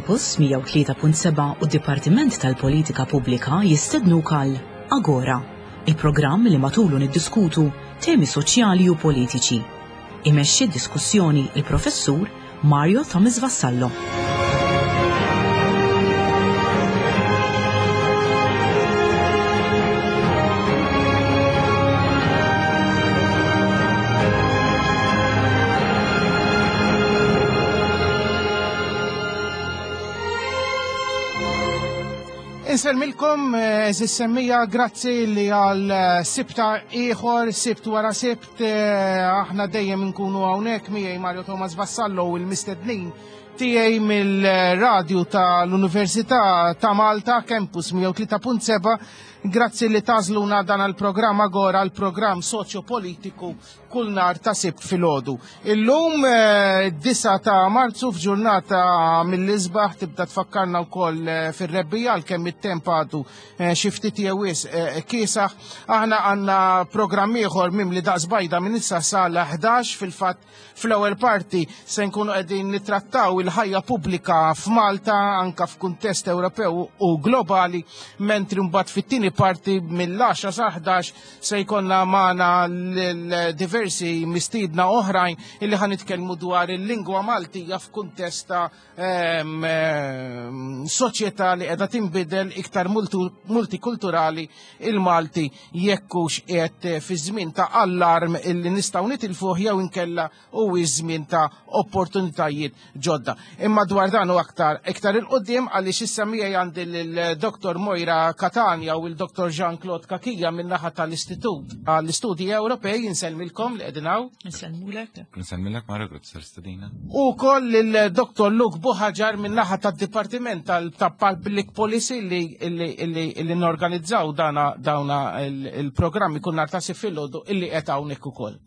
Campus 103.7 u d-Dipartiment tal-Politika Pubblika jistednuk għal Agora, il-programm li matulu niddiskutu temi soċjali u politiċi. Imexxi d-diskussjoni il-Professur Mario Thomas Vassallo. Inselmilkom, eh, eżis semmija, grazzi li għal eh, sibta ieħor, sibt wara sibt, eh, aħna dejjem nkunu hawnhekk miegħi Mario Thomas Vassallo u l-mistednin tiegħi mill-radju tal-Università ta' Malta, Campus 103.7, grazzi li tażluna dan għal-programm Agora, l-programm soċjopolitiku kull nhar ta' Sibt filgħodu. Illum 9 eh, ta' Marzu f'ġurnata mill-isbaħ tibda tfakkarna wkoll eh, fir-rebbija għalkemm it-temp għadu eh, xi ftit jew wisq kiesaħ. Aħna għandna programm ieħor mimli daqs bajda minn issa sal-11 fil-fatt fl-ewwel parti se nkunu qegħdin nittrattaw il-ħajja pubblika f'Malta anka f'kuntest Ewropew u globali, mentri mbagħad fit-tieni parti mill-10 sa 11 Se jkollna magħna diversi mistiedna oħrajn illi ħan nitkellmu dwar il-lingwa Maltija f'kuntest ta' ehm, ehm, soċjetà li qiegħda tinbidel iktar multikulturali il-Malti jekkux qiegħed fi żmien ta' allarm illi nistgħu nitilfuh jew inkella u iż-żmien ta' opportunitajiet ġodda. Imma dwar dan u aktar iktar il-qudiem għaliex issa miegħi għandi l-Dr. Moira Catania u l-Dr. Jean-Claude Kakija min-naħa tal-Istitut għall-Istudji Ewropej insellmilkom li qegħdin hawn. Insellmulek. Insellmilek Mario grazzi tal-istedina. U koll il-Dr. Luke Buħaġar min-naħa tad-Dipartiment tal-Public Policy li li norganizzaw dana dawna il-programmi kull nhar ta' filgħodu illi qed hawnhekk ukoll.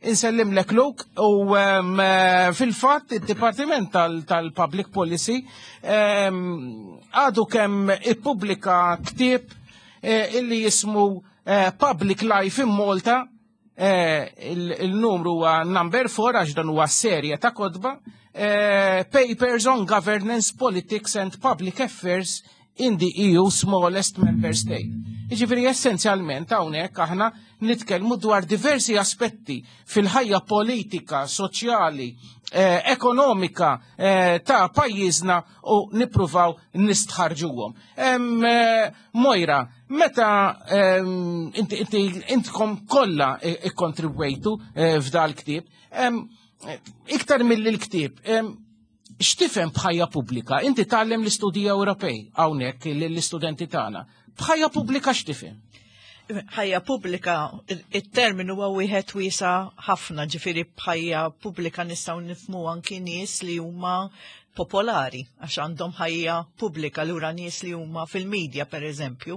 Insellimlek Luke u eh, fil-fatt id-Dipartiment tal-Public Policy għadu kemm ippubblika ktieb eh, illi jismu eh, Public Life in Malta il-numru huwa number 4 għax dan huwa serje ta' kodba Papers on Governance, Politics and Public Affairs in the EU smallest member state. Jiġifieri essenzjalment hawnhekk aħna nitkellmu dwar diversi aspetti fil-ħajja politika, soċjali, eh, ekonomika eh, ta' pajjiżna u nippruvaw nistħarġuhom. Eh, Mojra, meta inti intkom kollha ikkontribwejtu eh, f'dal ktieb, iktar mill-ktieb, X'tifhem b'ħajja pubblika? Inti tgħallem l-istudji Ewropej hawnhekk lill-istudenti tagħna. B'ħajja pubblika x'tifhem? Ħajja pubblika, it-terminu huwa wieħed wiesa ħafna, ġifieri b'ħajja pubblika nistgħu nifhmu anki nies li huma popolari għax għandhom ħajja pubblika lura nies li huma fil-medja per eżempju,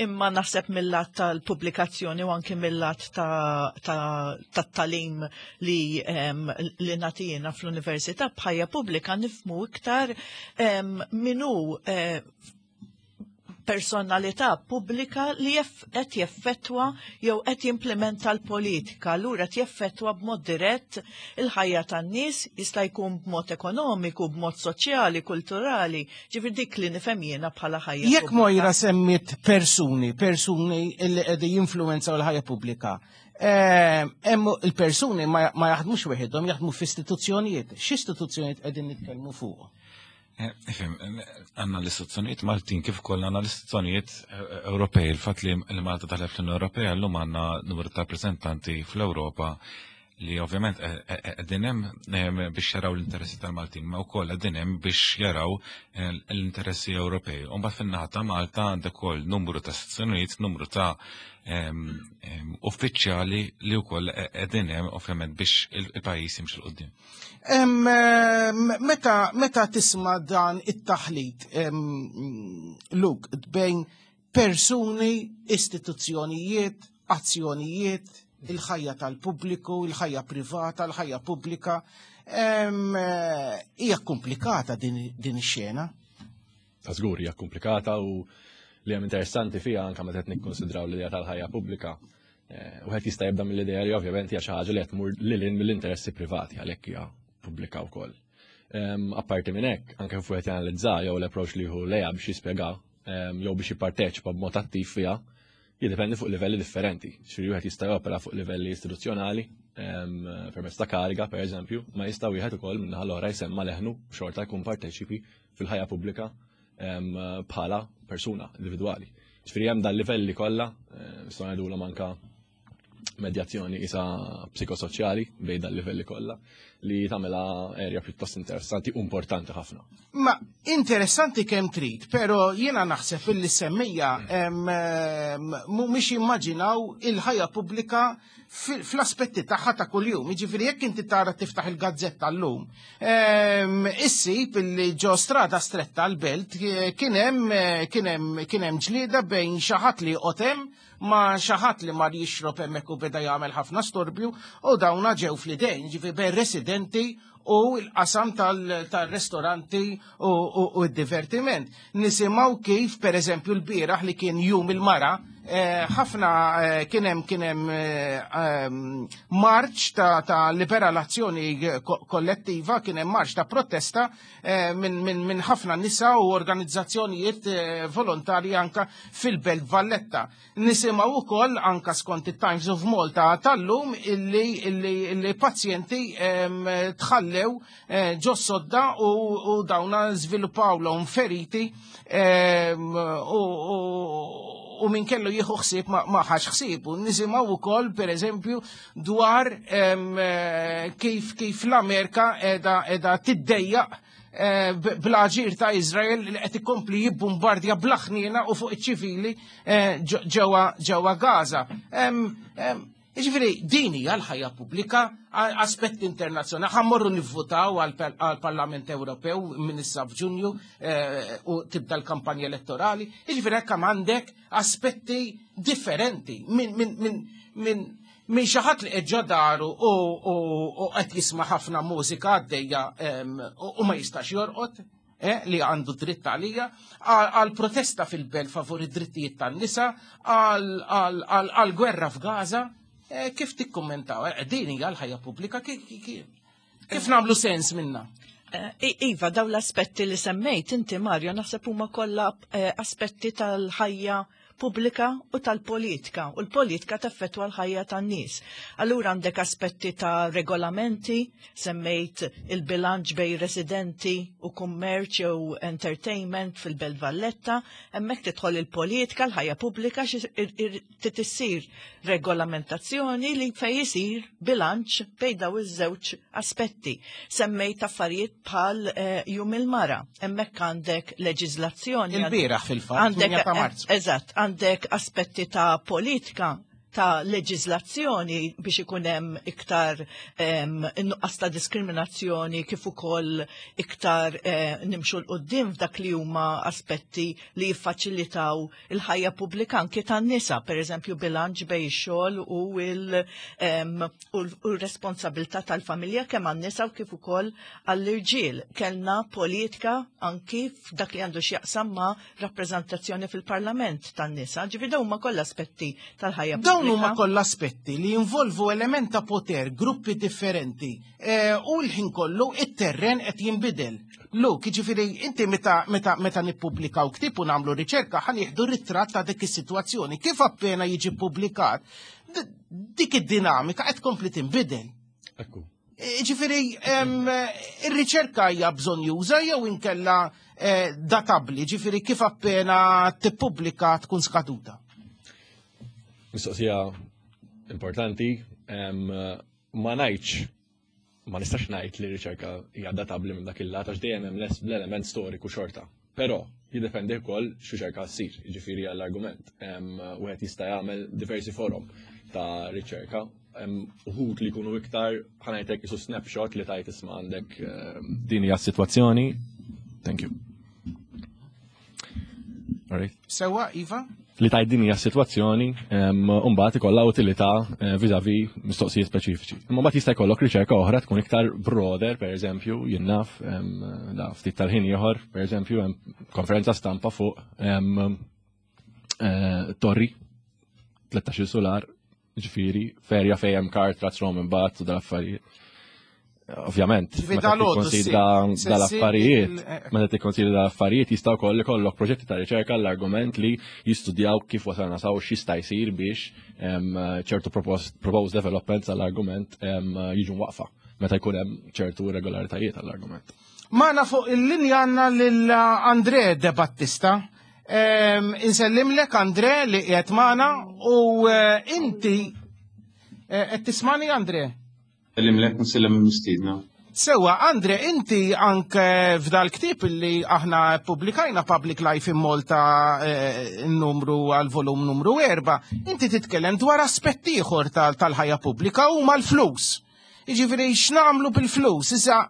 imma naħseb mill-lat tal-pubblikazzjoni u anki mill-lat tat-talim li, li natijina fl-università bħajja pubblika nifmu iktar minu eh, personalità pubblika li qed jeffettwa jew qed jimplementa l-politika, allura qed jeffettwa b'mod dirett il-ħajja tan-nies, jista' jkun b'mod ekonomiku, b'mod soċjali, kulturali, ġifier dik li nifhem jiena bħala ħajja. Jekk Mojra semmiet persuni, persuni li qegħdin jinfluwenzaw l-ħajja pubblika, Eh, hemm il-persuni ma jaħdmux weħidhom, jaħdmu f'istituzzjonijiet. X'istituzzjonijiet qegħdin nitkellmu fuq? Eh, ifhem, għandna l-istituzzjonijiet Maltin kif ukoll għandna l-istituzzjonijiet eh, Ewropej. Il-fatt li Malta daħlet fl-Unjoni Ewropea llum għandna numru ta' rappreżentanti fl-Ewropa li ovvjament qegħdin hemm biex jaraw l-interessi tal-Maltin, ma wkoll qegħdin hemm biex jaraw l-interessi Ewropej. U mbagħad fin-naħa ta' Malta għandek ukoll numru ta' istituzzjonijiet, numru ta' uffiċjali li wkoll qegħdin hemm ovvjament biex il-pajjiż jimxi 'l quddiem. Meta meta tisma' dan it-taħlit Luke bejn persuni, istituzzjonijiet, azzjonijiet, il-ħajja tal-pubbliku, il-ħajja privata, il-ħajja pubblika, hija komplikata din ix-xena. Ta' żgur hija komplikata u li hemm interessanti fiha anke meta qed nikkonsidraw l-idea tal-ħajja pubblika. Eh, wieħed jista' jibda mill-idea li ovvjament hija xi ħaġa li qed tmur lil mill-interessi privati għalhekk hija pubblika wkoll. Apparti minn hekk, anke fuq qed janalizza jew l-approach li jieħu lejha biex jispjega jew biex jipparteċipa b'mod attiv fiha, jiddependi fuq livelli differenti. Xi wieħed jista' jopera fuq livelli istituzzjonali, permezz ta' kariga, per eżempju, ma jista' wieħed ukoll minnaħa l-oħra jsemma leħnu xorta jkun parteċipi fil-ħajja pubblika bħala persuna individwali. Ġifieri hemm dal-livelli kollha, nistgħu ngħidulhom anka medjazzjoni isa psikosoċjali bejn dal-livelli kollha li tagħmilha erja pjuttost interessanti u importanti ħafna. Ma interessanti kemm trid, però jiena naħseb illi semmija mhumiex jimmaġinaw il-ħajja pubblika fl-aspetti tagħha ta' kuljum. Jiġifieri jekk inti tara tiftaħ il-gazzetta llum, issib illi ġo strada stretta l-belt kien hemm kien hemm kien hemm ġlieda bejn xi ħadd li joqgħod hemm ma' xi ħadd li mar jixrob hemmhekk u beda jagħmel ħafna storbju u dawna ġew fl-idejn, ġifieri bejn residenti u l-qasam tal-restoranti u d-divertiment. Nisimgħu kif pereżempju l-bieraħ li kien jum il-mara, eh, ħafna eh, kien hemm kien hemm eh, marċ ta' liberalazzjoni kollettiva, kien hemm marċ ta' protesta minn ħafna nisa u organizzazzjonijiet volontarji anka fil-Belt Valletta. Nisimgħu wkoll anka skont it-Times of Malta tal-lum illi, illi, illi pazjenti tħallew eh, ġo sodda u, u dawna żviluppawlhom feriti u, u, u min kellu jieħu ħsieb ma, ma ħax ħsieb. U nisimgħu wkoll pereżempju dwar eh, kif kif l-Amerika edha edha tiddejjaq Eh, bl-aġir ta' Izrael li qed ikompli jibbombardja bla ħniena u fuq iċ-ċivili eh, ġewwa Gaza. Jiġifieri din hija l-ħajja pubblika aspett internazzjonali. Ħammorru nivvutaw għall-Parlament Ewropew minn issa f'Ġunju eh, u tibda l-kampanja elettorali. Jiġifieri hekk għandek aspetti differenti minn min, min, minn xi ħadd li qed ġo daru u qed jisma' ħafna mużika għaddejja u ma jistax jorqod, eh, li għandu dritt għalija, għal protesta fil-belt favur id-drittijiet tan-nisa, għal gwerra f'Gaza, eh, kif tikkummentaw? Eh, din hija l-ħajja pubblika kif nagħmlu sens minna? Iva, daw l-aspetti li semmejt inti Mario naħseb huma kollha aspetti tal-ħajja pubblika u tal-politika u l-politika taffettwa l-ħajja tan-nies. Allura għandek aspetti ta' regolamenti, semmejt il-bilanċ bej residenti u kummerċ jew entertainment fil-Belt Valletta, hemmhekk tidħol il-politika, l-ħajja pubblika trid issir regolamentazzjoni li fej isir bilanċ bejn daw iż-żewġ aspetti. Semmejt affarijiet bħal eh, jum il-mara, hemmhekk għandek leġiżlazzjoni. Il-bieraħ fil-fatt, għandek ta' Marzu. Eh, eżatt, għandek aspetti ta' politika ta' leġiżlazzjoni biex ikun hemm iktar nuqqas ta' diskriminazzjoni kif ukoll iktar eh, nimxu l qudiem f'dak li huma aspetti li jiffaċilitaw il-ħajja pubblika anki tan-nisa, pereżempju bilanċ bej ix-xogħol u l-responsabilità tal-familja kemm għan-nisa u kif ukoll għall-irġiel. Kellna politika anki f'dak li għandu x'jaqsam ma' rappreżentazzjoni fil-parlament tan-nisa. Ġifieri dawn huma kollha aspetti tal-ħajja pubblika. Dawn huma kollha aspetti li jinvolvu element ta' poter, gruppi differenti eh, u l-ħin kollu it-terren qed jinbidel. Luke, jiġifieri inti meta meta meta nippubblikaw ktieb u nagħmlu riċerka ħa nieħdu ritratt ta' dik is-sitwazzjoni. Kif appena jiġi ppubblikat, dik id-dinamika qed tkompli tinbidel. Ekku. Jiġifieri ir-riċerka hija bżonjuża jew inkella eh, databbli, jiġifieri kif appena tippubblika tkun skaduta. Mistoqsija importanti, ma ngħidx ma nistax ngħid li riċerka hija databbli minn dak il-lat għax dejjem hemm l-element storiku xorta. Però jiddependi wkoll x'riċerka ssir, jiġifieri għall-argument. Wieħed jista' jagħmel diversi forom ta' riċerka. Uħud li jkunu iktar ħanajtek isu snapshot li tajt isma' għandek din hija s-sitwazzjoni. Thank you. Sewa, Iva? Li tajt din hija s-sitwazzjoni, u mbagħad ikollha utilità eh, vis-a-vis mistoqsijiet speċifiċi. Imma mbagħad jista' jkollok riċerka oħra tkun iktar broader, pereżempju, jien naf, da ftit tal-ħin ieħor, pereżempju, hemm konferenza stampa fuq eh, torri 13 solar, ġifieri, ferja fejn hemm kart, Roman bat u dal-affarijiet. Ovvjament, meta tikkonsidra dal-affarijiet, meta tikkonsidra dal-affarijiet jista' wkoll ikollok proġetti ta' riċerka l-argument li jistudjaw kif wasalna saw x'jista' jsir biex ċertu proposed developments għall-argument jiġu waqfa meta jkun hemm ċertu irregolaritajiet għall-argument. Magħna fuq il-linja għandna lil Andre De Battista. Insellimlek Andre li qiegħed magħna u eh, inti eh, qed tismani Andre? Sellimlek nsellem il-mistiedna. Sewa, Andre, inti anke f'dal ktib li aħna publikajna Public Life in Malta eh, numru għal volum numru 4, inti titkellem dwar aspett ieħor tal-ħajja pubblika u mal-flus. Jiġifieri x'nagħmlu bil-flus? Issa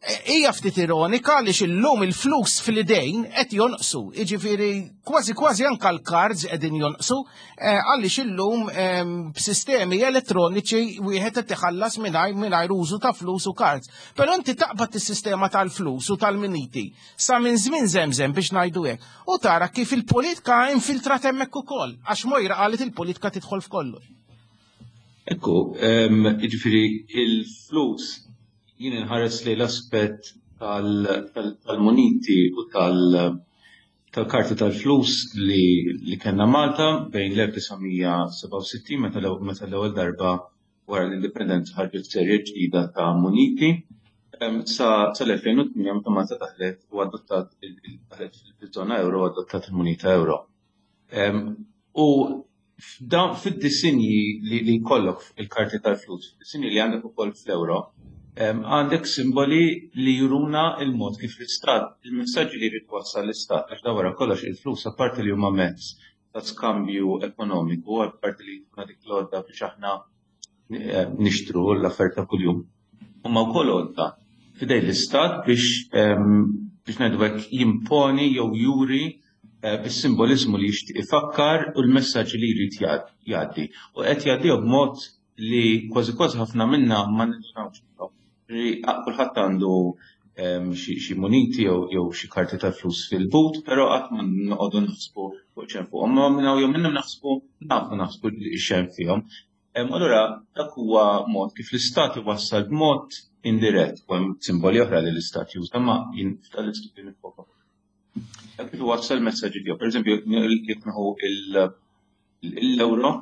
hija ftit ironika li illum il-flus fil-idejn qed jonqsu. Jiġifieri kważi kważi anke l-cards qegħdin jonqsu eh, għaliex illum ehm, b'sistemi elettroniċi wieħed qed iħallas mingħajr mingħajr użu ta' flus u cards. Però inti taqbad is-sistema tal-flus u tal-miniti sa minn żmien żemżem biex ngħidu hekk u tara kif il-politika infiltrat hemmhekk ukoll għax Mojra qalet il-politika tidħol f'kollox. Ekku, jiġifieri il-flus jien inħares li l-aspett tal-muniti u tal-karti tal-flus li kellna Malta bejn l-1967 meta l-ewwel darba wara l-indipendenza ħarġet serje ġdida ta' muniti sa l-2008 meta Malta daħlet u adottat daħlet fiż-żona ewro u adottat il-munita ewro. U fid-disinji li jkollok il-karti tal-flus, fid-disinji li għandek ukoll fl-euro, għandek simboli li juruna il-mod kif l-istat, il-messaġġi li jrid wassal l-istat, għax da wara kollox il-flus apparti li huma mezz ta' skambju ekonomiku, apparti li jkun dik l-għodda biex aħna eh, nixtru l-affarijiet ta' kuljum. Huma wkoll għodda fidej l-istat biex biex ngħidu hekk jimponi jew juri eh, is-simboliżmu li jixtieq ifakkar u l-messaġġ li jrid jgħaddi. U qed jgħaddihom b'mod li kważi kważi ħafna minna ma nindunawx Kulħadd għandu ehm, xi muniti jew xi karti tal-flus fil-but, però qatt ma noqogħdu naħsbu fuq xejn fuqhom. Ma minn hawn jew minnhom naħsbu nafu naħsbu xejn fihom. Ehm, allura dak huwa mod kif l-istat iwassal b'mod indirett, u hemm simboli oħra li l-istat juża ma jien f'tal-istudju nifoka. Dak kif iwassal messaġġi tiegħu. Pereżempju, jekk nieħu l-euro,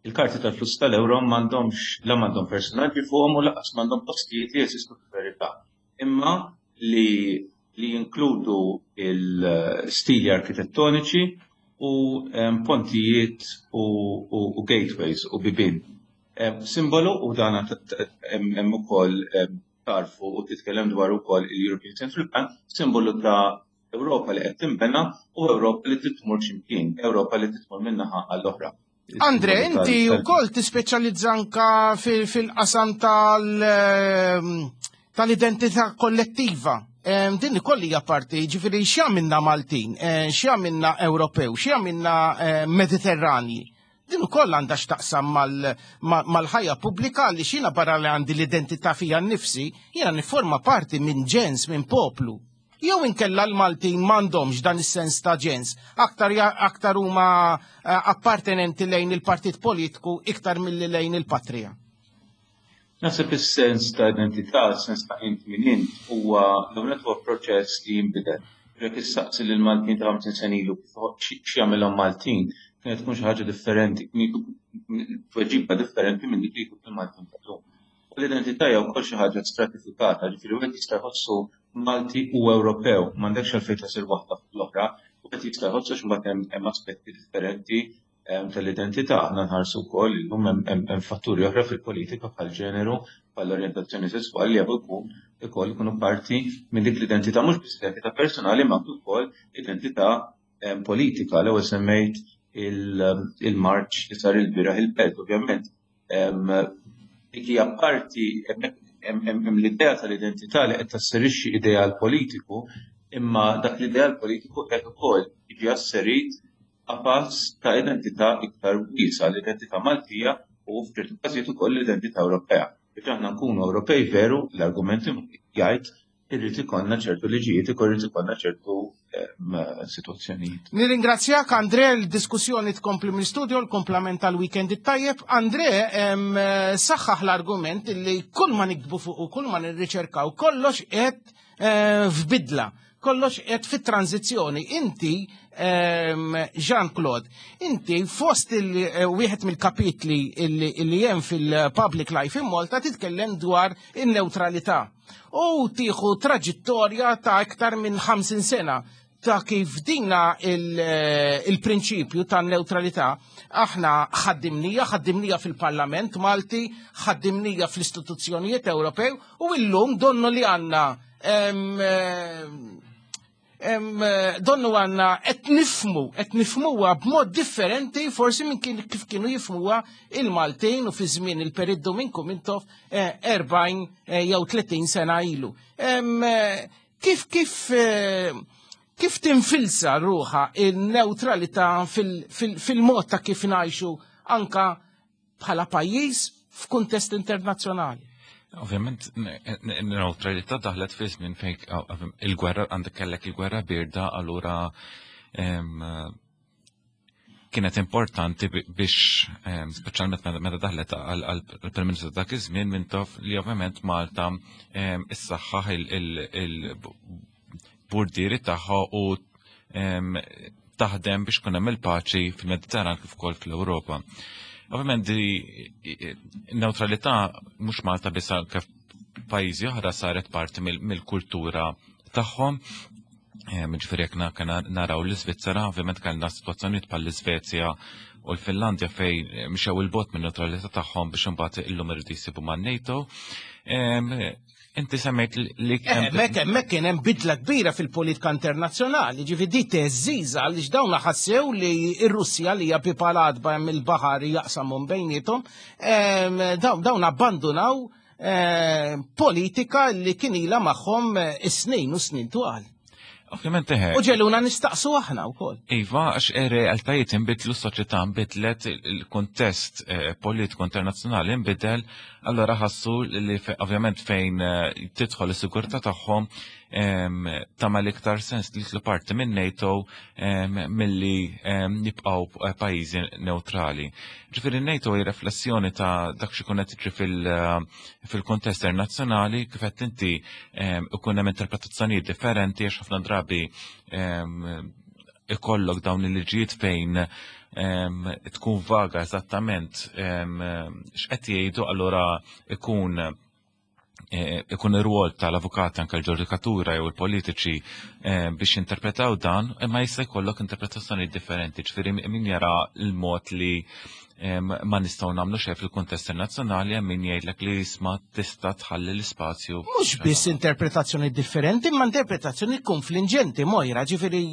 il-karti tal-flus tal-euro m'għandhomx la m'għandhom personaġġi fuqhom u lanqas m'għandhom postijiet li jeżistu fil-verità. Imma li li jinkludu il-stili arkitettoniċi u pontijiet u, u, u gateways u bibien. Simbolu u dan hemm ukoll tarfu u titkellem dwar ukoll il-European Central Bank, simbolu ta' Ewropa li qed tinbena u Ewropa li trid tmur x'imkien, Ewropa li tmur minn naħa għall-oħra. Andre, inti wkoll tispeċjalizza anka fil-qasam ehm, tal-identità kollettiva. Ehm, din ukoll hija parti, ġifieri x'jagħmilna Maltin, eh, x'jagħmilna Ewropew, x'jagħmilna eh, Mediterranji. Din ukoll għandha x'taqsam mal-ħajja pubblika li xina barra li għandi l-identità fija nnifsi, jiena nifforma parti minn ġens, minn poplu. Jew inkella l-Maltin m'għandhomx dan is-sens ta' ġens, aktar aktar huma eh, appartenenti lejn il-partit politiku iktar milli lejn il-patrija. Naħseb is-sens ta' identità, is-sens ta' int min int, huwa l-ewwel huwa proċess li jinbidel. Jekk issaqsi lil Maltin ta' 50 sena ilu x'jagħmilhom Maltin, kienet tkun xi ħaġa differenti, tweġiba differenti minn dik li jkun il-Maltin tal-lum. U l-identità hija wkoll xi ħaġa stratifikata, ġifieri wieħed jista' jħossu Malti u Ewropew, m'għandekx għalfejn tasir waħda fuq l-oħra, wieħed jista' jħossu x'imbagħad hemm aspetti differenti tal-identità. Aħna nħarsu wkoll illum hemm fatturi oħra fil-politika bħal ġeneru, bħal orjentazzjoni sesswali li jafu jkun ukoll ikunu parti minn dik l-identità mhux biss identità personali ma anke wkoll identità politika. L-ewwel semmejt il-marċ li sar il-bieraħ il-belt, ovvjament dik hija parti hemm l-idea tal-identità li qed tasserixxi ideal politiku, imma dak l-ideal politiku qed ukoll jiġi asserit qafas ta' identità iktar wiesgħa, l-identità Maltija u f'ċertu każijiet ukoll l-identità Ewropea. Biex aħna nkunu Ewropej veru, l-argument jgħid Irrid ikollna ċertu liġijiet, irrid ikollna ċertu situazzjonijiet. Nirringrazzjak Andre, l-diskussjoni tkompli mill-studio, l-komplament tal-weekend it-tajjeb. Andre, saħħaħ l-argument li kull ma nikdbu fuq u kull ma nirriċerkaw kollox qed f'bidla, kollox qed fit-tranzizzjoni. Inti, Jean-Claude, inti fost il-wieħed mill-kapitli li hemm fil-Public Life in Malta titkellem dwar in-neutralità. U tieħu traġittorja ta' iktar minn 50 sena ta' kif dina il-prinċipju ta' neutralità aħna ħaddimnija, ħaddimnija fil-Parlament Malti, ħaddimnija fl-istituzzjonijiet Ewropew u illum donnu li għandna donnu għanna qed nifmu, qed nifmuha b'mod differenti forsi minn kif kienu jifmuha il-Maltin u fi żmien il-Perit Duminku Mintoff 40 jew 30 sena ilu. Kif kif kif tinfilsa ruħa il-neutralità fil-mod ta' kif ngħixu anka bħala pajjiż f'kuntest internazzjonali? Ovvjament, neutralità daħlet fi żmien fejn il-gwerra għandek kellek il-gwerra birda, allura kienet importanti biex, speċjalment meta daħlet għall-Prim Ministru dak iż-żmien Mintoff li ovvjament Malta issaħħaħ il-bordieri tagħha u taħdem biex kun hemm il-paċi fil-Mediterran kif ukoll fl-Ewropa. Ovvjament di neutralità mhux Malta biss kif pajjiżi oħra saret parti mill-kultura tagħhom. Ġifieri jekk naraw l-Iżvizzera, ovvjament kellna sitwazzjonijiet bħall-Iżvezja u l-Finlandja fejn mxew il-bot minn neutralità tagħhom biex imbagħad illum iridu jsibu man-NATO. Inti semmejt li Hemmhekk kien hemm bidla kbira fil-politika internazzjonali, ġifieri di teżżiża għaliex dawn ħassew li r-Russja li hija pipalat hemm il-baħar jaqsamhom bejniethom, dawn abbandunaw politika li kien ilha magħhom is-snin u snin twal. Ovvjament eħe. U ġeluna nistaqsu aħna wkoll. Iva, għax realtajiet inbidlu, s-soċjetà nbidlet, il-kuntest politiku internazzjonali nbidel, allora ħassu li ovvjament fejn tidħol is-sigurtà tagħhom tagħmel iktar sens li jitlu parti minn NATO milli jibqgħu pajjiżi neutrali. Ġifieri NATO hi riflessjoni ta' dak xi jkun qed jiġri fil-kuntest internazzjonali kif qed inti ikun hemm interpretazzjonijiet differenti għax ħafna drabi ikollok dawn il-liġijiet fejn tkun vaga eżattament x'qed jgħidu, allura ikun ir-rwol tal-avukati anke l-ġudikatura jew il-politiċi biex jinterpretaw dan, imma jista' jkollok interpretazzjoni differenti, ġifieri min jara l-mod li ma nistgħu nagħmlu xejn fil-kuntest internazzjonali hemm min jgħidlek li jisma' tista' tħalli l-ispazju. Mhux biss interpretazzjoni differenti, imma interpretazzjoni konfliġenti Mojra, ġifieri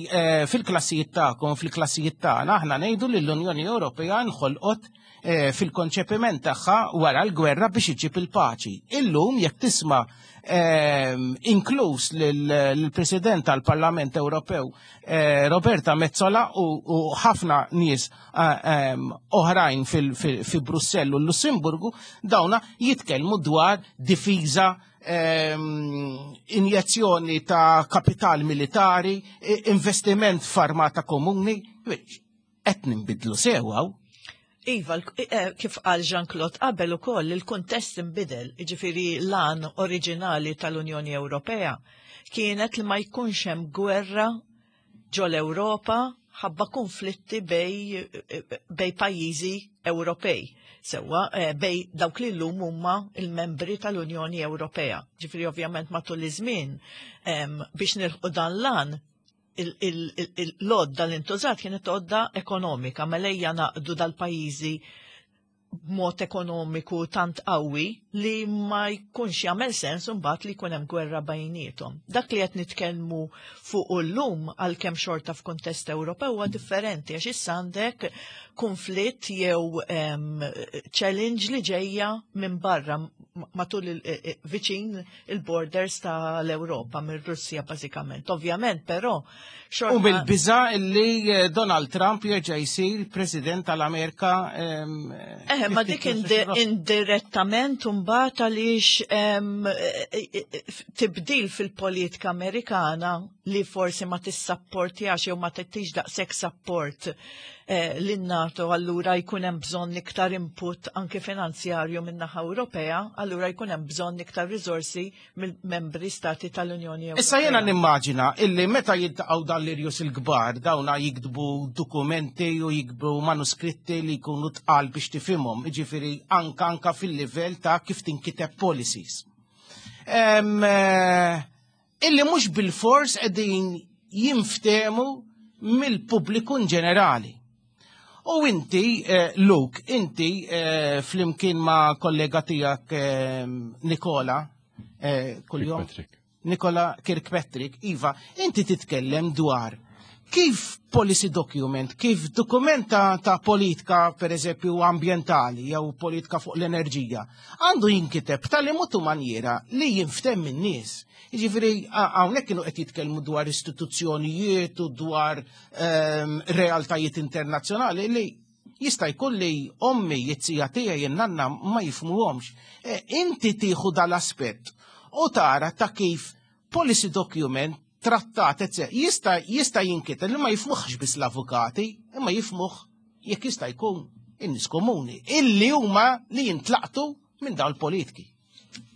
fil-klassijiet tagħkom, fil-klassijiet tagħna aħna ngħidu li l-Unjoni Ewropea nħolqot fil-konċepiment tagħha wara l-gwerra biex iġib il-paċi. Illum jekk tisma' inkluż lill-President tal-Parlament Ewropew Roberta Metsola u ħafna nies oħrajn fi Brussell u l-Lussemburgu, dawna jitkellmu dwar difiża, injezzjoni ta' kapital militari, investiment f'armata komuni. Qed ninbidlu sew. Iva, kif qal Jean-Claude qabel ukoll il-kuntest inbidel, jiġifieri l-għan oriġinali tal-Unjoni Ewropea kienet li ma jkunx hemm gwerra ġol-Ewropa ħabba konflitti bej pajjiżi Ewropej, sewwa bej dawk li llum huma il-membri tal-Unjoni Ewropea. Ġifieri ovvjament matul iż-żmien biex nilħqu dan l-għan l-għodda li ntużat kienet għodda ekonomika, mela ejja naqdu dal-pajjiżi b'mod ekonomiku tant qawwi li ma jkunx jagħmel sens imbagħad li jkun hemm gwerra bejniethom. Dak li qed nitkellmu fuq llum għalkemm xorta f'kuntest Ewropew huwa differenti għax issa għandek konflitt jew challenge li ġejja minn barra matul viċin il-borders tal-Ewropa, mir-Russja bażikament. Ovvjament, però xorta U bil-biża li Donald Trump jerġa' jsir President tal-Amerika. Eħe, ma dik indirettament mbagħad għaliex tibdil fil-politika Amerikana li forsi ma tissapportjax jew ma tittix daqshekk support lin-NATO, allura jkun hemm bżonn iktar input anke finanzjarju min-naħa Ewropea, allura jkun hemm bżonn iktar riżorsi mill-membri stati tal-Unjoni Ewropea. Issa jena nimmaġina illi meta jiltaqgħu dan l-irjus il-kbar dawna jiktbu dokumenti u jiktbu manuskritti li jkunu tqal biex tifhimhom, jiġifieri anka anka fil-livell ta' kif tinkiteb policies. Illi mhux bil-fors qegħdin jinftehmu mill-pubbliku in ġenerali. U inti, Luke, inti flimkien ma' kollega tiegħek Nikola, kuljum. Kirkpatrick. Nikola Kirkpatrick, Iva, inti titkellem dwar kif policy document, kif dokument ta' politika, per eżempju, ambientali jew politika fuq l-enerġija, għandu jinkiteb tal mutu manjera li jinftem minn nies. Jiġifieri hawnhekk kienu qed jitkellmu dwar istituzzjonijiet u dwar realtajiet internazzjonali li jista' jkun li ommi jitzija tiegħi in-nanna ma jifhmuhomx. Inti tieħu dal-aspett u tara ta' kif policy document trattat, etc. Jista' jinkiteb li ma jifhmuhx biss l-avukati, imma jifhmuh jekk jista' jkun in-nies komuni, illi huma li jintlaqtu minn dawn il-politiki.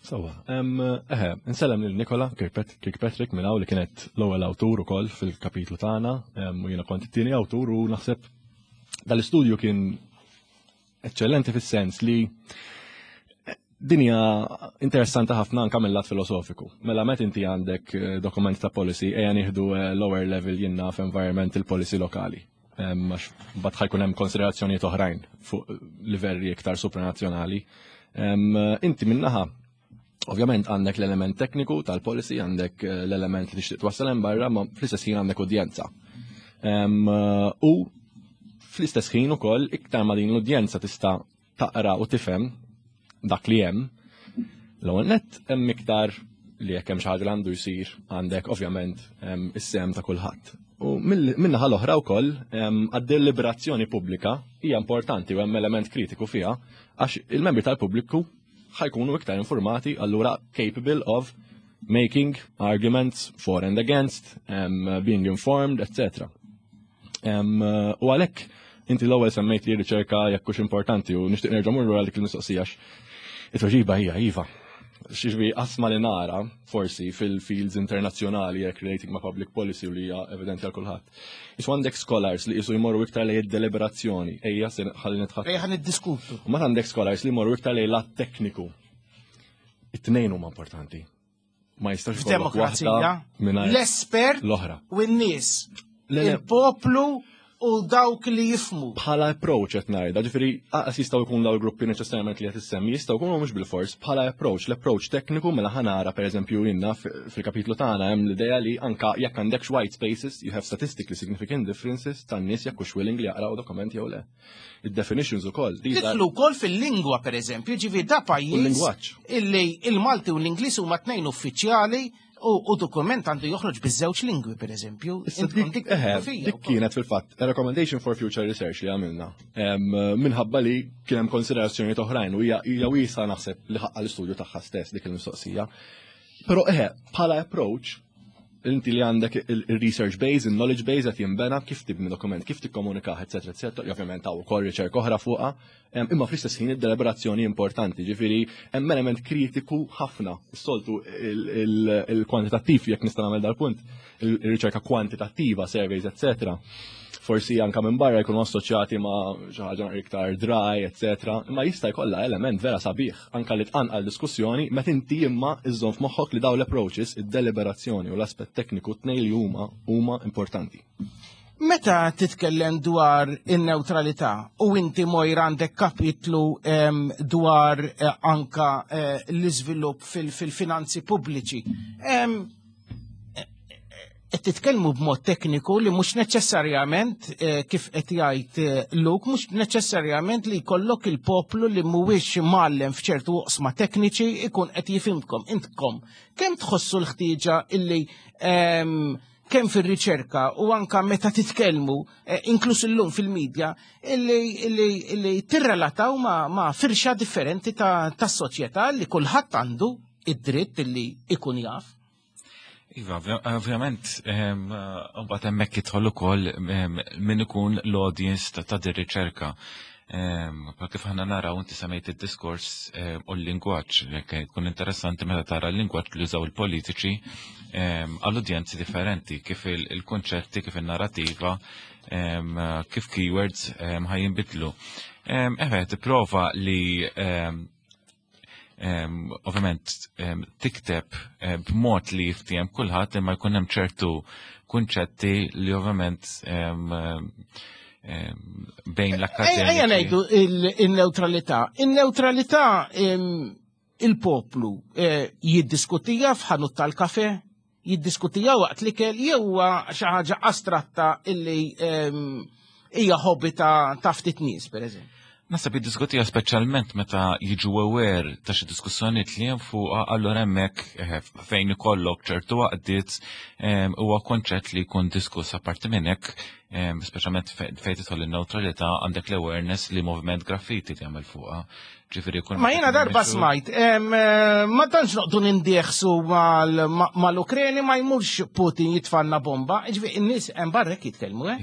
Sawa, eħe, nsellem lil Nikola Kirkpatrick minn hawn li kienet l-ewwel awtur ukoll fil-kapitlu tagħna, u jiena kont it-tieni awtur u naħseb dal-istudju kien eċċellenti fis-sens li dinja interessanti ħafna anka mill-lat filosofiku. Mela met inti għandek dokument ta' policy, ejja nieħdu lower level jiena f'environmental policy lokali. Għax mbagħad ħa jkun hemm konsiderazzjonijiet oħrajn fuq livelli iktar supranazzjonali. Inti minnaħa, ovvjament għandek l-element tekniku tal-policy, għandek l-element li tixtieq twassal hemm barra, ma fl-istess ħin għandek udjenza. U fl-istess ħin ukoll iktar ma din l-udjenza tista' taqra u tifhem dak li hemm, l-ewwel nett hemm iktar li jekk hemm xi ħaġa li għandu jsir għandek ovvjament is-sehem ta' kulħadd. U min-naħa l-oħra wkoll għad-deliberazzjoni pubblika hija importanti u hemm element kritiku fiha għax il-membri tal-pubbliku ħa jkunu iktar informati, allura capable of making arguments for and against, being informed, etc. U għalhekk inti l-ewwel semmejt li riċerka jekk hux importanti u nixtieq nerġa' mmur lura dik il-mistoqsija għax it-tweġiba hija iva. Xiġbi qasma li nara forsi fil-fields internazzjonali jekk relating ma' public policy u li hija evidenti għal kulħadd. Isu għandek scholars li jisu jmorru iktar lejn id-deliberazzjoni, ejja se ħalli nitħadd. Ejja niddiskutu. U ma għandek scholars li jmorru iktar lejn lat tekniku. It-tnejn huma importanti. Ma jistax ikollok waħda F'demokrazija, mingħajr l-espert l-oħra. u n-nies, Le, le. il-poplu u dawk li jifhmu. Bħala approach qed ngħidha, ġifieri aqas jistgħu jkunu daw il-gruppi neċessarjament li qed issemmi, jistgħu jkunu mhux bil-fors, bħala approach, l-approach tekniku mela ħa nara pereżempju jiena fil-kapitlu tagħna hemm l-idea li anka jekk għandek white spaces, you have statistically significant differences tan-nies jekk hux willing li jaqraw dokument jew le. Id-definitions ukoll. These are Tidħlu wkoll fil-lingwa pereżempju, ġifieri da U pajjiż l-lingwaġġ. illi il-Malti u l-Ingliż huma tnejn uffiċjali u dokument għandu joħroġ biż-żewġ lingwi pereżempju. Issa Intkom dik, dik eħe, filosofija dik wkoll. kienet fil-fatt a recommendation for future research li għamilna. Minħabba li kien hemm konsiderazzjonijiet oħrajn u hija wiesa naħseb li ħaqqa l-istudju tagħha stess dik il-mistoqsija. Però eħe, bħala approach, inti li għandek il-research base, il-knowledge base qed jinbena kif tibni dokument, kif tikkomunikah, eccetera, eccetera, ovvjament hawn ukoll riċerka oħra fuqha, imma fl-istess ħin id-deliberazzjoni importanti, ġifieri hemm element kritiku ħafna. Is-soltu il-kwantitattiv, jekk nista' nagħmel dal-punt, il-riċerka kwantitattiva, surveys, eccetera. Forsi anka minn barra jkunu assoċjati ma' xi ħaġa iktar dry, eccetera. Imma jista' jkollha element vera sabiħ anka li tqanqal diskussjoni meta inti imma iżżomm f'moħħok li dawn l-approaches, id-deliberazzjoni u l-aspett tekniku tnejn li huma importanti. Meta titkellem dwar in-neutralità u inti Mojra għandek kapitlu dwar anka l-iżvilupp fil-finanzi pubbliċi, qed titkellmu b'mod tekniku li mhux neċessarjament kif qed jgħid Luke, mhux neċessarjament li jkollok il-poplu li mhuwiex mgħallem f'ċertu oqsma tekniċi ikun qed jifhimkom. Intkom kemm tħossu l-ħtieġa illi. kemm fir-riċerka u anka meta titkellmu, inkluż illum fil-medja, illi tirrelataw ma' firxa differenti ta' soċjetà li kulħadd għandu id-dritt illi ikun jaf. Iva, ovvjament, mbagħad hemmhekk jidħol ukoll min ikun l-audience ta' din riċerka. Pa kif aħna naraw, inti semmejt id-diskors u l-lingwaġġ, jekk tkun interessanti meta tara l-lingwaġġ li jużaw il-politiċi għall-udjenzi differenti, kif il-konċetti, kif il-narrativa, kif keywords ħa jinbidlu. Eħe, tipprova li ovvjament tikteb b'mod li jiftiem kulħadd, imma jkun hemm ċertu kunċetti li ovvjament bejn l-akkademiċi. Ejja ngħidu il-neutralità. Il-neutralità il-poplu jiddiskutija f'ħanut tal-kafe, jiddiskutija waqt li kell, jew huwa xi ħaġa astratta illi hija hobby ta' ftit nies, per eżempju? Naħseb jiddiskutija speċjalment meta jiġu aware ta' xi diskussjonijiet li hemm fuqha, allura hemmhekk fejn ikollok ċertu għaqdiet huwa konċett li jkun diskuss. Apparti minn hekk, speċjalment fejn tidħol in-neutralità, għandek l-awareness li moviment graffiti li jagħmel fuqha. Ġifieri jkun Ma jiena darba smajt, ma tantx noqdu nindieħsu mal-Ukreni, ma jmurx Putin jitfanna bomba, ġifieri n-nies hemm barrek jitkellmu, eh?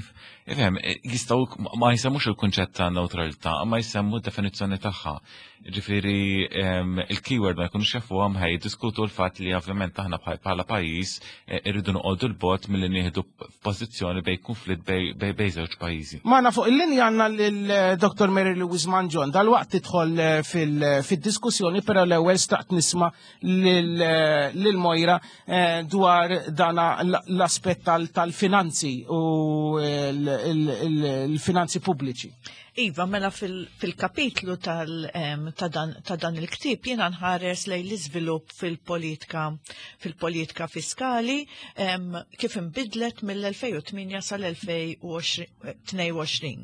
Ifhem, jistgħu ma jsemmux il-kunċett ta' neutralità, ma jsemmu d-definizzjoni tagħha. Ġifieri il-keyword ma jkunux jafuhom, ħaj jiddiskutu l-fatt li ovvjament aħna bħala pajjiż irridu noqogħdu l-bogħod milli nieħdu pożizzjoni bejn konflitt bejn żewġ pajjiżi. Magħna fuq il-linja għandna lil Dr. Mary Louise Mangion, dal-waqt tidħol fid-diskussjoni, però l-ewwel staqt nisma' lil Moira dwar dana l-aspett tal-finanzi u l-finanzi pubbliċi. Iva, mela fil-kapitlu ta' dan il-ktieb jiena nħares lejn l-iżvilupp fil-politika fiskali kif inbidlet mill-2008 sal-2022.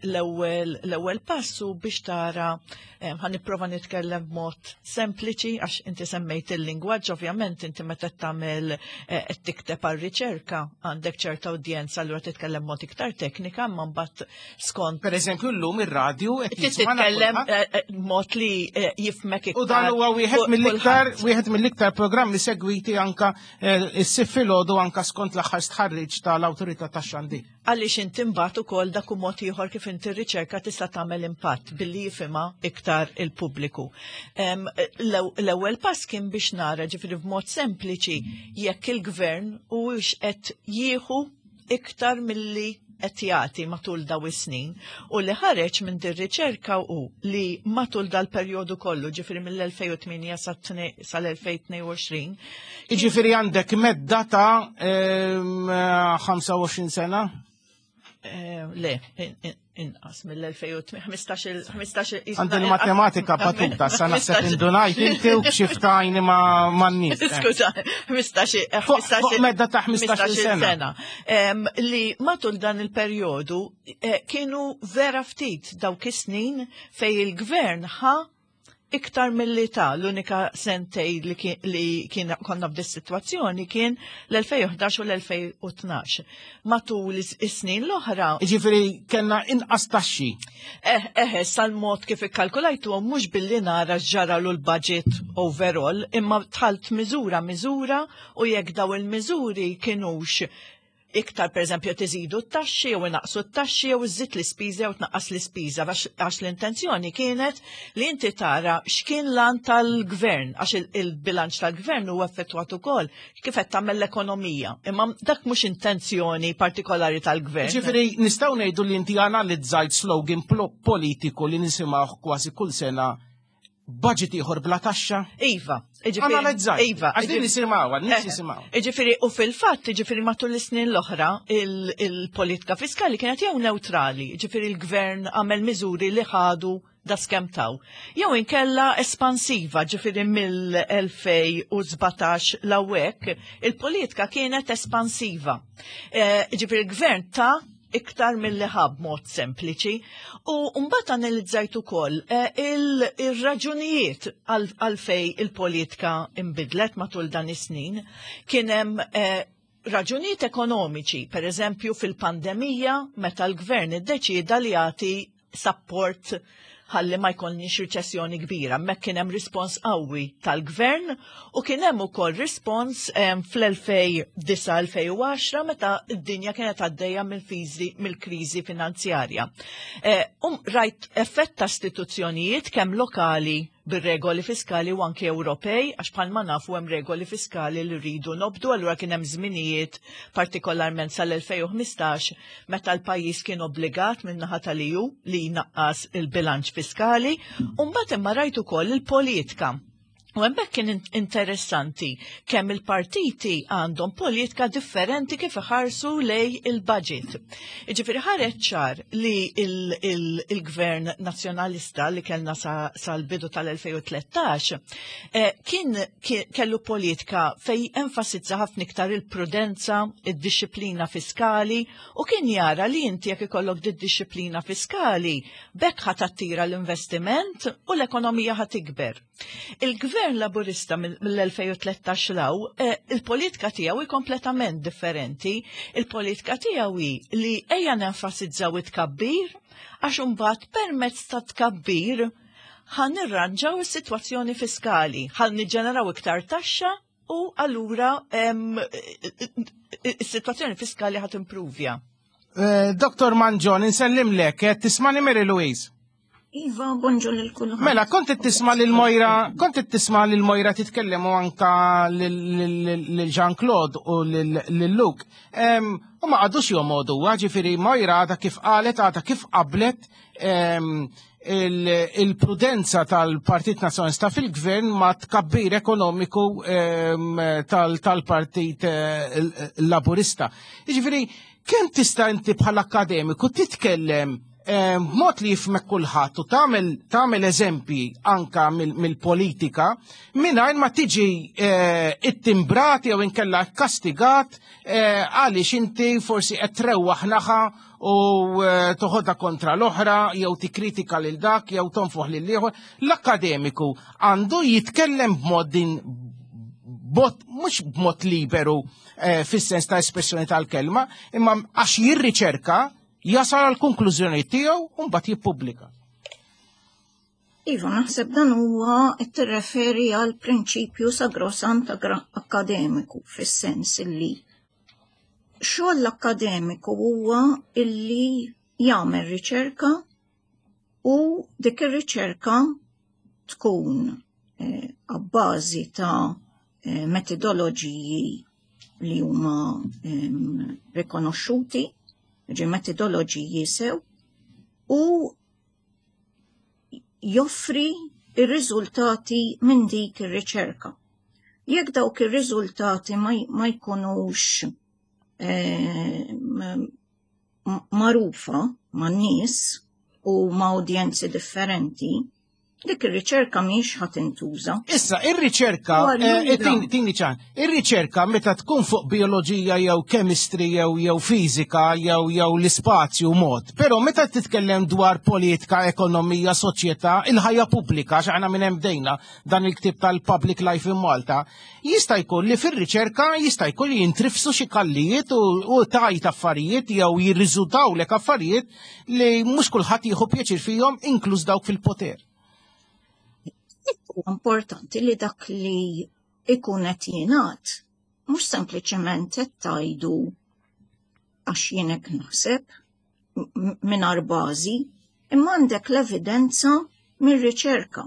L-ewwel passu biex tara, ħa nipprova nitkellem b'mod sempliċi għax inti semmejt il-lingwaġġ, ovvjament inti meta tagħmel qed tikteb għar-riċerka għandek ċerta udjenza, allura titkellem b'mod iktar teknika, imma mbagħad skont Per eżempju llum ir-radju qed Inti jismana titkellem kulħadd. B'mod li jifmek U dan iktar huwa wieħed mill-iktar kulħadd. wieħed mill-iktar programmi segwiti anka is-Sibt filgħodu, anka skont l-aħħar stħarriġ tal-Awtorità tax-Xandir. Għaliex inti mbagħad ukoll dak hu mod ieħor kif inti r-riċerka tista' tagħmel impatt billi jifhimha iktar il-pubbliku. L-ewwel pass kien biex nara, ġifieri b'mod sempliċi, jekk il-gvern huwiex qed jieħu iktar milli qed jagħti matul daw is-snin, u li ħareġ minn din riċerka hu li matul dal-perjodu kollu, ġifieri mill-2008 sal-2022. Jiġifieri għandek medda ta' 25 sena? Le, inqas mill-2008, 15 Għandi l-matematika batuta, sa naħseb indunajt inti u kxiftajni ma' n-nies. Skuża, 15, Fuq 15 medda ta' 15 15 sena. Sena. Li matul dan il-perjodu kienu vera ftit dawk is-snin fej il-gvern ħa iktar mill-li ta. L-unika sentej li kien konna f'dis situazzjoni kien l-2011 u l-2012. Matul is-snin l-oħra. Ġifieri kellna inqas taxxi. Sal-mod kif ikkalkulajtu mhux billi nara ġaralu l-budget overall, imma tħalt miżura miżura u jekk daw il-miżuri kienux iktar, per eżempju, tiżidu t-taxxi jew inaqsu t-taxxi jew iżid l-ispiża jew tnaqqas l-ispiża, għax l-intenzjoni kienet li inti tara x'kien lan tal-gvern, għax il-bilanċ tal-gvern huwa effettwat ukoll kif qed tagħmel l-ekonomija. Imma dak mhux intenzjoni partikolari tal-gvern. Ġifieri nistgħu ngħidu li inti analizzajt slogan politiku li nisimgħu kważi kull sena, budget ieħor bla taxxa? Iva, ġifieri, Analizzajt. Iva, Għax din ġifieri- nisimgħu, nies jisimgħu. Ġifieri, u fil-fatt, ġifieri matul is-snin l-oħra, il-politika fiskali kienet jew neutrali, ġifieri l-gvern għamel miżuri li ħadu da skem taw. Jew inkella espansiva, ġifieri mill-2017 l-awek, il-politika kienet espansiva. Ġifieri l-gvern ta' iktar mill-li ħab mod sempliċi. U mbagħad analizzajt ukoll il-raġunijiet għalfej il-politika imbidlet matul dan is-snin. Kien hemm raġunijiet ekonomiċi, per eżempju fil-pandemija meta l-gvern iddeċieda li jagħti support ħalli ma jkollniex riċessjoni kbira. Mek kien hemm rispons qawwi tal-gvern u kien hemm ukoll rispons fl-2009-2010 meta d-dinja kienet għaddejja mill-kriżi finanzjarja. Eh, um rajt effett ta' istituzzjonijiet kemm lokali bir-regoli fiskali u anke Ewropej, għax bħalma nafu hemm regoli fiskali li rridu nobdu, allura kien hemm żminijiet partikolarment sal-2015 meta l-pajjiż kien obbligat min-naħa tal-EU li jnaqqas il-bilanċ fiskali, u mbagħad imma rajt ukoll il-politika. U hemmhekk kien interessanti kemm il-partiti għandhom politika differenti kif iħarsu lej il-budget. Jiġifieri ħareġ ċar li il-gvern nazzjonalista li kellna sal-bidu tal-2013 eh, kien kellu politika fej enfasizza ħafna iktar il-prudenza, id-disciplina fiskali u kien jara li inti jekk ikollok di-disciplina fiskali bekk ħa tattira l-investiment u l-ekonomija ħa tikber. Il-gvern laburista mill-2013 law, eh, il-politika tiegħu hi kompletament differenti. Il-politika tiegħu hi li ejja nenfasizzaw it-tkabbir għax imbagħad permezz ta' tkabbir ħan nirranġaw is-sitwazzjoni fiskali, ħan niġġeneraw iktar taxxa u allura is-sitwazzjoni fiskali ħat impruvja. Eh, Dr. Manġon, insellimlek, eh, tismani Mary Louise. Iva, bonġu lil kulħadd. Mela, kont qed tisma' lil Mojra, kont qed tisma' lil Mojra titkellem u anka lil Jean-Claude u lil Luke. U ma qagħdux jomodu, ġifieri Mojra għadha kif qalet, għadha kif qablet il-prudenza tal-Partit Nazzjonalista fil-gvern ma tkabbir ekonomiku tal-Partit eh, Laburista. Jiġifieri, kemm tista' inti bħala akademiku titkellem b'mod li jifmek kulħadd u tagħmel tagħmel eżempji anka mill-politika mingħajr ma tiġi eh, ittimbrati jew inkella kastigat eh, għaliex inti forsi qed trewwaħ naħa u eh, toħodha kontra l-oħra jew tikkritika lil dak jew tonfoħ lil ieħor. L-akkademiku għandu jitkellem b'mod din bot mhux b'mod liberu eh, fis-sens ta' espressjoni tal-kelma, imma għax jirriċerka jasal għal konklużjoni tiegħu u mbagħad jippubblika. Iva, naħseb dan huwa qed tirreferi għal prinċipju sagrosant akkademiku fis-sens li xogħol l-akkademiku huwa illi jagħmel riċerka u dik ir-riċerka tkun eh, abbażi ta' eh, metodoloġiji li huma ehm, rikonoxxuti, ġi metodoloġiji sew, u joffri ir-riżultati minn dik ir-riċerka. Jekk dawk ir-riżultati ma jkunux eh, magħrufa man-nies u ma' udjenzi differenti, dik ir-riċerka mhix ħa tintuża. Issa, ir-riċerka, eh, tini ċan, ir-riċerka meta tkun fuq bioloġija jew chemistry jew jew fiżika jew jew l-ispazju mod, però meta titkellem dwar politika, ekonomija, soċjetà, il-ħajja pubblika, x'aħna minn hemm bdejna dan il-ktieb tal-Public Life in Malta, jista' jkun li fir-riċerka jista' jkun li jintrifsu xi kallijiet u tajt affarijiet jew jirriżultawlek affarijiet li mhux kulħadd jieħu pjaċir fihom inkluż dawk fil-poter. Importanti li dak li ikun qed jingħad mhux sempliċement qed tgħidu għax jien hekk naħseb mingħajr bażi, imma għandek l-evidenza mir-riċerka.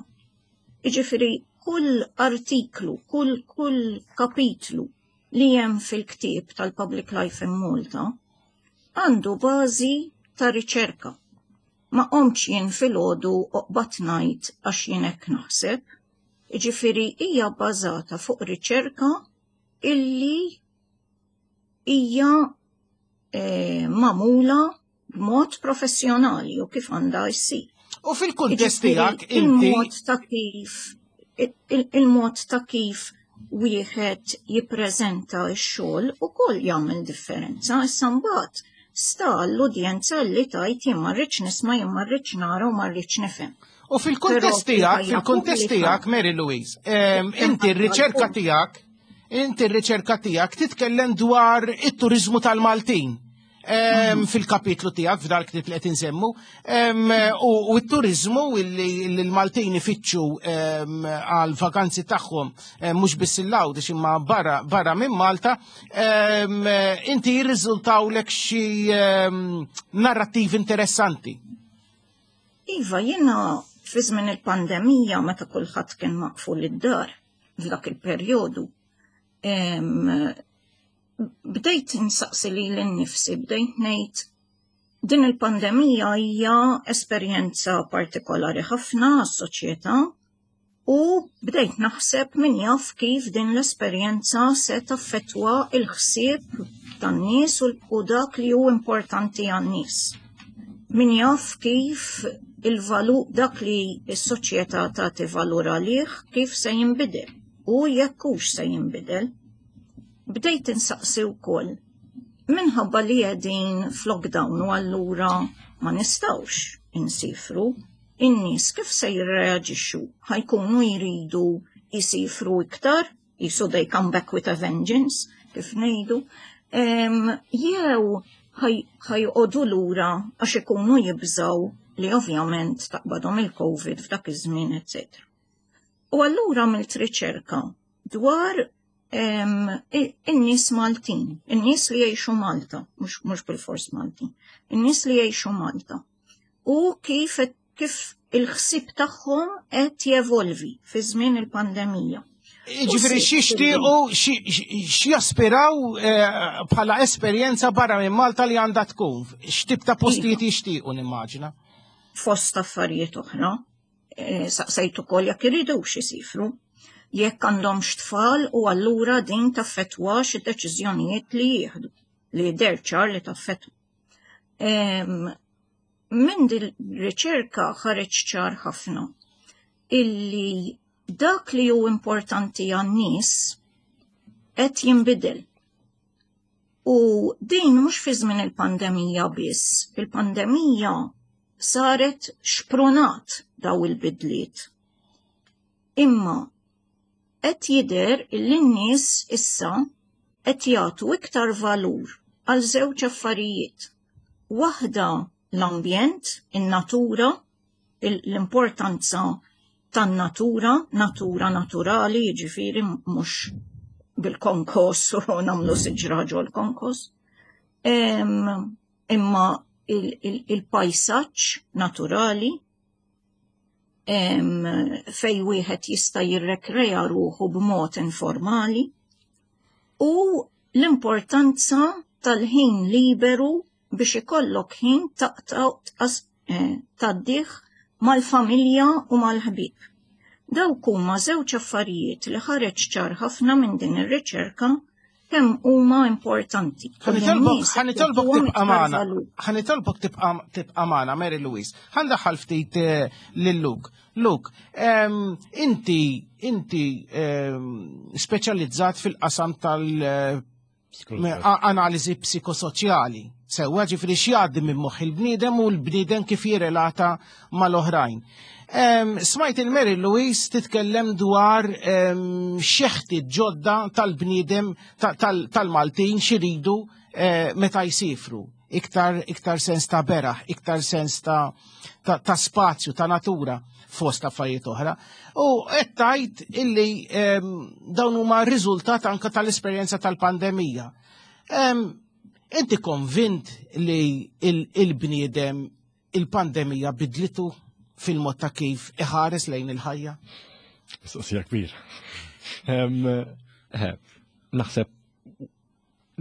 Jiġifieri kull artiklu, kull kull kapitlu li hemm fil-ktieb tal-Public Life in Malta għandu bażi ta' riċerka. Ma qomtx jien filgħodu u qbadt ngħid għax jien hekk naħseb. Jiġifieri hija bbażata fuq riċerka illi hija eh, magħmula b'mod professjonali u kif għandha jsir. U fil-kuntest tiegħek inti il-mod ta' kif il-mod ta' kif wieħed jippreżenta x-xogħol ukoll jagħmel differenza. Issa mbagħad sta l-udjenza li tajt jien ma rridx nisma' jien ma rridx nara u ma rridx nifhem. U fil-kuntest tiegħek, fil-kuntest tiegħek, Mary Louise, inti r-riċerka tiegħek. Inti r-riċerka tiegħek titkellem dwar it-turiżmu tal-Maltin fil-kapitlu tiegħek f'dal ktieb li qed insemmu u t-turiżmu li l-Maltin ifittxu għal vakanzi tagħhom mhux biss il-Għawdex imma barra minn Malta, inti jirriżultawlek xi narrattivi interessanti. Iva, jiena fi żmien il-pandemija meta kulħadd kien maqful id-dar f'dak il-perjodu, bdejt insaqsi lili nnifsi, bdejt ngħid din il-pandemija hija esperjenza partikolari ħafna għas-soċjetà u bdejt naħseb min jaf kif din l-esperjenza se taffettwa il-ħsieb tan-nies u dak li hu importanti għan-nies. Min jaf kif il-valu dak li s-soċjetà tagħti valur għalih kif se jinbidel u jekk hux se jinbidel. Bdejt insaqsi wkoll minħabba li qegħdin f'lockdown u allura ma nistgħux insifru, in-nies kif se jirreaġixxu? Ħa jkunu jridu jsifru iktar, jisu they come back with a vengeance, kif ngħidu, jew ħa joqogħdu lura għax ikunu jibżaw li ovvjament taqbadhom il-Covid f'dak iż-żmien, etc. U allura għamilt riċerka dwar in-nies Maltin, in-nies li jgħixu Malta, mhux bil-fors Maltin, in-nies li jgħixu Malta. U kif kif il-ħsieb tagħhom qed jevolvi fi żmien il-pandemija. Ġifieri x'jixtiequ x'jaspiraw eh, bħala esperjenza barra minn Malta li għandha tkun, x'tip ta' postijiet iva. jixtiequ nimmaġina. Fost affarijiet oħra, eh, saqsejt ukoll jekk iridux isifru, jekk għandhomx tfal u allura din taffettwax id-deċiżjonijiet li jieħdu li jidher ċar li taffettwa. Minn din riċerka ħareġ ċar ħafna illi dak li hu importanti għan-nies qed jinbidel. U din mhux fi żmien il-pandemija biss, il-pandemija saret xprunat daw il-bidliet. Imma qed jidher illi n-nies issa qed jagħtu iktar valur għal żewġ affarijiet. Waħda l-ambjent, in-natura, l-importanza tan-natura, natura naturali, jiġifieri mhux bil-konkos u nagħmlu siġra ġol konkos. Imma il-pajsaġġ naturali fej wieħed jista' jirrekrea ruħu b'mod informali u l-importanza tal-ħin liberu biex ikollok ħin taqta' eh, tgħaddih mal-familja u mal-ħbieb. Dawk huma żewġ affarijiet li ħareġ ċar ħafna minn din ir-riċerka kemm huma importanti. Ħa nitolbok tibqa' magħna. Ħa nitolbok tibqa' magħna Mary Louise. Ħa ndaħħal ftit eh, lil Luke. Luke, inti inti speċjalizzat fil-qasam tal- eh, analiżi psikosoċjali. Sewwa ġifieri x'jgħaddi minn moħħ il-bniedem u l-bniedem kif jirrelata mal-oħrajn. Smajt il-Mary Louise titkellem dwar xeħti ġodda tal-bniedem tal-Maltin xiridu eh, meta jsifru. Iktar, iktar sens ta' beraħ, iktar sens ta', ta, ta spazju, ta' natura fost affarijiet oħra. U qed tgħid illi dawn huma riżultat anke tal-esperjenza tal-pandemija. Inti konvint li il-bniedem il-pandemija bidlitu fil-mod ta' kif iħares lejn il-ħajja? Mistoqsija kbira. Eh, naħseb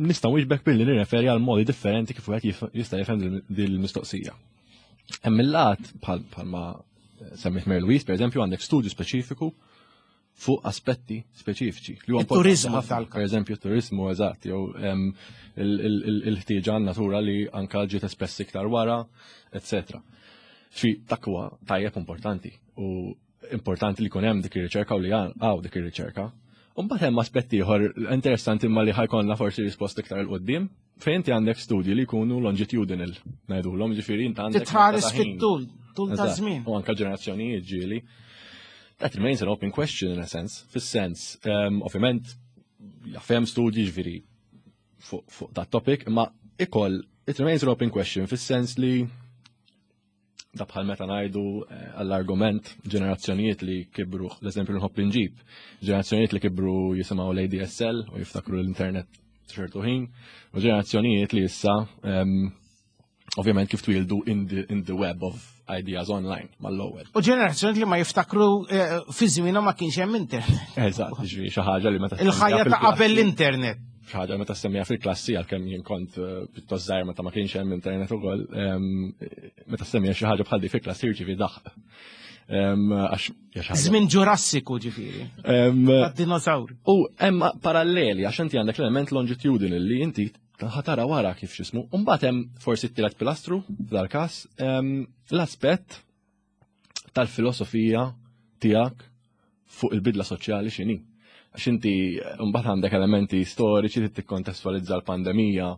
nista' wieġbek billi nirreferi għal modi differenti kif wieħed jista' jifhem din il-mistoqsija. Hemm il-lat bħalma semmit Mary Louise, per eżempju, għandek studju speċifiku fuq aspetti speċifiċi. Li huwa turizmu tal Per eżempju, turizmu eżatt, jew il-ħtieġa natura li anka ġiet espressi iktar wara, etc. Xi dak huwa tajjeb importanti u importanti li jkun hemm dik ir-riċerka u li għaw dik ir-riċerka. Mbagħad hemm aspetti ieħor interessanti imma li ħajkollna forsi risposta iktar il qudiem fejn inti għandek studji li jkunu longitudinal, ngħidulhom ġifieri inti għandek. Titħares fit-tul, tul ta' żmien. U anke ġenerazzjonijiet ġieli. That remains an open question in a sense, fis-sens, um, ovvjament, Jaf hemm studji ġifieri fuq dat topic, imma ikoll it remains an open question fis-sens li da bħal meta ngħidu għall-argument ġenerazzjonijiet li kibru, l-eżempju nħobb inġib, ġenerazzjonijiet li kibru jisimgħu l-ADSL u jiftakru l-internet ċertu ħin, u ġenerazzjonijiet li issa ovvjament kif twildu in the web of ideas online mal-ewwel. U ġenerazzjoni li ma jiftakru fi żmienhom ma kienx hemm internet. Eżatt, ġifieri xi ħaġa li meta Il-ħajja ta' qabel l-internet. Xi ħaġa meta semmija fil-klassi, għalkemm jien kont pjuttost żgħir meta ma kienx hemm internet ukoll, meta semmija xi ħaġa bħal di fil-klassi jirċievi daħq. Għax hija xi ħaġa. Żmien Ġurassiku ġifieri. Dinosaur. U hemm paralleli għax inti għandek l-element longitudinal li inti ħa tara wara kif x'ismu. U mbagħad hemm forsi t-tielet pilastru f'dal-każ, l-aspett tal-filosofija tiegħek fuq il-bidla soċjali x'inhi. Għax inti mbagħad għandek elementi storiċi li tikkontestualizza l-pandemija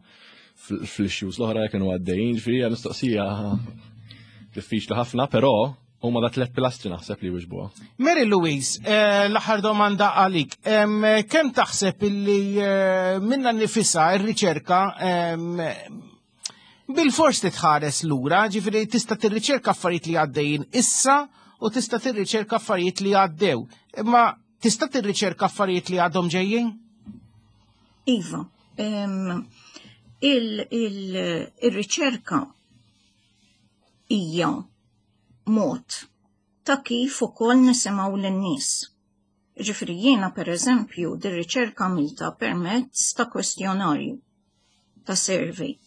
fl-issues l-oħra li kienu għaddejjin, ġifieri hija mistoqsija diffiċli ħafna, però huma da tlet pilastri naħseb li wiġbuha. Mary Louise, l-aħħar domanda għalik. Kemm taħseb illi minna nifisha r-riċerka bil-fors titħares lura, ġifieri tista' tirriċerka affarijiet li għaddejjin issa u tista' tirriċerka affarijiet li għaddew. Imma tista' tirriċerka affarijiet li għadhom ġejjin? Iva, il-riċerka hija mod ta' kif ukoll nisimgħu lin-nies. Ġifieri jiena, pereżempju, dir-riċerka għamilta permezz ta' kwestjonarju, ta' survey.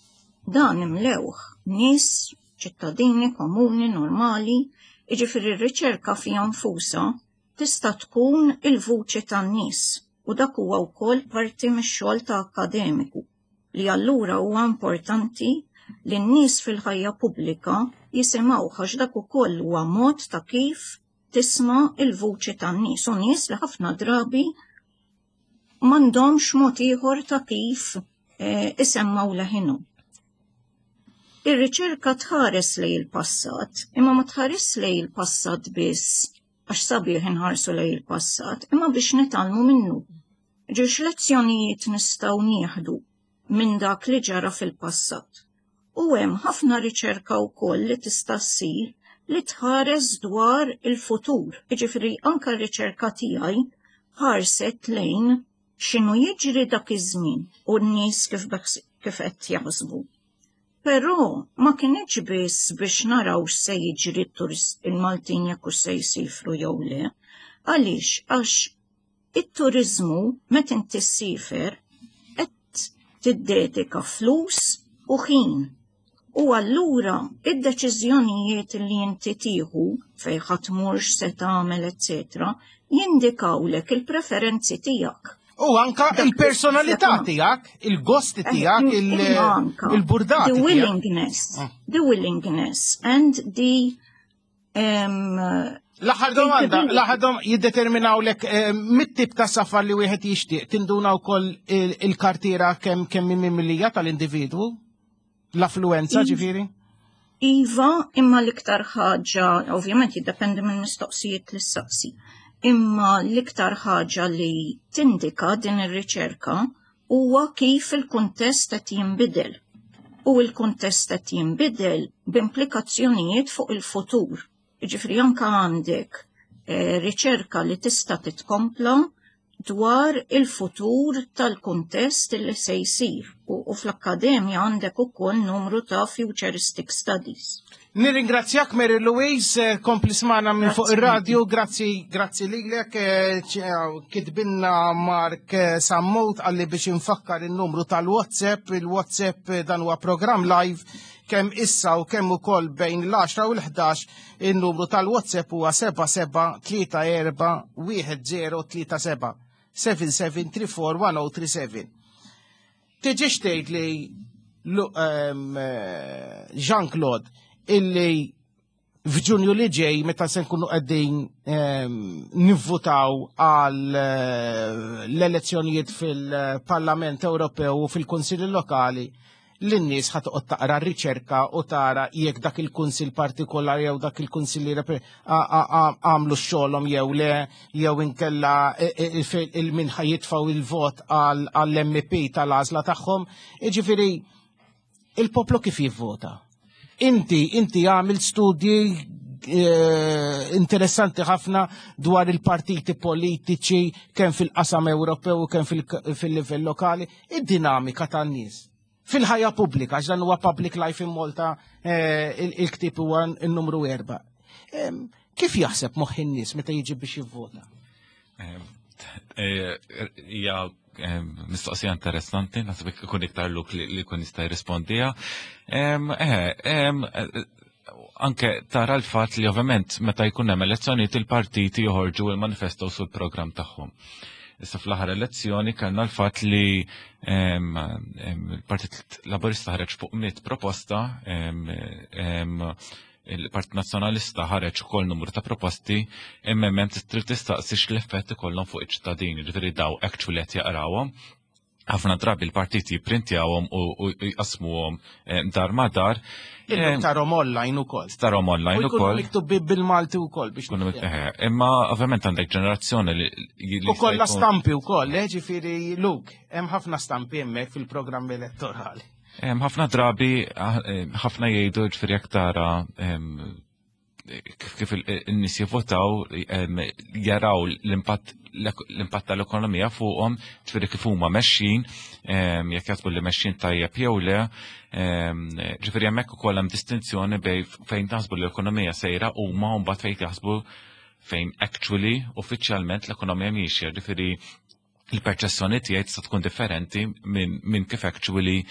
Dan imlewh nies, ċittadini komuni, normali, jiġifieri r-riċerka fiha nfusha tista' tkun il-vuċi tan-nies u dak huwa wkoll parti mix-xogħol ta' akkademiku li allura huwa importanti li n-nies fil-ħajja pubblika jisimgħu, għax dak ukoll huwa mod ta' kif tisma' il-vuċi tan-nies, u nies li ħafna drabi m'għandhomx mod ieħor ta' kif isemmaw leħinhom. Ir-riċerka tħares lejn il-passat, imma ma tħares lejn il-passat biss għax sabiħ inħarsu lejn il-passat, imma biex nitgħallmu minnu. Ġiex lezzjonijiet nistgħu nieħdu minn dak li ġara fil-passat. U hemm ħafna riċerka wkoll li tista' ssir li tħares dwar il-futur. Jiġifieri anke r-riċerka tiegħi ħarset lejn x'inhu jiġri dak iż-żmien u n-nies kif qed jaħsbu. Però ma kienx biss biex naraw x'se jiġri t-turist il-Maltin jekk hux se jsifru jew le. Għaliex? Għax it-turizmu, meta inti ssifer, qed tiddedika flus u ħin. U allura id-deċiżjonijiet li inti tieħu fejn ħa tmur, x'se tagħmel, eccetera, jindikawlek il-preferenzi tiegħek. U anka il-personalità tiegħek, il-gosti tiegħek, il-burdati. The willingness, the willingness and the L-aħħar domanda, l-aħħar domanda jiddeterminaw lek mit-tip ta' safar li wieħed jixtieq, tinduna wkoll il-kartiera kemm mimlija tal-individwu? L-affluenza ġifieri? Iva, imma l-iktar ħaġa, ovvjament jiddependi minn mistoqsijiet li ssaqsi, imma l-iktar ħaġa li tindika din ir-riċerka huwa kif il-kuntest qed jinbidel. U il-kuntest qed jinbidel b'implikazzjonijiet fuq il-futur. Ġifieri anka għandek riċerka li tista' titkompla dwar il-futur tal-kuntest li se jsir u fl-akkademja għandek ukoll numru ta' futuristic studies. Nirringrazzjak, Mary Louise, kompli smagħna minn fuq ir-radio, grazzi, grazzi lilek, kitbinna Mark Sammut għalli biex infakkar il-numru tal-WhatsApp, il-WhatsApp, dan huwa program live kemm issa u kemm ukoll bejn l-10 u l-11, il-numru tal-WhatsApp huwa 7734 1037, 77341037. Tiġix tgħid li Jean-Claude illi f'Ġunju li ġej, meta se nkunu qegħdin nivvutaw għal l-elezzjonijiet fil-Parlament Ewropew u fil-Kunsilli Lokali. li n-nies ħa toqgħod taqra r-riċerka u tara jekk dak il-kunsill partikolari jew dak il-kunsilliera għamlu xogħolhom jew le jew inkella il-min ħa jitfgħu il-vot għall-MP tal-għażla tagħhom. Jiġifieri il-poplu kif jivvota? Inti, inti għamil studji eh, interessanti ħafna dwar il-partiti politiċi kemm fil-qasam Ewropew u kemm fil-livell lokali, id-dinamika tan-nies. Fil-ħajja pubblika, għax dan huwa Public Life in Malta eh, il-ktieb huwa n-numru erba. Kif jaħseb moħħ in-nies meta jiġi biex jivvota? Eh, hija eh, mistoqsija interessanti, naħseb ikun iktar luk li jkun jista' jirrispondiha. Eh, anke tara l-fatt li ovvjament meta jkun hemm elezzjonijiet il-partiti joħorġu il-manifesto sul programm tagħhom. Issa fl-aħħar elezzjoni kellna l-fatt li il-Partit Laburista ħareġ fuq mit proposta il-Partit Nazzjonalista ħareġ ukoll numru ta' proposti imma hemm trid tistaqsi x'l-effett ikollhom fuq iċ-ċittadini, ġifieri daw actually qed jaqrawhom. Ħafna drabi l-partiti jipprintjawhom u jqasmuhom eh, dar ma dar. Eh, tarom online ukoll. Tarom online ukoll. Miktub bil-Malti ukoll biex. Eh, imma ovvjament għandek ġenerazzjoni li. U kollha stampi ukoll, ġifieri Luke, hemm ħafna stampi hemmhekk fil-programm elettorali. Ħafna drabi, ah, ħafna jgħidu ġifieri jekk tara kif in-nies jivvotaw jaraw l-impatt l-impatt tal-ekonomija fuqhom, ġifieri kif huma mexxin, jekk jaħsbu li mexxin tajjeb jew le, ġifieri hemmhekk ukoll hemm distinzjoni bej fejn taħsbu li l-ekonomija sejra huma u mbagħad fejn jaħsbu fejn actually uffiċjalment l-ekonomija miexja, ġifieri il-perċessjoni tiegħi tista' tkun differenti minn min kif actually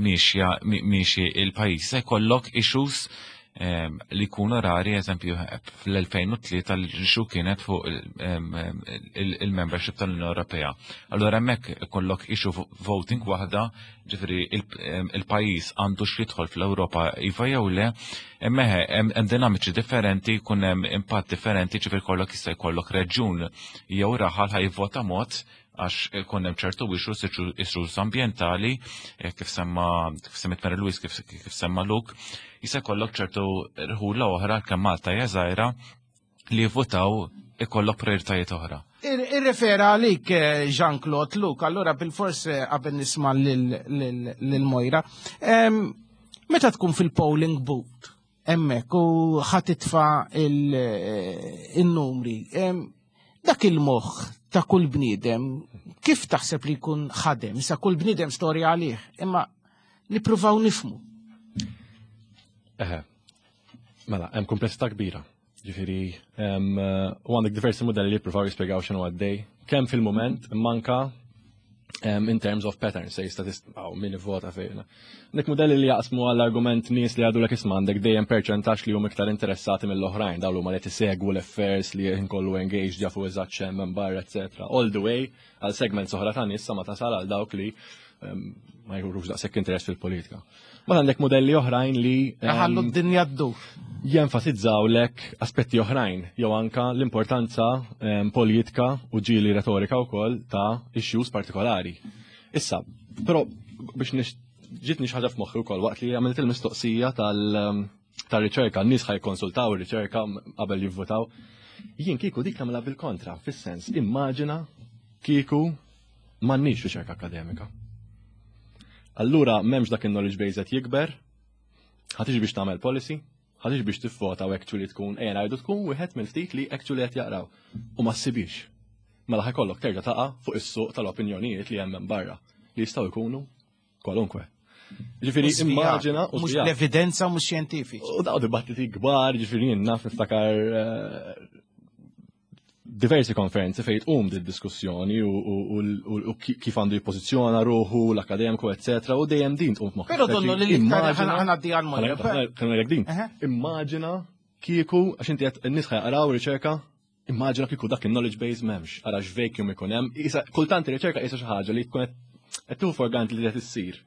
miexja miexi il-pajjiż. Se jkollok issues li jkunu rari, eżempju, fl-2003 l-issue kienet fuq il-membership tal-Unjoni Ewropea. Allura hemmhekk ikollok issue voting waħda, ġifieri il-pajjiż għandu x'jidħol fl-Ewropa iva jew le, imma hemm dinamiċi differenti, jkun hemm impatt differenti, ġifieri kollok jista' jkollok reġjun jew raħal ħa jivvota mod għax ikun hemm ċertu issues, issues ambjentali, eh, kif semma kif semmet Mary Louise, kif, kif semma Luke, jista' jkollok ċertu rħula oħra kemm Malta hija żgħira li jivvotaw ikollok prioritajiet oħra. Irrefera għalik eh, Jean-Claude Luke, allura bil-fors eh, qabel nisma' lil Mojra. Meta tkun fil-polling booth hemmhekk u ħatitfa eh, il-numri, dak il-moħħ ta' kull bniedem kif taħseb li jkun ħadem, sa kull bniedem storja għalih, imma nippruvaw nifmu. Eħe, mela, hemm komplessità kbira. Ġifieri, u għandek diversi modelli li jippruvaw jispjegaw x'inhu għaddej, kemm fil-mument manka in terms of patterns, se jista' għaw min ivvota fejna. Dik modelli li jaqsmu għall-argument nies li għadu l isma' għandek dejjem perċentaġġ li huma iktar interessati mill-oħrajn, dawn huma li tisegwu l-affairs li jinkollu engaged jafu eżatt x'hemm minn barra, etc. All the way għal segment oħra ta' nies sa ma tasal għal dawk li ma jurux daqshekk interess fil-politika. Ma għandek modelli oħrajn li ħallu d-dinja ddur. Jenfasizzaw lek aspetti oħrajn, jew anka l-importanza politika u ġieli retorika wkoll ta' issues partikolari. Issa, però biex ġitni xi ħaġa f'moħħi wkoll waqt li għamilt il-mistoqsija tal- tar-riċerka, n-nies ħaj konsultaw ir-riċerka qabel jivvotaw. Jien kieku dik nagħmilha bil-kontra, fis-sens, immaġina kieku m'għandniex riċerka akademika. Allura m'hemmx dak il-knowledge base qed jikber, ħa tiġi biex tagħmel policy, ħa tiġi biex tivvota u actually tkun ejja ngħidu tkun wieħed minn ftit li actually qed jaqraw u ma ssibix. Mela ħajkollok terġa' taqa' fuq is-suq tal-opinjonijiet li hemm barra li jistgħu jkunu kwalunkwe. Ġifieri immaġina u mhux l-evidenza mhux xjentifiċi. U daw dibattiti kbar, ġifieri jien naf niftakar eh, diversi konferenzi fejn tqum di diskussjoni u kif għandu jippożizzjona ruħu l-akademiku, eccetera, u dejjem din tqum f'moħħ. Però donnu li immaġina ħanaddi għal moħħ. din. Immaġina kieku għax inti qed in-nies ħajqraw riċerka Immaġina kieku dak il-knowledge base m'hemmx, ara x'vacuum ikun hemm. Isa kultant ir-riċerka qisha xi ħaġa li tkun qed tieħu for granted li qed issir.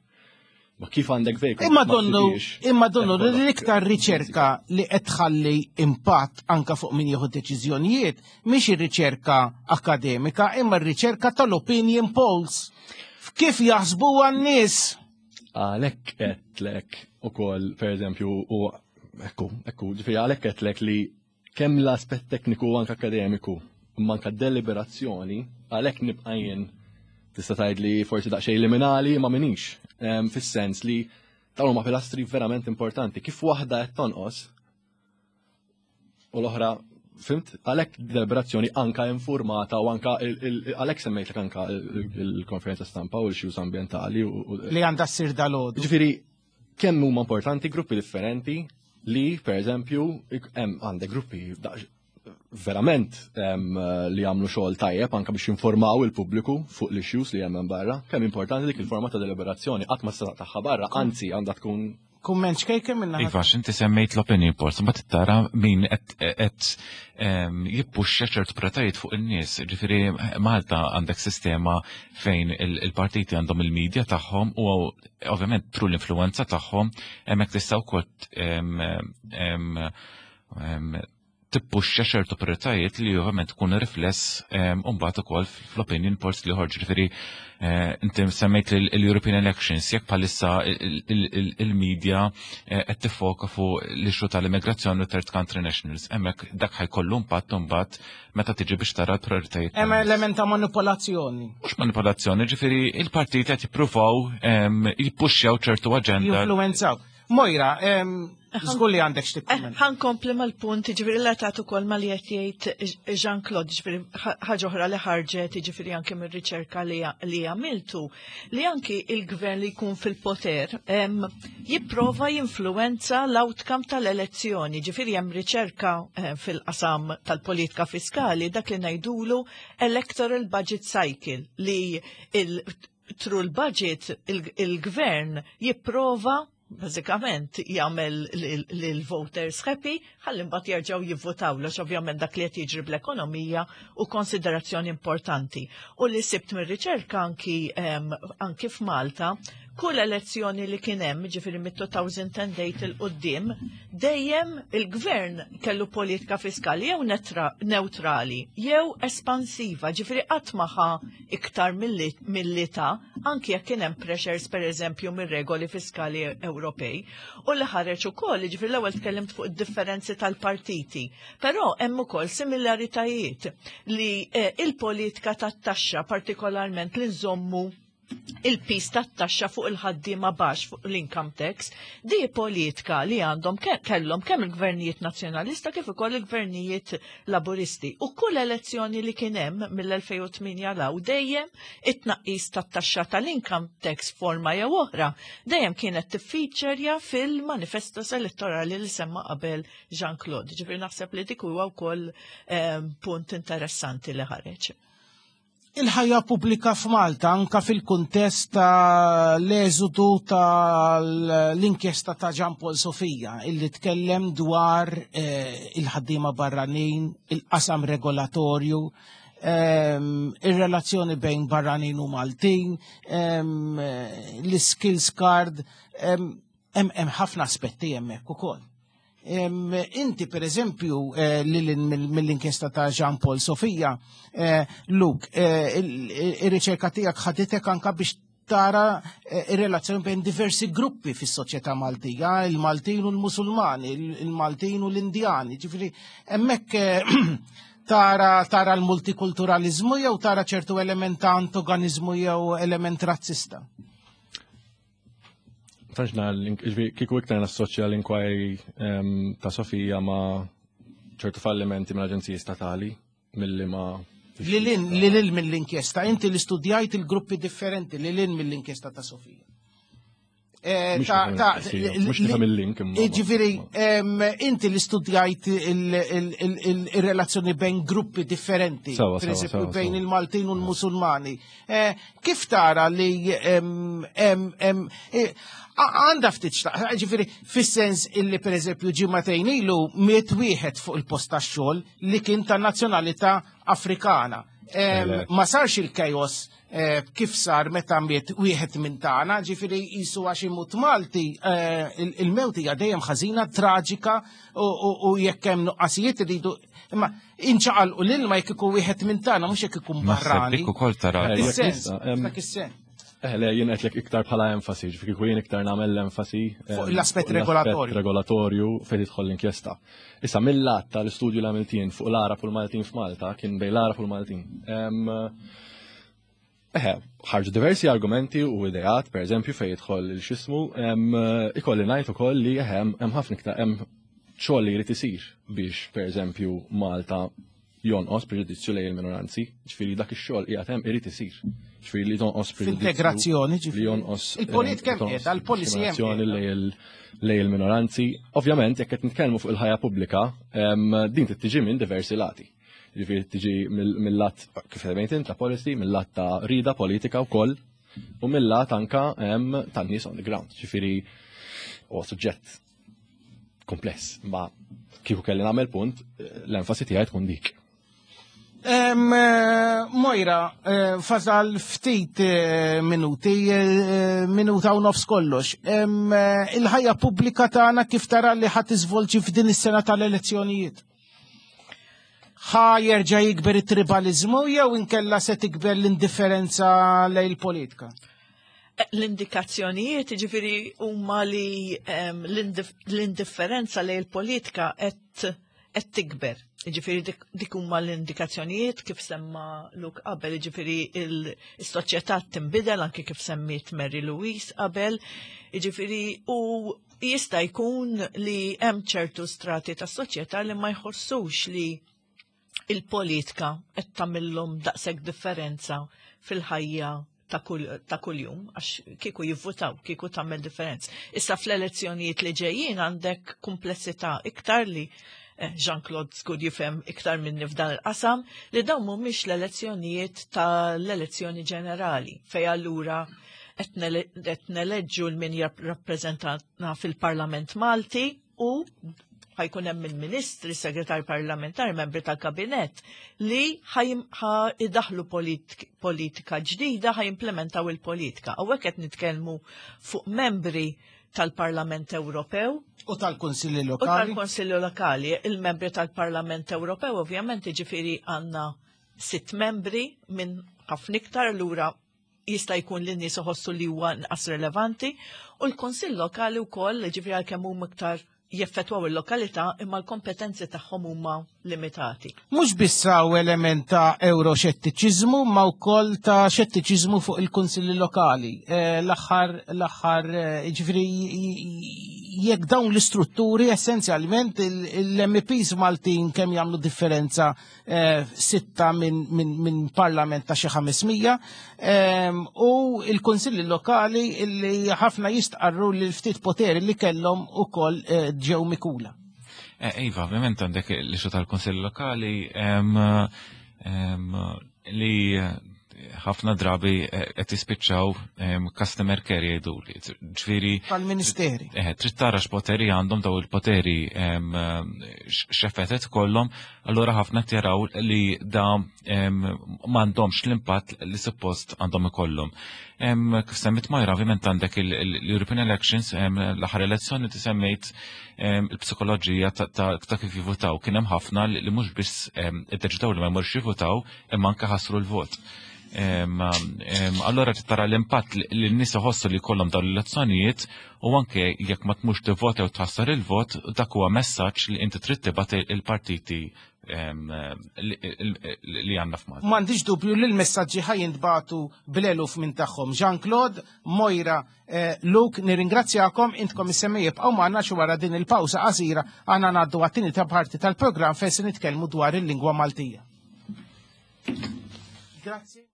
Ma kif għandek vacuum? Imma donnu, imma donnu li l-iktar riċerka li qed tħalli impatt anka fuq min jieħu deċiżjonijiet mhix ir-riċerka akademika imma r-riċerka tal-opinion polls. Kif jaħsbuha n-nies? Għalhekk qedlek ukoll pereżempju u ekku, ekku, ġifieri għalhekk qedlek li kemm l-aspett tekniku u anke akademiku imma anke deliberazzjoni għalhekk nibqa' jien tista' tgħid li forsi daqsxejn liminali ma minix fis-sens li dawn huma pilastri verament importanti. Kif waħda qed tonqos u l-oħra fimt, għalhekk deliberazzjoni anka informata u anka għalhekk semmejtlek anka il-konferenza stampa u l-issues ambientali. Li għandha ssir dal-għodu. Ġifieri, kemm huma importanti gruppi differenti li, per eżempju, hemm għandek gruppi verament li jagħmlu xogħol tajjeb anka biex jinformaw il-pubbliku fuq l-issues li hemm barra, kemm importanti dik il-forma ta' deliberazzjoni qatt ma tista' tagħha barra, anzi għandha tkun Kumment xkejken minna. Iva, inti semmejt l-opinion polls, ma tara min qed jippuxxa ċertu pretajiet fuq in-nies. Ġifieri Malta għandek sistema fejn il-partiti għandhom il-medja tagħhom u ovvjament tru l-influenza tagħhom hemmhekk tista' wkoll tippuxxa ċertu prioritajiet li ovvjament tkun rifless mbagħad ukoll fl-opinion polls li ħorġ. Ġifieri inti semmejt l-European Elections, jekk bħalissa il-media qed tiffoka fuq l-issue tal-immigrazzjoni u third country nationals, hemmhekk dak ħajkollu impatt imbagħad meta tiġi biex tara l-prioritajiet. Hemm element ta' manipolazzjoni. Mhux manipolazzjoni, ġifieri il-partiti qed jippruvaw jippuxxjaw ċertu aġenda. Jinfluwenzaw. Mojra, żgur li għandek x'tikkumment. Ħa nkompli mal-punt, ġifieri relatat ukoll ma li qed jgħid Jean-Claude, ġifieri ħaġa oħra li ħarġet, ġifieri anke mir-riċerka li għamiltu, li anki il-gvern li jkun fil-poter jipprova jinfluwenza l-outcome tal-elezzjoni. Ġifieri hemm riċerka fil-qasam tal-politika fiskali dak li ngħidulu electoral budget cycle li il through l-budget il-gvern jipprova bażikament jagħmel lil-voters happy ħalli mbagħad jerġgħu jivvotaw għax ovvjament dak li qed jiġri bl-ekonomija u konsiderazzjoni importanti. U li sibt mir-riċerka anki f'Malta, kull elezzjoni li kien hemm, ġifieri mit-2008 'il quddiem, dejjem il-gvern kellu politika fiskali jew neutrali jew espansiva, ġifieri qatt ma ħa iktar milli ta' anki jekk kien hemm pressures pereżempju mir-regoli fiskali Ewropej. U li ħareġ ukoll, ġifieri l-ewwel tkellimt fuq id-differenzi tal-partiti, però hemm ukoll similaritajiet li il-politika tat-taxxa partikolarment li nżommu il-pis tat-taxxa fuq il-ħaddiema baxx fuq l-income tax, di politika li għandhom kellhom kemm il-gvernijiet nazzjonalista kif ukoll il-gvernijiet laburisti. U kull elezzjoni li kien hemm mill-2008 law dejjem it-tnaqqis tat-taxxa tal-income tax forma jew oħra dejjem kienet tiffeaturja fil-manifestos elettorali li semma qabel Jean-Claude. Ġifieri naħseb li dik huwa wkoll punt interessanti li ħareġ. Il-ħajja pubblika f'Malta anka fil-kuntest ta' l-eżodu tal-inkjesta ta' Jean Paul Sofia illi tkellem dwar il-ħaddiema barranin, il-qasam regolatorju, ir-relazzjoni bejn barranin u Maltin, l-skills card, hemm ħafna aspetti hemmhekk ukoll. Inti per eżempju mill-inkjesta ta' Jean Paul Sofia, Luke, ir-riċerka tiegħek ħaditek anka biex tara ir-relazzjoni bejn diversi gruppi fis-soċjetà Maltija, il-Maltin u l-Musulmani, il-Maltin u l-Indjani, ġifieri hemmhekk tara l-multikulturalizmu jew tara ċertu element ta' antagonizmu jew element razzista? Tantx kieku iktar nassoċja l-inquiry ta' Sofija ma' ċertu fallimenti mill-aġenziji statali milli ma' Li lil mill-inkjesta, inti li studjajt il-gruppi differenti li lil mill-inkjesta ta' Sofija. Mhux nifhem il-link imma. Ġifieri, inti li studjajt il-relazzjoni bejn gruppi differenti, per eżempju bejn il-Maltin u l-Musulmani. Kif tara li għandha ftit xtaq, ġifieri, fis-sens illi per eżempju ġimagħtejn ilu miet wieħed fuq il-post tax-xogħol li kien ta' nazzjonalità Afrikana. Ma sarx il-chaos kif sar meta miet wieħed minn tagħna, ġifieri jisu għax imut Malti, il-mewt hija dejjem ħażina, traġika u jekk hemm nuqqasijiet iridu imma inċaqalqu l-ilma jekk ikun wieħed minn tagħna mhux jekk ikun Naħseb barrani. dik ukoll tara. Dak is-sens, dak is-sens. Eh, le, jien qedlek iktar bħala enfasi, ġifieri kieku jien iktar nagħmel l-enfasi fuq l-aspett regolatorju. Regolatorju fejn tidħol l-inkjesta. Issa mill-lat tal-istudju li għamilt jien fuq l-Arab u l-Maltin f'Malta kien bejn l-Arab u l-Maltin. Eħe, ħarġu diversi argumenti u ideat, per eżempju, fejn jidħol il-xismu, ikolli ngħid ukoll li eħe hemm ħafna iktar hemm xogħol li jrid isir biex, per eżempju, Malta jonqos preġudizzju lejn il-minoranzi, ġifieri dak ix-xogħol qiegħed hemm irid isir. Ġifieri li tonqos preġudizzju. Integrazzjoni ġifieri. Li jonqos il-politika hemm qiegħda, l-policy hemm. Lejn il-minoranzi. Ovvjament, jekk qed nitkellmu fuq il-ħajja pubblika, din tiġi minn diversi lati. Ġifieri tiġi mill-lat kif semmejt int ta' policy, mill-lat ta' rida politika wkoll u mill-lat anka tan-nies on the ground. Ġifieri huwa suġġett kompless, ma kieku kelli nagħmel punt, l-enfasi tiegħi tkun dik. Eh, Mojra, eh, fazal ftit eh, minuti, minuta u nofs kollox. Il-ħajja pubblika tagħna kif tara li ħadd iżvolġi f'din is-sena tal-elezzjonijiet? Ħa jerġa' jikber it-tribalizmu jew inkella se tikber l-indifferenza lejn il-politika? L-indikazzjonijiet ġifiri huma li l-indifferenza lejn il-politika qed tikber. Ġifiri dik huma l-indikazzjonijiet kif semma Luke qabel, ġifiri il-soċjetà tinbidel anke kif semmiet Mary Louise qabel, ġifiri u jista' jkun li hemm ċertu strati tas-soċjetà li ma jħossux li il-politika qed tagħmilhom daqshekk differenza fil-ħajja ta' kuljum, għax kieku jivvutaw, kieku tagħmel differenza. Issa fl-elezzjonijiet li ġejjin għandek komplessità iktar li eh, Jean-Claude żgur jifhem iktar minni f'dan il-qasam, li dawn mhumiex l-elezzjonijiet tal-elezzjoni ġenerali, fej allura qed neleġġu l-min jirrappreżentana fil-Parlament Malti u ħajkun hemm il-ministri, segretar parlamentari, membri tal-kabinett li idaħlu politika ġdida, ħajimplementaw il-politika. Hawnhekk qed nitkellmu fuq membri tal-Parlament Ewropew. U tal-Konsilli Lokali. U tal-Konsilli Lokali. Il-membri tal-Parlament Ewropew ovvjament ġifieri għandna sitt membri minn ħafna iktar lura jista' jkun li n-nies iħossu li huwa inqas relevanti u l-Kunsill Lokali wkoll ġifieri għalkemm huma iktar jeffettwaw il-lokalità imma l-kompetenzi tagħhom huma limitati. Mhux biss hawn element ta' euroxettiċiżmu ma wkoll ta' xettiċiżmu fuq il-kunsilli lokali. Eh, l-aħħar l-aħħar eh, ġifieri jekk dawn l-istrutturi essenzjalment l-MPs Maltin kemm jagħmlu differenza Eh, sitta minn parlament ta' xi 500 ehm, u il-kunsilli lokali li ħafna jistqarru li l-ftit poteri li kellhom ukoll eh, ġew mikula. Eh, iva, ovvjament għandek l-ixu tal-kunsilli lokali ehm, ehm, li ħafna drabi qed jispiċċaw customer care jgħidu li. Ġifieri Tal-ministeri. Eh, trid tara x'poteri għandhom daw il-poteri x'effettet kollhom, allura ħafna qed jaraw li da m'għandhomx l-impatt li suppost għandhom ikollhom. Kif semmit Majra, ovvjament għandek l-European Elections, l-aħħar elezzjoni ti semmejt il-psikoloġija ta' kif jivutaw. Kien hemm ħafna li mhux biss iddeċidew li ma jmorx jivutaw, imma anke ħassru l-vot. Allora tara l-impatt li n-nies iħossu li jkollhom dawn l-elezzjonijiet u anke jekk ma tmux tivvota jew tħassar il-vot, dak huwa messaġġ li inti trid tibgħat il-partiti li għandna f'Malta. M'għandix dubju li l-messaġġi ħa jintbagħtu bl-eluf minn tagħhom. Jean-Claude, Moira, eh, Luke, nirringrazzjakom, intkom is-semmi jibqgħu magħna xi wara din il-pawsa qasira għandna ngħaddu għat-tieni ta' parti tal-programm fejn se nitkellmu dwar il-lingwa Maltija. Grazie.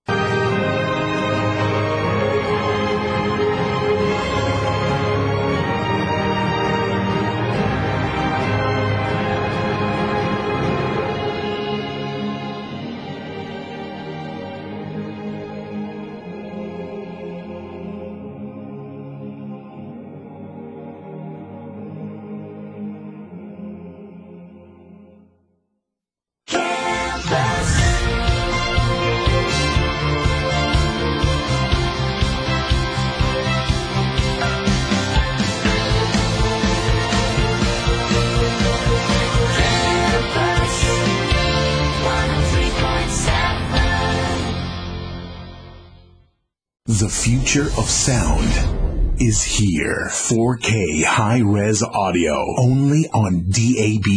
The future of sound is here. 4K high-res audio only on DAB+.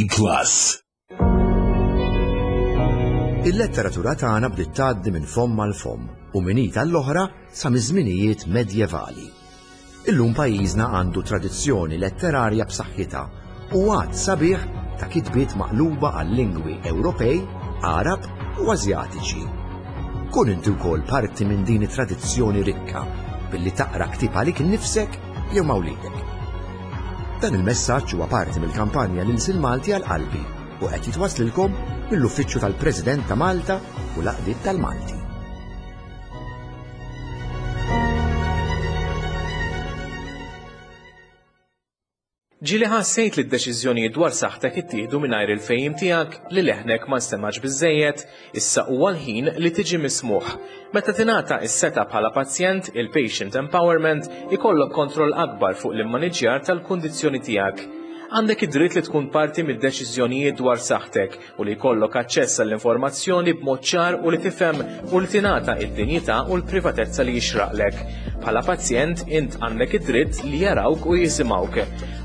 Il-letteratura tagħna bdiet tgħaddi minn fomm għal fomm u minn id għall-oħra sa miż-żminijiet medjevali. Illum pajjiżna għandu tradizzjoni letterarja b'saħħitha u għadd sabiħ ta' kitbiet maqluba għal lingwi Ewropej, Għarab u Asjatiċi. Kun inti wkoll parti minn din it-tradizzjoni rikka billi taqra ktieb għalik innifsek jew ma' wliedek. Dan il-messaġġ huwa parti mill-kampanja L-Ilsien Malti għal Qalbi u qed jitwasslilkom mill-Uffiċċju tal-President ta' Malta u l-Għaqdiet tal-Malti. Ġieli ħassejt li d-deċiżjonijiet dwar saħħtek ittieħdu mingħajr il-fehim tiegħek, li leħnek ma nstemgħax biżżejjed? Issa huwa l-ħin li tiġi mismugħ. Meta tingħata s-setgħa bħala pazjent, il-patient empowerment, ikollok kontroll akbar fuq l-immaniġġjar tal-kundizzjoni tiegħek. Għandek id-dritt li tkun parti mid-deċiżjonijiet dwar saħħtek u li jkollok aċċess għall-informazzjoni b'mod ċar u li tifhem u li tingħata id-dinjità u l-privatezza li jixraqlek. Bħala pazjent, int għandek id-dritt li jarawk u jisimgħuk.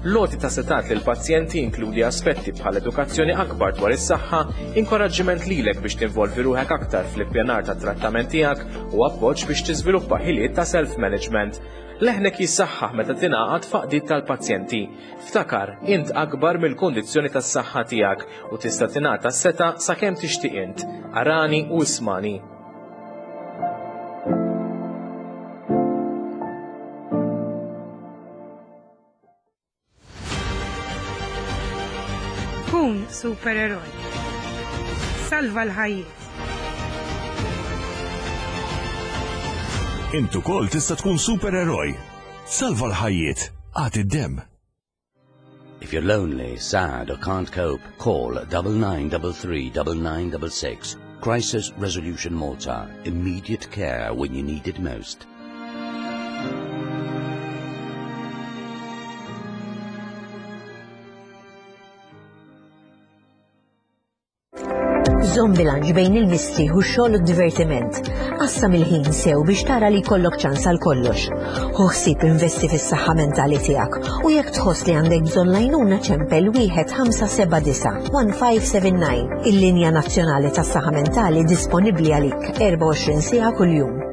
L-għoti ta' setat lil pazjenti jinkludi aspetti bħal edukazzjoni akbar dwar is-saħħa, inkoraġġiment lilek biex tinvolvi ruħek aktar fl-ippjanar tat-trattament tiegħek u appoġġ biex tiżviluppa ħiliet ta' self-management. Leħnek jissaħħaħ meta tingħaqad f'għaqdiet tal-pazjenti. Ftakar, int akbar mill-kundizzjoni tas-saħħa tiegħek u tista' tingħata s-setgħa sakemm tixtieq int. Arani u ismani. Kun supereroj. Salva l-ħajjiet. Int ukoll tista' tkun supereroj. Salva l-ħajjiet. Agħti d-demm. If you're lonely, sad or can't cope, call 9933 9966. Crisis Resolution Malta. Immediate care when you need it most. Żomm bilanċ bejn il-mistrieħ u x-xogħol u d-divertiment. Qassam il-ħin sew biex tara li jkollok ċans għal kollox. Ħu ħsieb investi fis-saħħa mentali tiegħek u jekk tħoss li għandek bżonn l-għajnuna ċempel 1579 1579. Il-linja nazzjonali tas-saħħa mentali disponibbli għalik 24 siegħa kuljum.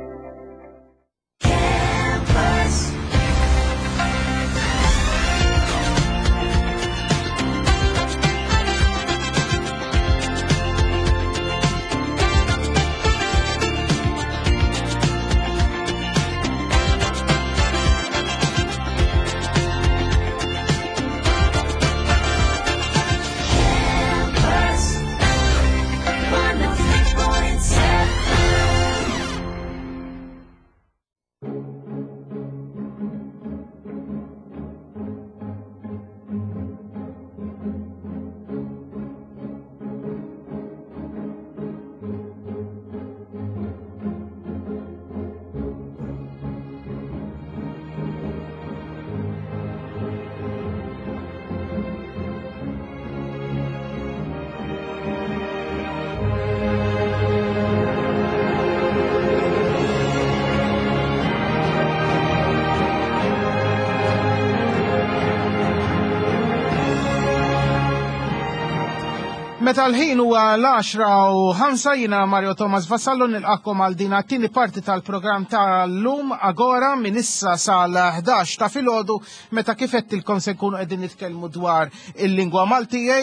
Meta l-ħin huwa l-10 u 5 jiena Mario Thomas Vassallo nilqakom għal din għat-tieni parti tal-programm tal-lum Agora minn issa sal-11 ta' filgħodu meta kif għedtilkom se nkunu qegħdin nitkellmu dwar il-lingwa Maltija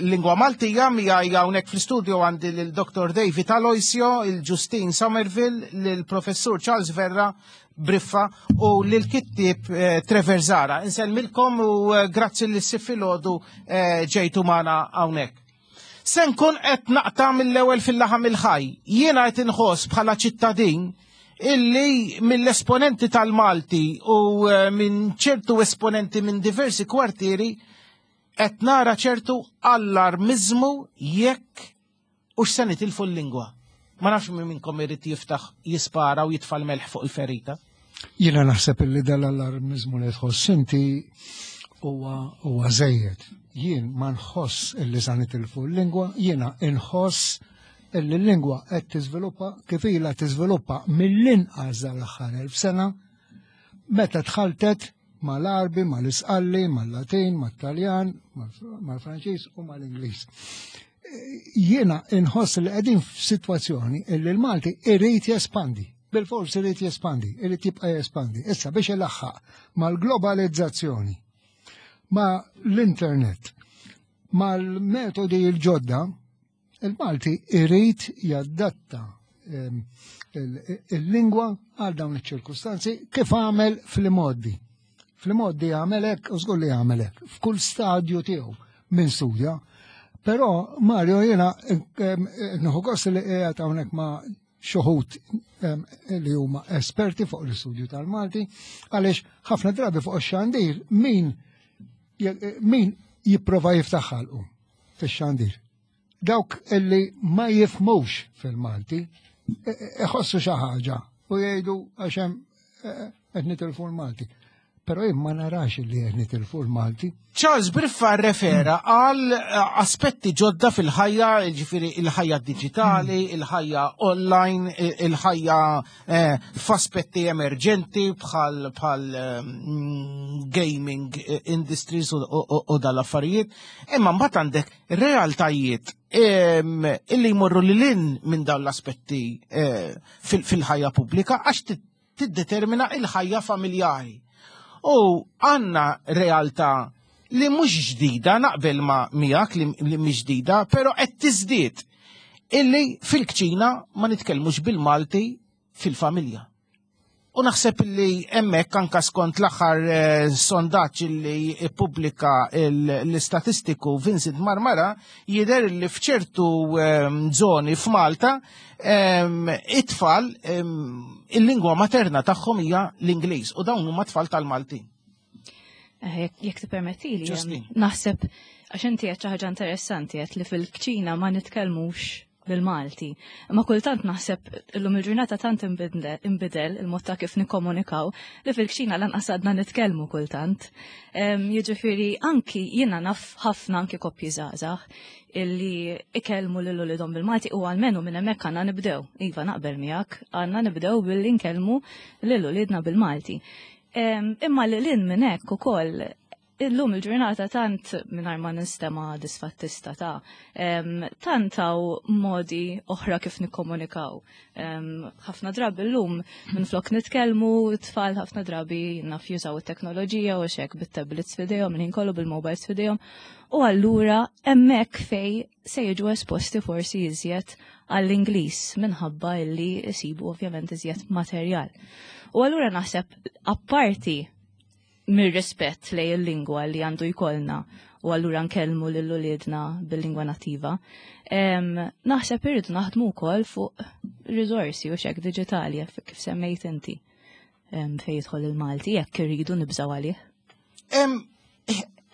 Lingwa Maltija miegħi hawnhekk fl-istudio għandi lil Dr. David Aloisio, il-Justin Somerville, lil Professur Charles Verra Briffa u lil kittieb eh, Trevor Zara. Insellmilkom u eh, grazzi li s-filgħodu eh, ġejtu magħna hawnhekk. Se nkun qed naqta' mill-ewwel fil-laħam il-ħaj. Jiena qed inħoss bħala ċittadin illi mill-esponenti tal-Malti u minn ċertu esponenti minn diversi kwartieri Qed nara ċertu allarmiżmu jekk hux se nitilfu l-lingwa. Ma nafx min minnkom irid jiftaħ jispara u jitfa' l-melħ fuq il-ferita. Jiena naħseb illi dal-allarmiżmu li tħoss inti huwa huwa żejjed. Jien ma nħoss illi sa nitilfu l-lingwa, jiena inħoss illi l-lingwa qed tiżviluppa kif ilha tiżviluppa mill-inqas dal-aħħar 1000 sena meta tħaltet mal-Għarbi, mal-Isqalli, mal-Latin, mat-Taljan, mal-Franċiż u mal-Ingliż. Jiena inħoss li qegħdin f'sitwazzjoni illi l-Malti irid jespandi, bil-fors irid jespandi, irid jibqa' jespandi. Issa biex ilaħħaq mal-globalizzazzjoni, ma l-internet, mal-metodi l-ġodda, Il-Malti irid jadatta ehm, il-lingwa għal dawn iċ-ċirkustanzi kif għamel fl-imoddi. Fl-imoddi għamel hekk u żgur li għamel hekk f'kull stadju tiegħu minn studja. Però Mario jiena ehm, nieħu gost li qiegħed hawnhekk ma' xuħut ehm, li huma esperti fuq l-istudju tal-Malti, għaliex ħafna drabi fuq ix-xandir min min jipprova jiftaħ ħalqu fix-xandir. Dawk illi ma jifmux fil-Malti, iħossu xi ħaġa u jgħidu għax hemm e, e, qed nitilfu l-Malti. Però jien ma narax li qed nitilfu l-Malti. Charles Briffa refera għal eh, aspetti ġodda fil-ħajja, ġifiri il-ħajja digitali, mm. il-ħajja online, il-ħajja eh, f'aspetti emerġenti bħal bħal mm, gaming industries u dal-affarijiet. Imma mbagħad għandek realtajiet illi jmorru lil hinn minn dawn l-aspetti eh, fil-ħajja pubblika għax tiddetermina il-ħajja familjari. U għanna realtà li mhux ġdida naqbel ma miegħek li mhix ġdida, però qed tiżdied illi fil-kċina ma nitkellmux bil-Malti fil-familja. U naħseb li hemmhekk anka skont l-aħħar eh, sondaġġ li ppubblika l-istatistiku Vincent Marmara jidher li f'ċertu ehm, żoni f'Malta ehm, it-tfal ehm, il-lingwa materna tagħhom hija l-Ingliż u dawn huma tfal tal-Maltin. Eh, jekk tippermettili, naħseb għax inti qed xi ħaġa interessanti qed li fil-kċina ma nitkellmux bil-Malti. Imma kultant naħseb illum il-ġurnata tant inbidel il-mod ta' kif nikkomunikaw li fil-kċina lanqas għadna nitkellmu kultant. Jiġifieri anki jiena naf ħafna anki koppji żgħażagħ illi ikellmu lil uliedhom bil-Malti u għalmenu minn hemmhekk għandna nibdew. Iva naqbel miegħek, għandna nibdew billi nkellmu lil uliedna bil-Malti. Imma lil hinn minn hekk ukoll Illum il-ġurnata tant mingħajr ma nistema disfattista ta' tant hawn modi oħra kif nikkomunikaw. Ħafna drabi llum minflok nitkellmu t-tfal ħafna drabi naf jużaw it-teknoloġija u xek bit-tablets f'idejhom, il-ħin kollu bil-mobiles f'idejhom. U allura hemmhekk fej se jiġu esposti forsi iżjed għall-Ingliż minħabba illi jsibu ovvjament iżjed materjal. U allura naħseb apparti mir-rispett lej il-lingwa li għandu jkollna u allura nkellmu lil uliedna bil-lingwa nattiva. Naħseb irridu naħdmu wkoll fuq riżorsi u xek diġitali kif semmejt inti fejn jidħol il-Malti jekk irridu nibżgħu għalih.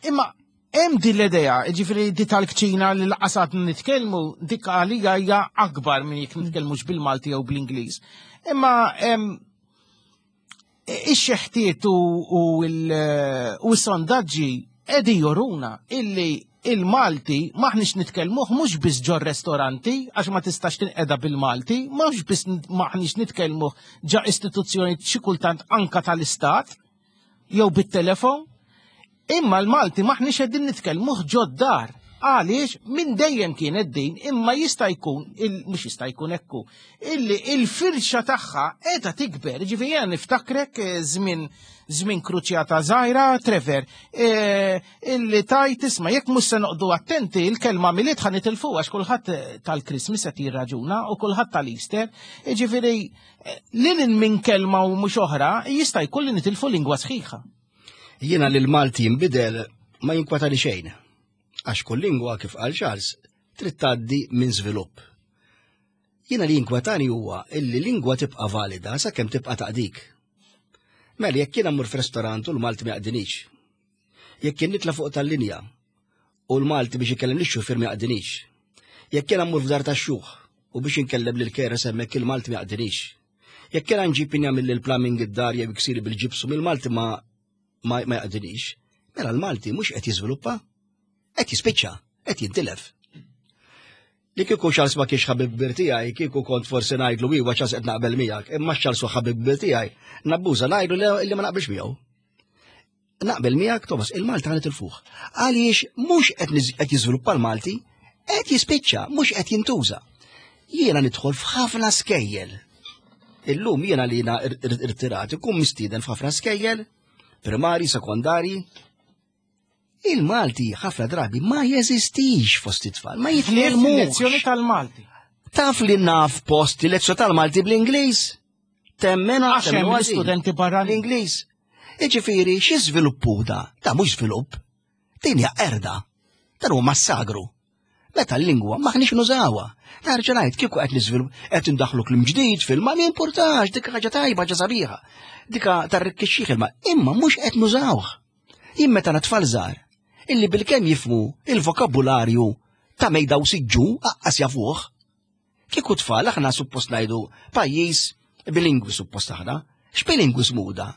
Imma hemm din l-idea, ġifieri di tal-kċina li laqasat nitkellmu dik għalija hija akbar minn jekk nitkellmux bil-Malti jew bl-Ingliż. Imma ix-xeħtiet u s-sondaġġi qegħdin joruna illi il-Malti maħniex nitkellmuh mhux biss ġo restoranti għax ma tistax tinqeda bil-Malti, mhux biss maħniex nitkellmuh ġa istituzzjoni xi kultant anka tal-istat jew bit-telefon, Imma l-Malti m'aħniex qegħdin nitkellmuh ġod-dar. Għaliex minn dejjem kienet din imma jista' jkun mhux jista' jkun ekku illi il-firxa tagħha qiegħda tikber. Ġifieri jiena niftakrek eh, żmien żmien kruċjata żgħira, Trevor, eh, illi tajt isma' jekk mhux se noqdu attenti il-kelma milied ħa nitilfu għax kulħadd eh, tal-Christmas qed jirraġuna u kulħadd tal-Easter. Ġifieri lil minn kelma u mhux oħra jista' jkun li nitilfu lingwa sħiħa. Jiena li l-Malti jinbidel ma jinkwetani xejn. Għax kull lingwa kif qal Charles trid tgħaddi minn żvilupp. Jiena li jinkwetani huwa illi lingwa tibqa' valida sakemm tibqa' taqdik. Mela jekk jiena mmur f'restorant u l-Malti ma jaqdinix. Jekk jien nitla' fuq tal-linja u l-Malti biex ikellem lix-xufier ma jaqdinix. Jekk jiena mmur f'dar tax-xjuħ u biex inkellem lil keres hemmhekk il-Malti ma jaqdinix. Jekk kien nġib min jagħmel il-plumbing id-dar jew iksiri bil-ġibsu mill-Malti ma ma jaqdinix, mela l-Malti mhux qed jiżviluppa, qed jispiċċa, qed jintilef. Li kieku Charles ma kienx ħabib kbir tiegħi, kieku kont forsi ngħidlu iwa Charles qed naqbel miegħek, imma Charles hu ħabib kbir tiegħi, nabbuża ngħidlu li ma naqbilx miegħu. Naqbel miegħek Thomas, il-Malti ħanet il-fuħ. Għaliex mhux qed jiżviluppa l-Malti, qed jispiċċa, mhux qed jintuża. Jiena nidħol f'ħafna skejjel. Illum jiena li jiena irtirat ikun mistieden f'ħafna skejjel, primari, sekondari, Il-Malti ħafna drabi ma jeżistix fost it-tfal, ma jitkellmux. Lezzjoni tal-Malti. Taf li naf post lezzjoni tal-Malti bl-Ingliż? Temmena għax hemm studenti barra l-Ingliż. Iġifieri xi żviluppu da? Da mhux żvilupp. Din hija erda. Dan huwa massagru. Meta l-lingwa maħniex nużawha. Nerġa' ngħid kieku qed niżvilupp qed indaħlu kliem ġdid fil-ma jimpurtax dik ħaġa tajba ħaġa sabiħa. Dika tarrikkixxih il-ma imma mhux qed nużawh. Jien meta tfal żgħar illi bilkemm jifmu il-vokabularju ta' mejda u siġġu aqqas jafuh. Kieku tfal aħna suppost ngħidu pajjiż bilingwi suppost aħna. X'bilingwiżmu da?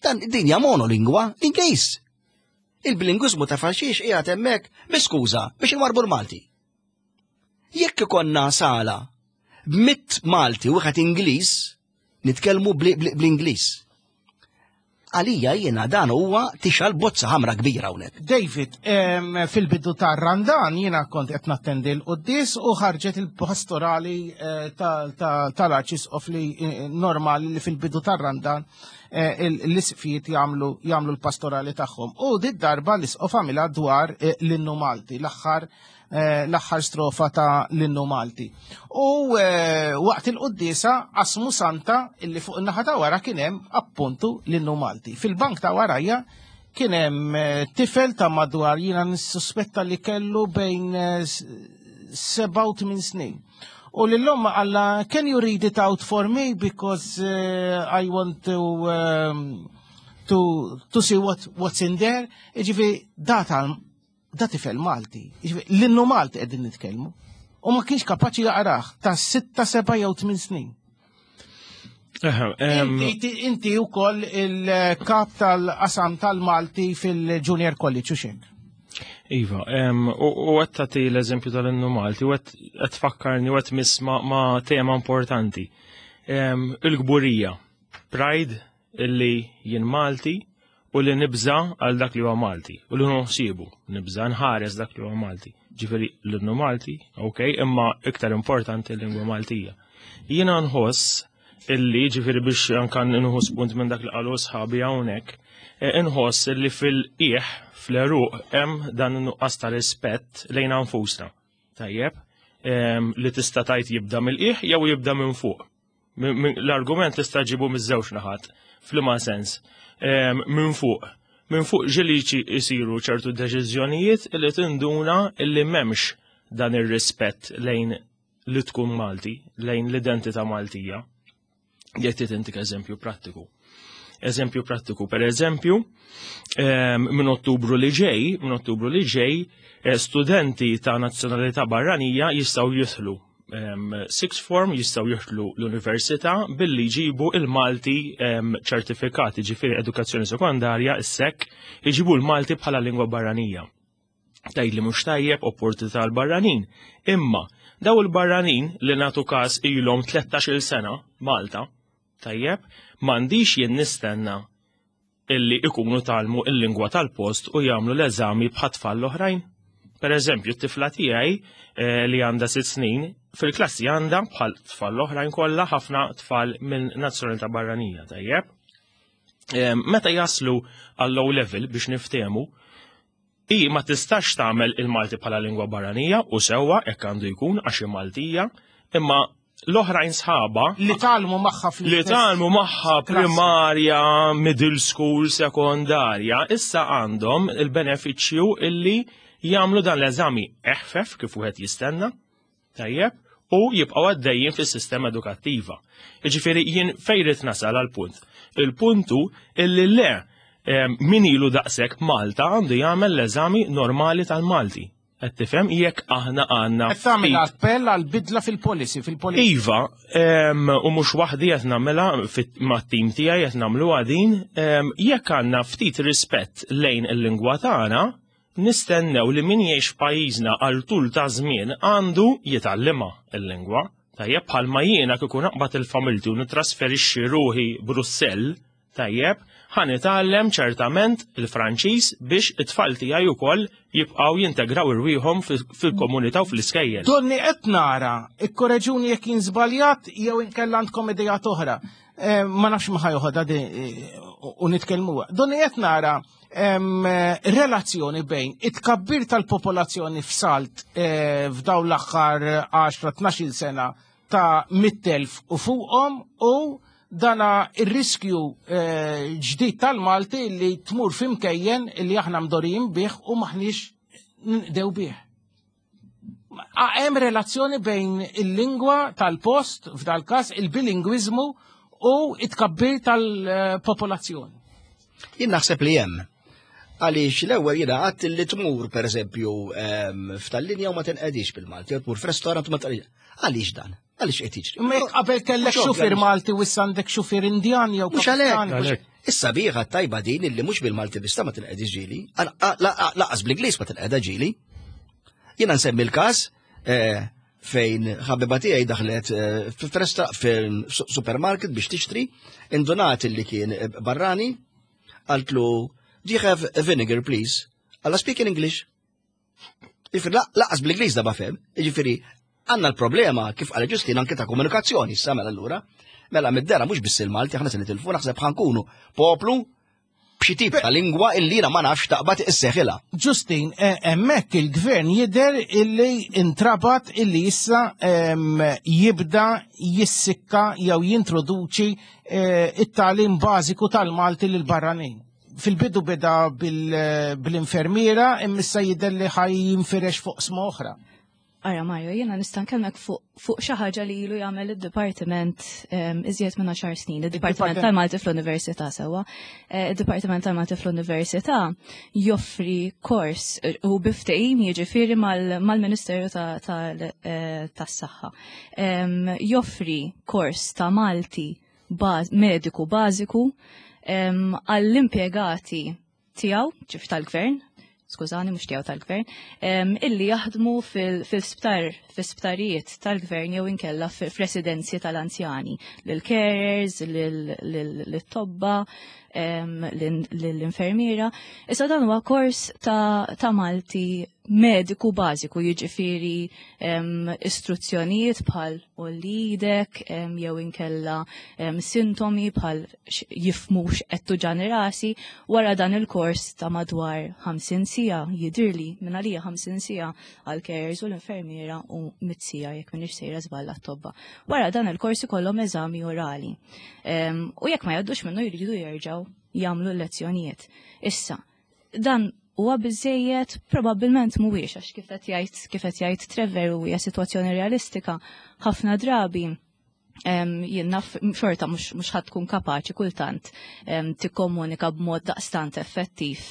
Dan dinja monolingwa Ingliż. Il-bilingwiżmu ta' falxiex qiegħed hemmhekk bi skuża biex inwarbu l-Malti. Jekk ikonna sala b'mitt Malti u wieħed Ingliż, nitkellmu bl-Ingliż. Għalija jiena dan huwa tixal bozza ħamra kbira hawnhekk. David, fil-bidu tar-Randan jiena kont qed nattendi l-quddies u ħarġet il-pastorali eh, tal-Arċisqof li eh, normali li fil-bidu tar-Randan eh, l-isqfijiet jagħmlu jagħmlu l-pastorali tagħhom. U dit darba l-isqof għamilha dwar l-innu Malti, l-aħħar Eh, l-aħħar strofa ta' l-innu Malti. U eh, waqt il-quddiesa qasmu santa illi fuq in-naħa ta' wara kien hemm appuntu l-innu Malti. Fil-bank ta' warajja kien hemm eh, tifel ta' madwar jiena nissuspetta li kellu bejn seba' u tmien snin. U l-lum għalla, can you read it out for me because uh, I want to, um, to, to see what, what's in there. Iġifi, data Da tifel Malti, l-innu Malti qegħdin nitkellmu. U ma kienx kapaċi jaqrah ta' sitta, seba' jew tmien snin. Inti wkoll il-kap tal-qasam tal-Malti fil-Junior College u xek. Iva, u għed tagħti l-eżempju tal-innu Malti, u għed tfakkarni u għed miss ma' tema importanti. Il-gburija, pride illi jien Malti u li nibża għal dak li huwa Malti u li nħsibu, nibża nħares dak li huwa Malti. Ġifieri l-innu Malti, ok, imma iktar importanti l-lingwa Maltija. Jiena nħoss illi ġifieri biex anka nħu spunt minn dak li qalu sħabi hawnhekk, eh, inħoss illi fil-qiegħ fl-eruq hemm dan in-nuqqas ta' rispett lejn anfusna. Tajjeb, ehm, li tista' tajt jibda mill-qiegħ jew jibda minn fuq. L-argument tista' ġibu miż-żewġ naħat, f'liema sens. Ehm, minn fuq. Minn fuq ġiliċi jisiru ċertu deċiżjonijiet li tinduna li m'hemmx dan ir-rispett lejn li tkun Malti, lejn l-identità Maltija. Jekk trid intik eżempju prattiku. Eżempju prattiku, per eżempju, ehm, minn Ottubru li ġej, minn Ottubru li ġej, eh, studenti ta' nazzjonalità barranija jistgħu jidħlu ehm, sixth form jistgħu jidħlu l-università billi jġibu il-Malti ehm, ċertifikati, ġifieri edukazzjoni sekondarja, is-sek, jġibu l-Malti bħala lingwa barranija. Tgħid li mhux tajjeb opportunità għal barranin. Imma daw il-barranin li nagħtu każ ilhom 13-il sena Malta, tajjeb, m'għandix jien nistenna illi ikunu talmu il-lingwa tal-post u jagħmlu l-eżami bħat-tfal l-oħrajn. Per eżempju, t-tifla tiegħi eh, li għandha sitt snin, fil-klassi għandha bħal tfal l-oħrajn kollha ħafna tfal minn nazzjonalità barranija, tajjeb. Eh, meta jaslu għall-low level biex niftehmu, Hi ma tistax tagħmel il-Malti bħala lingwa barranija u sewwa hekk għandu jkun għax hi Maltija, imma l-oħrajn sħaba li tgħallmu magħha fl li tgħallmu magħha primarja, middle school, sekondarja, issa għandhom il-benefiċċju illi jagħmlu dan l-eżami eħfef kif wieħed jistenna, Tajjeb, u jibqgħu għaddejjin fis-sistema edukattiva. Jiġifieri jien fejn rid nasal għal punt. Il-punt hu illi le min ilu daqshekk Malta għandu jagħmel l-eżami normali tal-Malti. Qed tifhem jekk aħna għandna. Qed tagħmel appell għal bidla fil-policy fil-policy. Iva, u mhux waħdi qed nagħmilha mat-tim tiegħi qed nagħmluha din, jekk għandna ftit rispett lejn il-lingwa tagħna, Nistennew li min jgħix f'pajjiżna għal tul ta' żmien għandu jitgħallimha l-lingwa. Tajjeb bħalma jiena kieku naqbad il-familti u nitrasferixxi ruħi Brussell, tajjeb, ħa nitgħallem ċertament il-Franċiż biex it-tfal tiegħi wkoll jibqgħu jintegraw irwieħhom fil-komunità u fl-iskejjel. Donni qed nara, ikkoreġuni jekk jien żbaljat jew inkella għandkom ideat oħra. Eh, ma nafx ma ħajoħodha eh, u nitkellmuha. Donni qed nara relazzjoni bejn it-tkabbir tal-popolazzjoni f'salt eh, f'dawn l-aħħar 10-12 sena ta' 100,000 u fuqhom u dana ir-riskju eh, ġdid tal-Malti li tmur fimkejjen li aħna mdorijin bih u maħniex ndew bih. Hemm relazzjoni bejn il-lingwa tal-post, f'dal każ il-bilingwiżmu u it-tkabbir tal-popolazzjoni. Jien naħseb li hemm. Għaliex l-ewwel jiena għadt li tmur pereżempju ehm, f'tal-linja u ma tinqedix bil-Malti, jew tmur f'restorant u ma tinqedix. Għaliex dan? Għaliex qed jiġri? Imma jekk qabel kellek xufier Malti u issa għandek xufier Indjan jew Mhux għalhekk. Issa biħa tajba din illi mhux bil-Malti bista ma tinqedix ġieli, laqas bl-Ingliż ma tinqeda ġieli. Jiena nsemmi l-każ eh, fejn ħabiba tiegħi daħlet eh, f'resta fil-supermarket biex tixtri, indunat li kien eh, barrani, qaltlu, do you have a vinegar please? Alla speak in English. Ġifieri laqas bl-Ingliż da fem, ġifieri għandna l-problema kif qal Ġustin anke ta' komunikazzjoni issa mela allura. Mela mid-dera mhux biss il-Malti aħna se nitilfu naħseb ħankunu poplu b'xi tip ta' lingwa illi jiena ma nafx taqbad isseħilha. Ġustin, eh, hemmhekk il-gvern jidher illi intrabat illi issa jibda jissikka jew jintroduċi eh, it-tagħlim bażiku tal-Malti lil barranin. Fil-bidu beda bil-infermiera imma issa jidher li ħaj jinfirex fuq sma oħra. Ara Mario, jiena nista' nkellmek fuq fu xi ħaġa li ilu jagħmel id-dipartiment um, iżjed minn 10 snin, id-Dipartiment tal-Malti fl-Università sewwa. Eh, id-Dipartiment tal-Malti fl-Università joffri kors eh, u biftehim jiġifieri mal-Ministeru eh, tas-Saħħa. Joffri kors ta' Malti mediku bażiku għall-impjegati tiegħu, ġif tal-gvern, skużani mhux tiegħu tal-gvern, illi jaħdmu fil-sptar, fil-sptarijiet tal-gvern jew inkella f'residenzi tal-anzjani, lil-carers, lil-tobba, lill-infermiera. Issa dan huwa kors ta' Malti mediku bażiku, jiġifieri istruzzjonijiet bħal olidek jew inkella sintomi bħal jifmux qed tuġani rasi wara dan il-kors ta' madwar 50 sija jidirli minn għalija 50 sija għal carers u l-infermiera u mit sija jekk minix sejra żball tobba. Wara dan il-kors ikollhom eżami orali. U jekk ma jgħaddux minnu jridu jerġgħu jagħmlu l-lezzjonijiet. Issa, dan huwa biżejjed probabbilment mhuwiex għax kif qed jgħid kif qed jgħid Trevor u hija sitwazzjoni realistika ħafna drabi jien naf xorta mhux ħadd tkun kapaċi kultant tikkomunika b'mod daqstant effettiv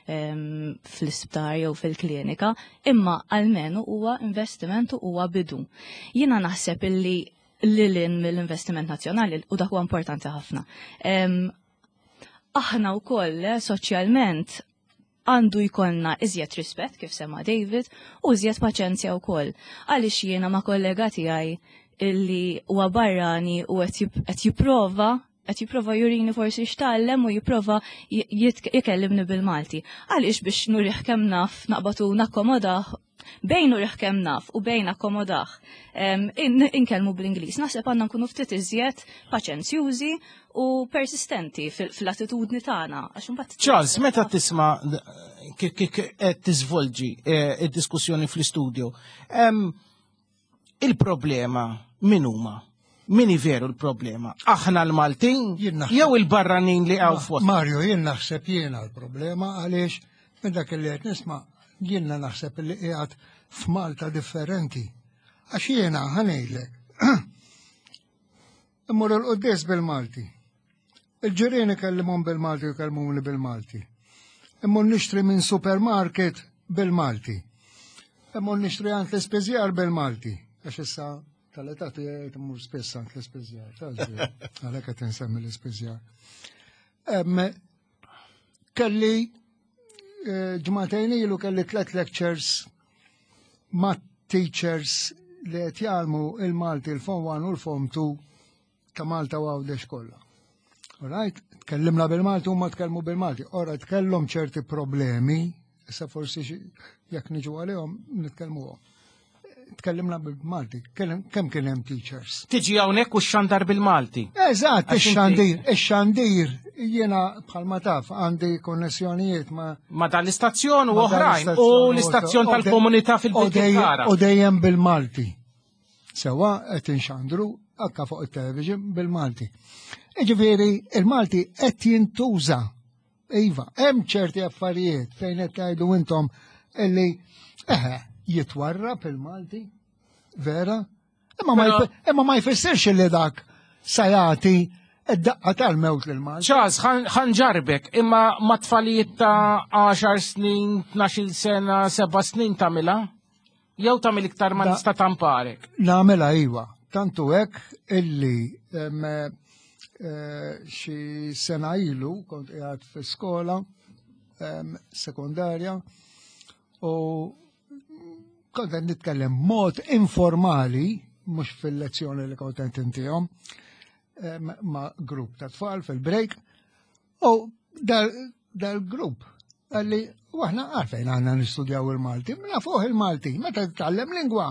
fl-isptar jew fil-klinika, imma almenu huwa investiment u huwa bidu. Jiena naħseb illi lilin mill-investiment nazzjonali u dak huwa importanti ħafna. Aħna wkoll eh, soċjalment għandu jkollna iżjed rispett kif sema David u iżjed paċenzja wkoll. Għaliex jiena ma' kollega tiegħi illi huwa barrani u qed jipprova qed jipprova jurini forsi x'tgħallem u jipprova jkellimni bil-Malti. Għaliex biex nurih kemm naf naqbatu nakkomodah bejn nurih kemm naf u bejn akkomodah inkellmu bl-Ingliż. Naħseb għandna nkunu ftit iżjed paċenzjużi u persistenti fil-attitudni tagħna. Charles, meta tisma' kif qed tiżvolġi eh, id-diskussjoni fl-istudio, il-problema min huma? Min veru l-problema? Aħna l-Maltin jew il-barranin li għaw fost? Mario, jien naħseb jiena l-problema għaliex minn dak li qed nisma' jiena naħseb li qiegħed f'Malta differenti. Għax jiena ħanejlek. Immur il-quddies bil-Malti. Il-ġirien ikellimhom bil-Malti u jkellmuni bil-Malti. Immur nixtri minn supermarket bil-Malti. Immur nixtri għand l-ispiżjar bil-Malti. Għax issa tal-età tiegħi tmur spiss għand l-ispiżjar. Għalhekk qed insemmi l-ispiżjar. Kelli eh, ġimagħtejn ilu kelli tlet lectures ma' teachers li qed jgħallmu il-Malti il-Form 1 u l-Form 2 ta' Malta u Għawdex kollha. Alright, tkellimna bil-Malti huma tkellmu bil-Malti. Ora tkellhom ċerti problemi, issa forsi jekk niġu għalihom nitkellmuhom. Tkellimna bil-Malti, kemm kien hemm teachers? Tiġi hawnhekk u xandar bil-Malti. Eżatt, ix-xandir, ix-xandir jiena bħalma taf għandi konnessjonijiet ma' ma dan l-istazzjon u oħrajn u l-istazzjon tal-komunità fil-Birkirkara. U dejjem bil-Malti. Sewa qed inxandru anka fuq it-television bil-Malti. Iġifieri il-Malti qed jintuża. Iva, hemm ċerti affarijiet fejn qed tgħidu intom illi eħe jitwarrab il-Malti, vera, imma ma jfissirx li dak sa jagħti id-daqqa tal-mewt lil Malti. Charles, ħanġarbek, imma ma tfalijiet ta' 10 snin, 12 sena, 7 snin tagħmilha? Jew tagħmel iktar ma nista' tamparek. Nagħmilha iva. Tantu hekk illi eh, xi sena ilu kont qiegħed fi skola sekondarja u kont qed nitkellem mod informali mhux fil-lezzjoni li kont qed intihom ma' grupp ta' tfal fil-break U dal-grupp għalli u aħna għalfejn għanna nistudjaw il-Malti, mela fuq il-Malti, meta titgħallem lingwa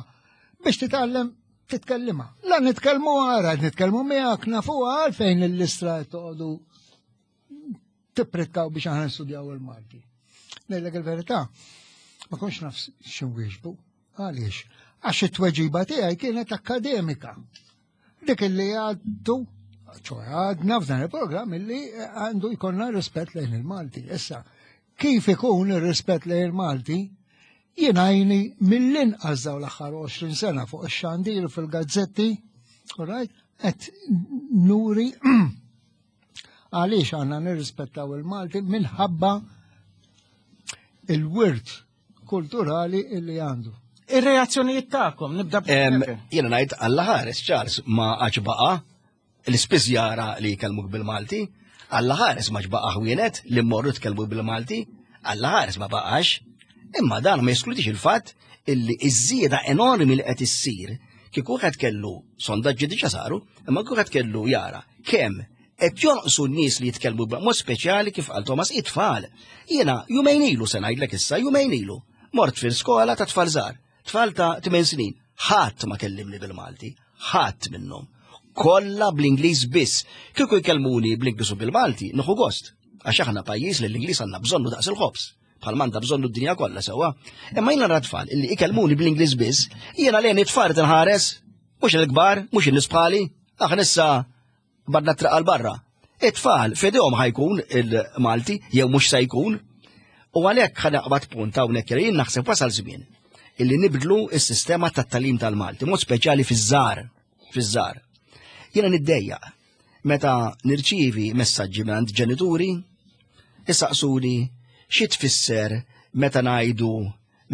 biex titgħallem titkellima. La nitkellmu għara, nitkellmu miegħek nafu għalfejn l-istra toqgħodu tipritkaw biex aħna nistudjaw il-Malti. Ngħidlek il-verità, ma konx naf x'inwieġbu. Għaliex? Għax it-tweġiba tiegħi kienet akademika. Dik illi għaddu, ċoħe għadna f'dan il-programm illi għandu jkollna rispett lejn il-Malti. Issa, kif ikun ir-rispett lejn il-Malti, jien għajni mill-inqas daw l-aħħar 20 sena fuq ix-xandir fil-gazzetti, right, qed nuri għaliex għandna nirrispettaw il-Malti minħabba il-wirt kulturali illi għandu. Ir-reazzjonijiet tagħkom nibda Jiena ngħid Alla ħares Charles ma għax baqa' l-ispiżjara li jkellmuk bil-Malti, Alla ħares ma baqa' ħwienet li mmorru tkellmu bil-Malti, Alla ħares ma baqax. Imma dan ma jeskludix il-fatt illi iż-żieda enormi li qed issir kieku wieħed kellu sondaġġi diġà saru, imma kieku wieħed kellu jara kemm Qed jonqsu n-nies li jitkellmu b'mod speċjali kif qal Thomas it-tfal. Jiena jumejn ilu se ngħidlek issa jumejn ilu. Mort fil-skola ta' tfal żgħar, tfal ta' 8 snin. Ħadd ma kellimni bil-Malti, ħadd minnhom. Kollha bl-Ingliż biss. Kieku jkellmuni bl-Ingliż u bil-Malti, nieħu gost. Għax aħna pajjiż li l-Ingliż għandna bżonnu daqs il-ħobż bħal manda bżonnu d-dinja kollha sewwa. Imma jiena nara tfal illi ikellmuni bl-Ingliż biss, jiena lejn it-tfal tinħares, mhux il-kbar, mhux in-nies bħali, aħna issa Barna triq għal barra. It-tfal f'idejhom ħajkun il-Malti jew mhux se jkun. U għalhekk ħa naqbad punt hawnhekk jien naħseb wasal żmien illi nibdlu s-sistema tat-talim tal-Malti, mod speċjali fiż-żgħar, fiż-żgħar. Jiena niddejjaq meta nirċievi messaġġi minn ġenituri isaqsuni xi tfisser meta ngħidu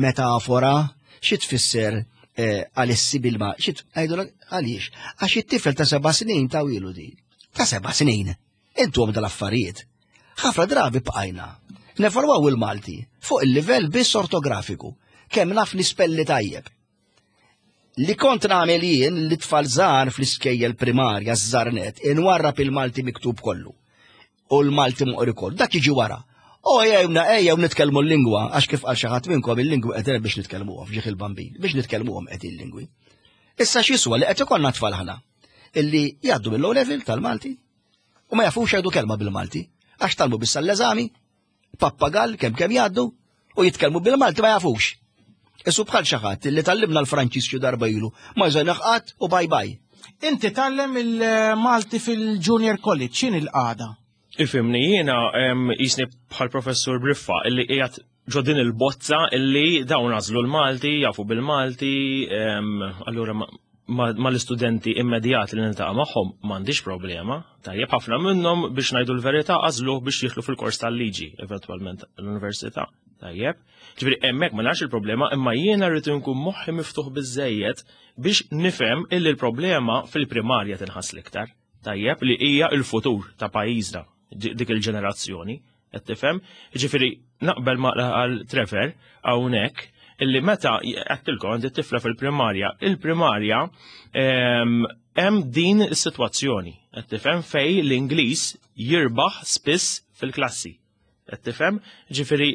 metafora, xi tfisser eh, għalissi bil-ma, xi ngħidu għaliex? Għax it-tifel ta' seba' snin ta' wilu di. Ta' seba' snin. Intu dal-affarijiet. Ħafna drabi bqajna. Nevalwaw il-Malti fuq il-livell biss ortografiku, kemm naf nispelli tajjeb. Li kont nagħmel jien li tfal żgħar fl-iskejjel primarja żżarnet inwarrab il-Malti miktub kollu. U l-Malti moqri kollu. Dak jiġi wara. O ejjewna ejjew nitkellmu l-lingwa għax kif qal xi ħadd minnkom il-lingwi qed biex nitkellmuhom f'ġieħ il-bambin, biex nitkellmuhom qed il-lingwi. Issa x'jiswa li qed ikollna tfal ħana illi jgħaddu mill-low level tal-Malti u ma jafux jgħidu kelma bil-Malti għax talmu biss l-eżami pappagall kemm kemm jgħaddu u jitkellmu bil-Malti ma jafux. Isu bħal xi ħadd li tallimna l-Franċiż xi darba ilu, ma jżejnaħ qatt u bye bye. Inti tallem il-Malti fil-Junior College, x'in il-qagħda? Ifimni, jiena jisni bħal professur Briffa illi qiegħed ġo din il-bozza illi dawn għażlu l-Malti, jafu bil-Malti, allura ma l-istudenti immedjati li niltaqa' magħhom m'għandix problema. Tajjeb ħafna minnhom biex ngħidu l-verità għażluh biex jidħlu fil-kors tal-liġi eventwalment l-università. Tajjeb. Ġifieri hemmhekk ma narax il-problema imma jiena rrid inkun moħħi miftuħ biżejjed biex nifhem illi l-problema fil-primarja tinħass l-iktar. Tajjeb li hija l-futur ta' pajjiżna dik il-ġenerazzjoni. Qed tifhem? Ġifieri naqbel ma għal Trevor hawnhekk illi meta għattilkom għandi tifla fil-primarja, il-primarja ehm, hemm din is-sitwazzjoni, qed tifhem fej l-Ingliż jirbaħ spiss fil-klassi. Qed tifhem? Ġifieri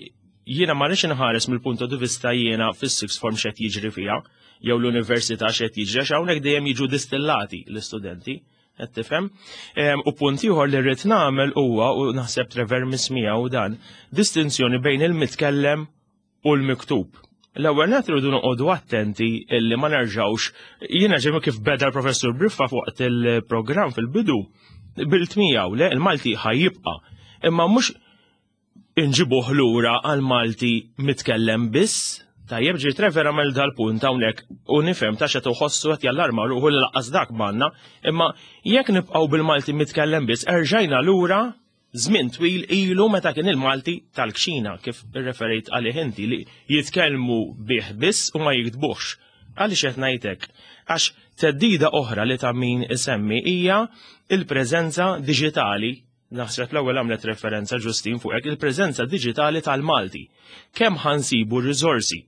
jiena ma rridx inħares mill-punto di vista jiena fis-sixth form x'qed jiġri fiha jew l-università x'qed jiġri għax hawnhekk dejjem jiġu distillati l-istudenti. Qed tifhem? U punt ieħor li rrid nagħmel huwa u naħseb Trevor mismiegħu dan, distinzjoni bejn il-mitkellem u l-miktub. L-ewwel nett irridu noqogħdu attenti illi ma nerġgħux jiena ġemmi kif beda l-professur Briffa fuq il-programm fil-bidu bilt miegħu le il-Malti ħajjibqa' imma mhux inġibuh lura għal Malti mitkellem biss. Tajjeb ġi Trevor għamel dal-punt hawnhekk u nifhem ta' xed uħossu qed jallarma ruħu li laqqas dak manna, imma jekk nibqgħu bil-Malti mitkellem biss erġajna lura żmien twil ilu meta kien il-Malti tal-kxina kif irreferejt għalih inti li jitkellmu bih biss u ma jiktbuhx. Għaliex qed ngħid hekk? Għax theddida oħra li ta' min isemmi hija il-preżenza diġitali Naħseb l-ewwel għamlet referenza Ġustin fuq hekk il-preżenza diġitali tal-Malti. Kemm ħansibu r-riżorsi?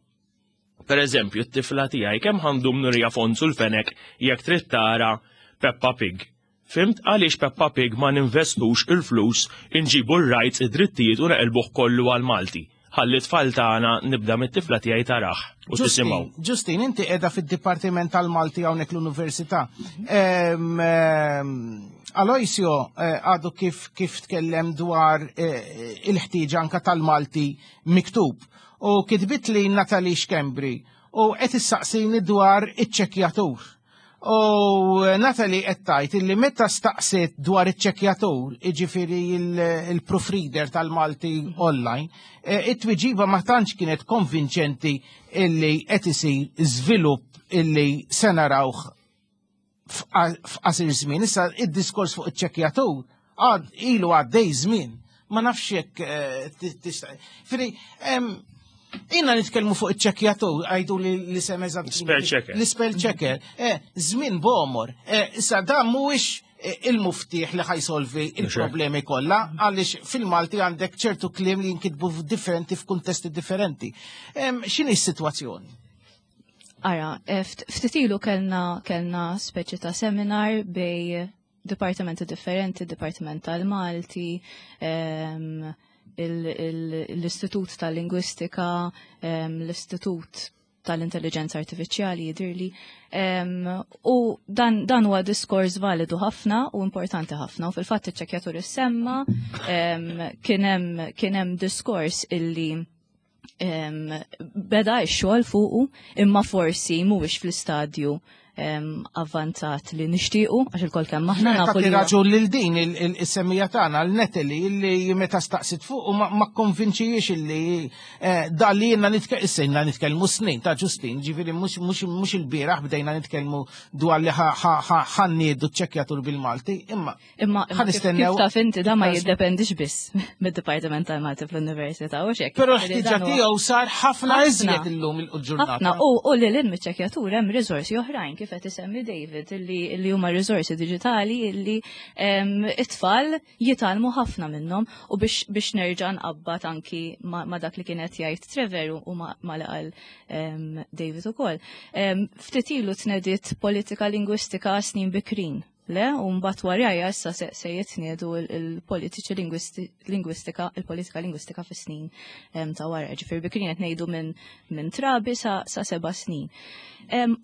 Per eżempju, t-tifla tiegħi kemm ħandum nurija Fonzu l-Fenek jekk trid tara Peppa Pig. Fimt għaliex Peppa Pig ma ninvestux il-flus inġibu r-rights id-drittijiet u neqilbuh kollu għal Malti. Ħalli tfal tagħna nibda mit-tifla tiegħi tarah u tisimgħu. Ġustin, inti qiegħda fid-Dipartiment tal-Malti hawnhekk l-Università. Aloisio eh, għadu kif kif tkellem dwar eh, il-ħtieġa anka tal-Malti miktub. U kitbit li Natalie Schembri u qed issaqsini dwar iċ-ċekjatur. U Natalie qed tgħid illi meta staqsiet dwar iċ-ċekjatur, jiġifieri il-proofreader tal-Malti online, eh, it-tweġiba ma tantx kienet konvinċenti illi qed isir żvilupp illi se narawh f'qasir żmien. Issa id-diskors fuq iċ-ċekjatur għad ilu għaddej żmien. Ma nafx jekk eh, tista' Firi, Inna nitkellmu fuq iċ-ċekjatur, għajdu li li sem eżatt. Spell checker. L-spell checker. Eh, żmien bomor. Eh, issa dan mhuwiex il-muftieħ li ħajsolvi il-problemi kollha, għaliex fil-Malti għandek ċertu kliem li jinkitbu differenti f'kuntesti differenti. X'inhi s-sitwazzjoni? Ara, eh, ftit ilu kellna kellna speċi ta' seminar bej dipartimenti differenti, Dipartiment tal-Malti, ehm, l-Istitut tal-Lingwistika, ehm, l-Istitut tal-Intelligenza Artifiċjali jidirli. Ehm, u dan, dan huwa diskors validu ħafna u importanti ħafna. U fil-fatt iċ-ċekjatur issemma kien hemm diskors illi beda x-xogħol fuqu imma forsi mhuwiex fl-istadju avvanzat li nixtiequ għax il-kol kemm aħna nafu li raġun lil din il-semmija tagħna l-Natalie illi meta staqsit fuq u ma konvinċijiex illi eh, da li jenna nitkellmu nitkellmu snin ta' Ġustin, ġifieri mhux il-bieraħ bdejna nitkellmu dwar li ħanniedu ċ-ċekkjatur bil-Malti, imma Imma kif taf inti da ma jiddependix biss mid-Dipartiment tal-Malti fl-Università u xek. Però l-ħtiġa tiegħu sar ħafna iżjed illum il-ġurnata. Ħafna u lil hinn miċ-ċekjatur hemm riżorsi oħrajn kif qed isemmi David li huma riżorsi diġitali li it-tfal jitgħallmu ħafna minnhom u biex nerġa' nqabbad anki ma' dak li kien qed jgħid Trevor u ma' li qal David ukoll. Ftit ilu tnediet politika lingwistika snin bikrin Le, u mbagħad warajja issa se, se jitniedu il-politiċi lingwistika, il-politika lingwistika fis-snin ta' wara. Ġifier bikrin qed ngħidu minn min trabi sa, sa seba' snin.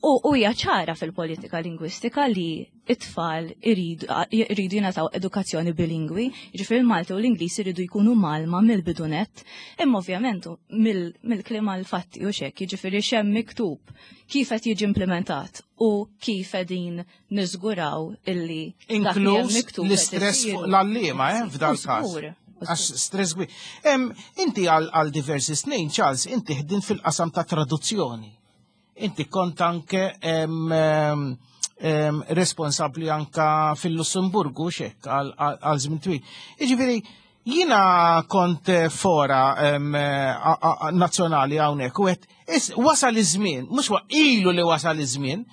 U hija ċara fil-politika lingwistika li it-tfal iridu jingħataw edukazzjoni bilingwi, ġifier il-Malti u l-Ingliż iridu jkunu malma mill-bidunet, imma ovvjament mill-kliem għal fatti u xek, jiġifieri x'hemm miktub, kif qed jiġi implementat u kif qegħdin niżguraw illi inkluż l-istress fuq l-għalliema eh, f'dan każ. Għax stress kbir. Inti għal diversi snin, Charles, inti ħdint fil-qasam ta' traduzzjoni. Inti kont anke responsabbli anka fil-Lussemburgu xek għal żmien twil. Jiġifieri, Jina kont eh, fora eh, nazzjonali hawnhekk u qed wasal iż-żmien, mhux ilu li wasal iż-żmien,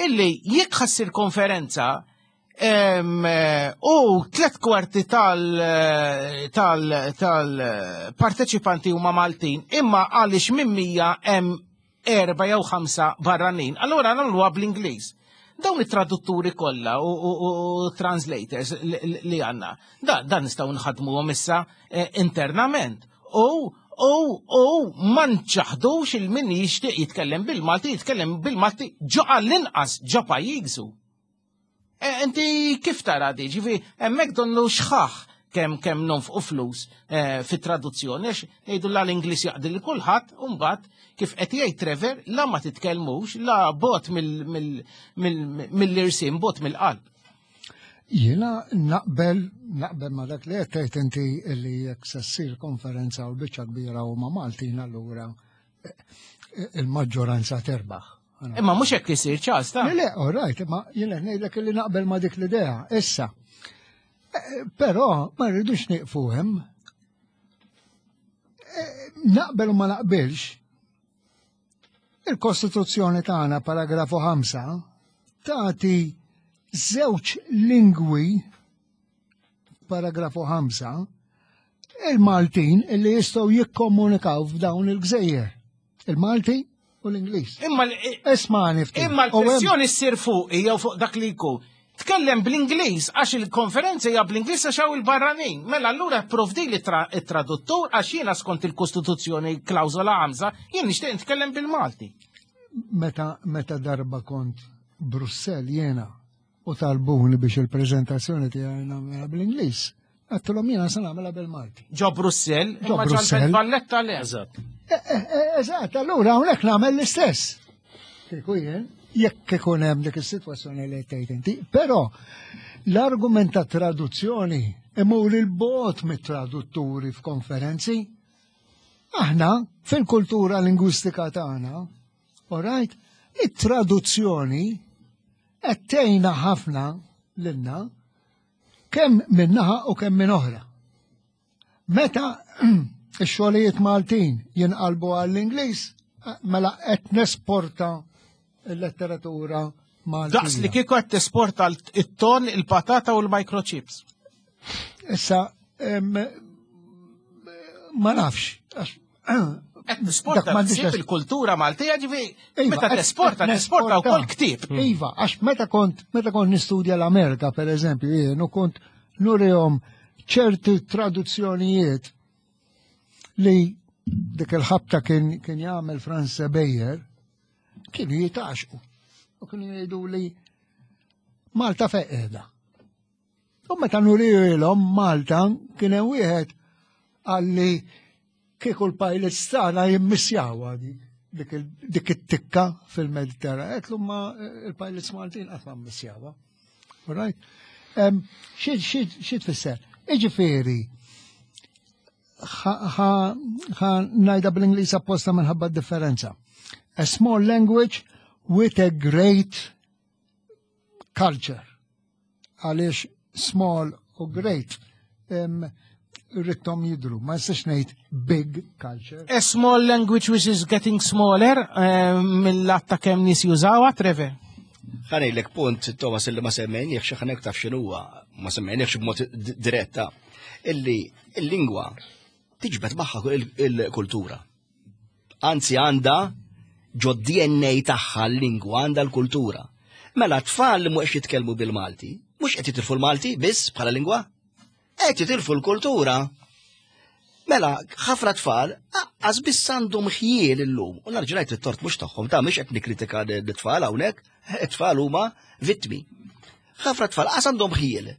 illi jekk ħassir konferenza. U tlet kwarti tal-parteċipanti huma Maltin, imma għaliex minn 100 hemm erba' jew ħamsa barranin. Allura nagħmluha bl-Ingliż. Dawn it-tradutturi kollha u translators li għandna, dan nistgħu nħadmuhom issa eh, internament. U u u ma nċaħdux il-min jixtieq jitkellem bil-Malti, jitkellem bil-Malti ġo għall-inqas ġo pajjiżu. E, inti kif tara di? Ġifi, hemmhekk donnu xħaħ kemm kemm nonfqu flus e, fit-traduzzjoni għax ngħidu la l-Ingliż jaqdi li kulħadd u mbagħad kif qed jgħid Trevor la ma titkellmux la bot mill-irsim bot mill-qalb. Jiena naqbel naqbel ma dak li qed tgħid inti li jekk se ssir konferenza u biċċa kbira huma Maltin allura e, il-maġġoranza terbaħ. Imma mhux hekk isir ċas ta' Le, all right, imma jiena ngħidlek li naqbel ma dik l-idea. Issa. Eh, però ma rridux nieqfu hemm. Eh, naqbel u ma naqbilx. Il-Kostituzzjoni tagħna paragrafu 5 tagħti żewġ lingwi paragrafu 5 il-Maltin illi jistgħu jikkomunikaw f'dawn il-gżejjer. Il-Malti u l-Ingliż. Imma Ismani ftit. Imma l-pressjoni ssir fuq jew fuq dak li jkun. Tkellem bl-Ingliż għax il-konferenza hija bl-Ingliż għax hawn il-barranin. Mela allura pprovdi li traduttur għax jiena skont il-Kostituzzjoni klawżola ħamsa jien nixtieq nitkellem bil-Malti. Meta meta darba kont Brussell jiena u talbuni biex il-preżentazzjoni tiegħi nagħmilha bl-Ingliż. Għedtilhom jiena se nagħmilha bil-Malti. Ġo Brussell, Ġo Brussell. Valletta le. Eżatt. E, e, e, eżatt, allura hawnhekk nagħmel l-istess. Kieku jien, jekk ikun hemm dik is-sitwazzjoni li tgħid inti. Però l-argument ta' traduzzjoni imur il-bot mit-tradutturi f'konferenzi. Aħna fil-kultura lingwistika tagħna, all right, it-traduzzjoni qed tgħinna ħafna lilna kemm minn naħa u kemm minn oħra. Meta x-xogħlijiet Maltin jinqalbu għall-Ingliż, mela qed nesporta l-letteratura Maltija. Daqs li kieku qed tesporta it-ton, il-patata u l-microchips. Issa, ma nafx, Qed nisporta ksib il-kultura Maltija ġifi iva, meta tesporta tesporta wkoll ktieb. Mm. Iva, għax meta kont meta kont nistudja l-Amerika pereżempju jien u kont nurihom ċerti traduzzjonijiet li dik il-ħabta kien kien jagħmel Franz Beyer kienu jitaxqu u kienu jgħidu li Malta fejn qiegħda. U meta nurilhom Malta kien hemm wieħed għalli kieku l-pilots tagħna jimmissjawha dik dik it-tikka fil-Mediterran. Għetlu ma il-pilots Maltin qatt ma mmissjawha. Right? Xi tfisser? Iġifieri, ħa ngħidha bl-Ingliż apposta minħabba differenza. A small language with a great culture. Għaliex small u great rrittom jidru, ma nistax ngħid big culture. A small language which is getting smaller mill-att ta' kemm nies jużawha, Trevor? Ħanejlek punt, Thomas, illi ma semmejniex, xi ħanek taf x'inhuwa, ma semmejniex b'mod diretta, illi l-lingwa tiġbed magħha il-kultura. Anzi għandha ġo DNA tagħha l-lingwa għandha l-kultura. Mela tfal li mhux jitkellmu bil-Malti, mhux qed jitilfu l-Malti biss bħala lingwa, qed jitilfu l-kultura. Mela, ħafna tfal aqqas biss għandhom ħjiel illum. U narġa' ngħid it-tort mhux tagħhom, ta' mhux qed nikkritika l-tfal hawnhekk, it-tfal huma vittmi. Ħafna tfal qas għandhom ħjiel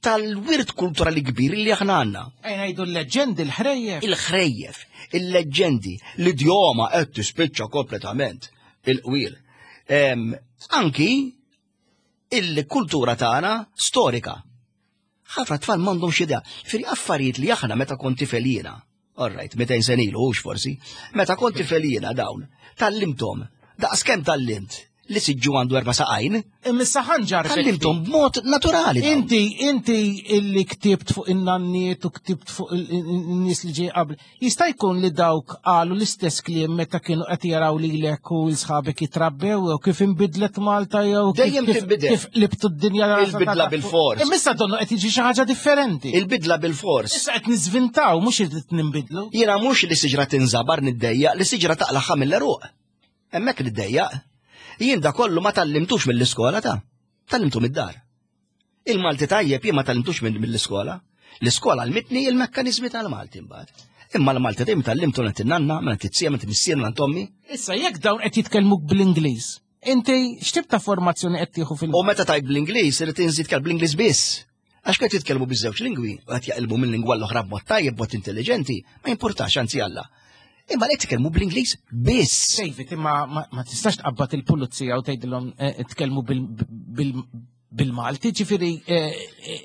tal-wirt kulturali kbir li aħna għandna. Ejn ngħidu l-leġġendi, l-ħrejjef. Il-ħrejjef, il-leġġendi, l-idjoma qed tispiċċa kompletament il-qwiel. Anki il-kultura tagħna storika. Ħafna tfal m'għandhomx idea. Firri affarijiet li aħna meta kont tifel jiena, all right, 200 sena ilu, hux forsi, meta kont tifel jiena dawn, tallimthom, daqs kemm tallimt. li siġġu għandu erba' saqajn. Imma ħanġar. Tgħallimthom b'mod naturali. Inti, inti illi ktibt fuq in-nanniet u ktibt fuq in-nies li ġej qabel. Jista' jkun li dawk qalu l-istess kliem meta kienu qed jaraw lilek u l-sħabek jitrabbew jew kif inbidlet Malta jew dejjem tinbidel. Kif libtu d-dinja Il-bidla bil-fors. Imma issa donnu qed jiġi xi ħaġa differenti. Il-bidla bil-fors. Issa qed niżvintaw mhux irid ninbidlu. Jiena mhux li siġra tinżabar niddejjaq, li siġra taqlaħħa mill-eruq. Hemmhekk niddejjaq. Jien da kollu ma tallimtux mill-iskola ta' tallimtu mid-dar. Il-Malti tajjeb jien ma tallimtux mill-iskola. L-iskola għalmitni il-mekkaniżmi tal-Malti mbagħad. Imma l-Malti dejjem tallimtu minn nanna, minn tizzija, minn missier, minn tommi. Issa jekk dawn qed jitkellmuk bl-Ingliż, inti x'tip ta' formazzjoni qed tieħu fil U meta tajt bl-Ingliż irid inżid kelb bl-Ingliż biss. Għax qed jitkellmu biż-żewġ lingwi u qed jaqilbu minn lingwa l-oħra b'mod tajjeb, b'mod intelligenti, ma jimpurtax anzi Alla. Imma li titkellmu bl-Ingliż biss. David, imma ma tistax tqabbad il-pulizija u tgħidilhom eh, tkellmu bil-Malti, ġifieri eh,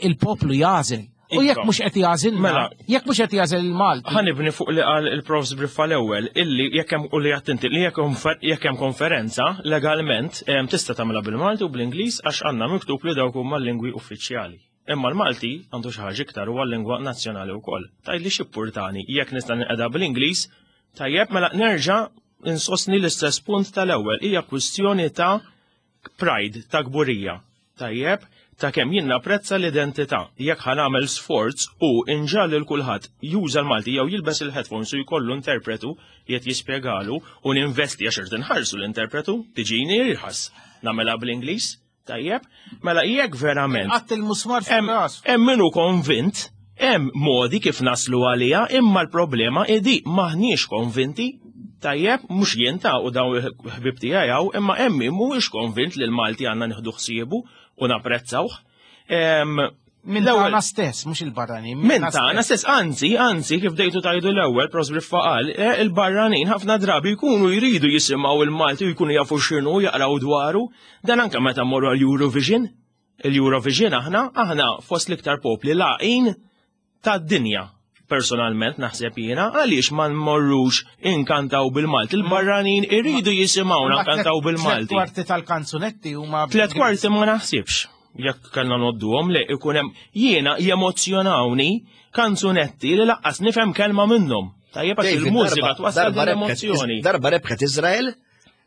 il-poplu jażel. U jekk mhux qed jażel, mela, jekk mhux qed jażel il-Malti. Ħanibni fuq li qal il-Profs Briffa l-ewwel illi jekk hemm u li attenti li jekk hemm konferenza legalment tista' tagħmilha bil-Malti u bl-Ingliż għax għandna miktub li dawk huma l-lingwi uffiċjali. Imma l-Malti għandu xi ħaġa iktar huwa l-lingwa nazzjonali wkoll. Tgħidli x'ippurtani jekk nista' ninqeda bl-Ingliż, tajjeb mela nerġa' insostni l-istess punt tal-ewwel hija kwistjoni ta' pride, ta' kburija. Tajjeb, ta' kemm jien napprezza l-identità. Jekk ħa nagħmel sforz u inġagħal lil kulħadd juża l-Malti jew jilbes il-headphones u jkollu interpretu li qed jispjegalu u ninvesti għax irid inħarsu l-interpretu, tiġini irħas. Nagħmilha bl-Ingliż, tajjeb? Mela jekk verament. Qatt il-musmar fir-ras. Hemm min hu konvint Hemm modi kif naslu għaliha imma l-problema hi di m'aħniex konvinti. Tajjeb, mhux jien ta' u dawn il-ħbieb tiegħi hawn, imma hemm min mhuwiex konvint li l-Malti għandna nieħdu ħsiebu u napprezzawh. Minn tagħna stess, mhux il-barranin. Minn tagħna stess, anzi, anzi, kif dejtu tajdu l-ewwel, Prosper qal, eh, il-barranin ħafna drabi jkunu jridu jisimgħu il-Malti u jkunu jafu x'inhu jaqraw dwaru. Dan anke meta mmorru għall-Eurovision. Il-Eurovision aħna, aħna fost l-iktar popli laqin tad-dinja. Personalment naħseb jiena għaliex ma nmorrux inkantaw bil-Malti. Il-barranin iridu jisimgħuna nkantaw bil-Malti. Tlet kwarti tal-kanzunetti huma. Tlet kwarti ma naħsibx. Jekk kellna nodduhom le ikun hemm jiena jemozzjonawni kanzunetti li laqqas nifhem kelma minnhom. Tajjeb għax il-mużika twassal l-emozzjoni. Darba rebħet Iżrael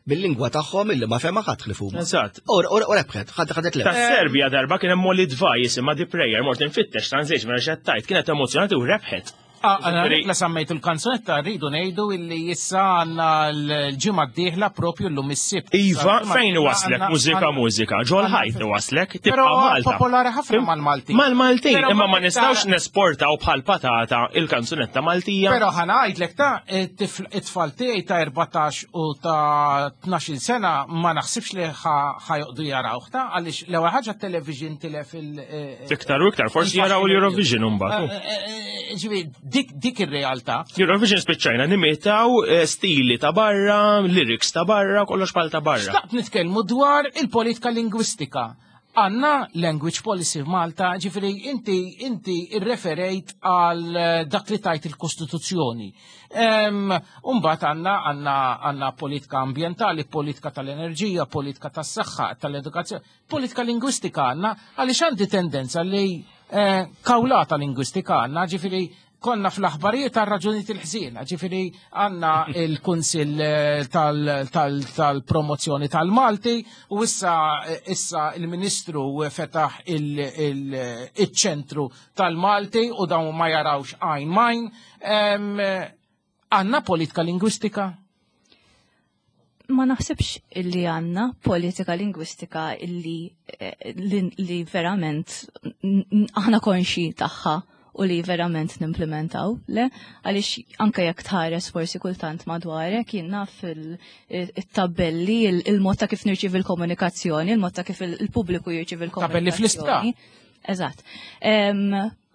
bil-lingwa tagħhom illi ma fema ħadd ħlifu. Eżatt. U rebħet, ħadd ħadet le. Tas-Serbja darba kien hemm Molly Dvaj jisimha The Prayer, mort infittex translation mela x'qed kienet emozjonati u rebħet. Ah, la semmejtu l-kanzunetta rridu ngħidu illi issa għandna l-ġimgħa d-dieħla propju llum is-sibt. Iva, fejn waslek mużika mużika, ġol ħajt waslek, tibqa' Malta. Popolari ħafna mal-Maltin. Mal-Maltin, imma ma nistgħux nesportaw bħal patata il-kanzunetta Maltija. Però ħa ngħidlek ta' it-tfal tiegħi ta' 14 u ta' 12 sena ma naħsibx li ħajoqdu jarawh ta' għaliex l-ewwel ħaġa t-television tilef il- eh, Iktar u iktar, forsi jaraw l-Eurovision imbagħad. Eh, eh, ġifieri dik dik ir-realtà. Eurovision spiċċajna nimitaw stili ta' barra, lyrics ta' barra, kollox bħal ta' barra. Xtaqt nitkellmu dwar il-politika lingwistika. Għanna language policy f'Malta, ġifiri inti inti irreferejt għal eh, dak li tajt il-Kostituzzjoni. Umbat għanna għanna għanna politika ambientali, politika tal-enerġija, politika tas-saħħa, tal-edukazzjoni, politika lingwistika għanna, għaliex għandi tendenza li eh, kawlata lingwistika għanna, ġifiri konna fl-aħbarijiet għal raġunijiet il-ħżiena, ġifieri għandna il-Kunsill eh, tal-promozzjoni tal-Malti u issa eh, issa il-Ministru fetaħ il-ċentru tal-Malti u dawn ma jarawx għajn majn. Għandna politika lingwistika? Ma naħsibx illi għanna politika lingwistika illi eh, li, li verament aħna konxi tagħha u li verament nimplementaw, le? Għaliex anke jekk tħares forsi kultant madwarek, jien naf il-tabelli, il-mod ta' kif nirċivi l-komunikazzjoni, il-mod ta' kif il-pubbliku jirċivi l-komunikazzjoni. Tabelli fl-isptar. Eżatt.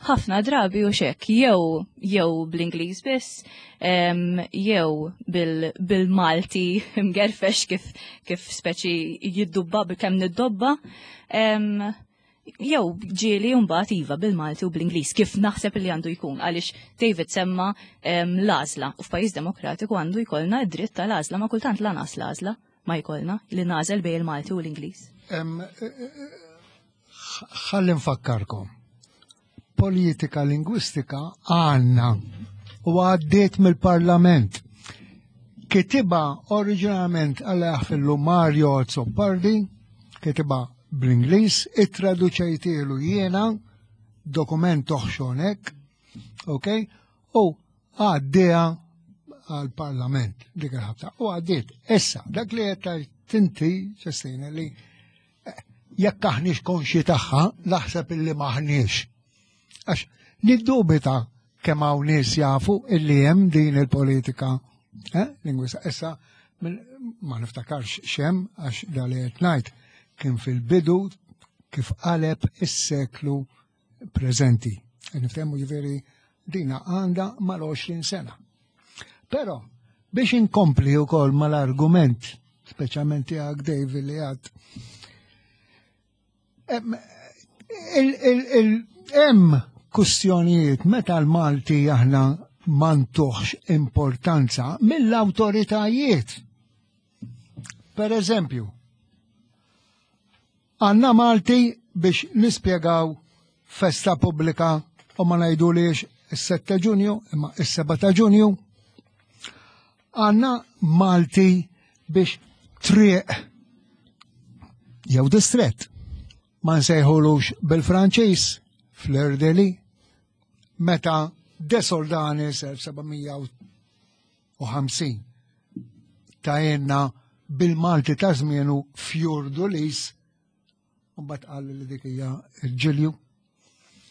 Ħafna drabi u xek, jew jew bl-Ingliż biss, jew bil-Malti mgerfex kif kif speċi jiddubba kemm niddobba, jew ġieli mbagħad iva bil-Malti u bl-Ingliż kif naħseb li għandu jkun għaliex David semma l-għażla u f'pajjiż demokratiku għandu jkollna d-dritt tal-għażla ma kultant lanqas l-għażla. ma jkollna li nagħżel bejn il-Malti u l-Ingliż. Eh, eh, ħalli nfakkarkom. Politika lingwistika għandna u għaddiet mill-Parlament. Kitiba oriġinalment għal fillu Mario Azzopardi, kitiba bl-Ingliż, ittraduċejtielu jiena dokument oħxonek, ok? U għaddieha għal-parlament dik il-ħabta. U għaddiet. Issa, dak li qed tinti, ċestina, li eh, jekk aħniex konxi tagħha, naħseb illi maħniex. Għax niddubita kemm hawn nies jafu illi hemm din il-politika eh, lingwista. Issa ma niftakarx xem għax dali qed ngħid kien fil-bidu kif qaleb is-seklu preżenti. Niftehmu ġifieri dina għandha mal-20 sena. Però biex inkompli wkoll mal-argument, speċjalment tiegħek David li għad hemm kustjonijiet meta l-Malti aħna ma ntuħx importanza mill-awtoritajiet. Per eżempju, Għandna Malti biex nispjegaw festa pubblika u ma ngħidulix is-7 Ġunju imma is-7 ta' Ġunju. Għandna Malti biex triq jew distrett ma nsejħulux bil-Franċiż fl-Erdeli meta De Soldanis 1700 u 50 ta' jenna bil-Malti ta' żmienu Fjur Dulis u mbagħad qal li dik hija l-ġilju.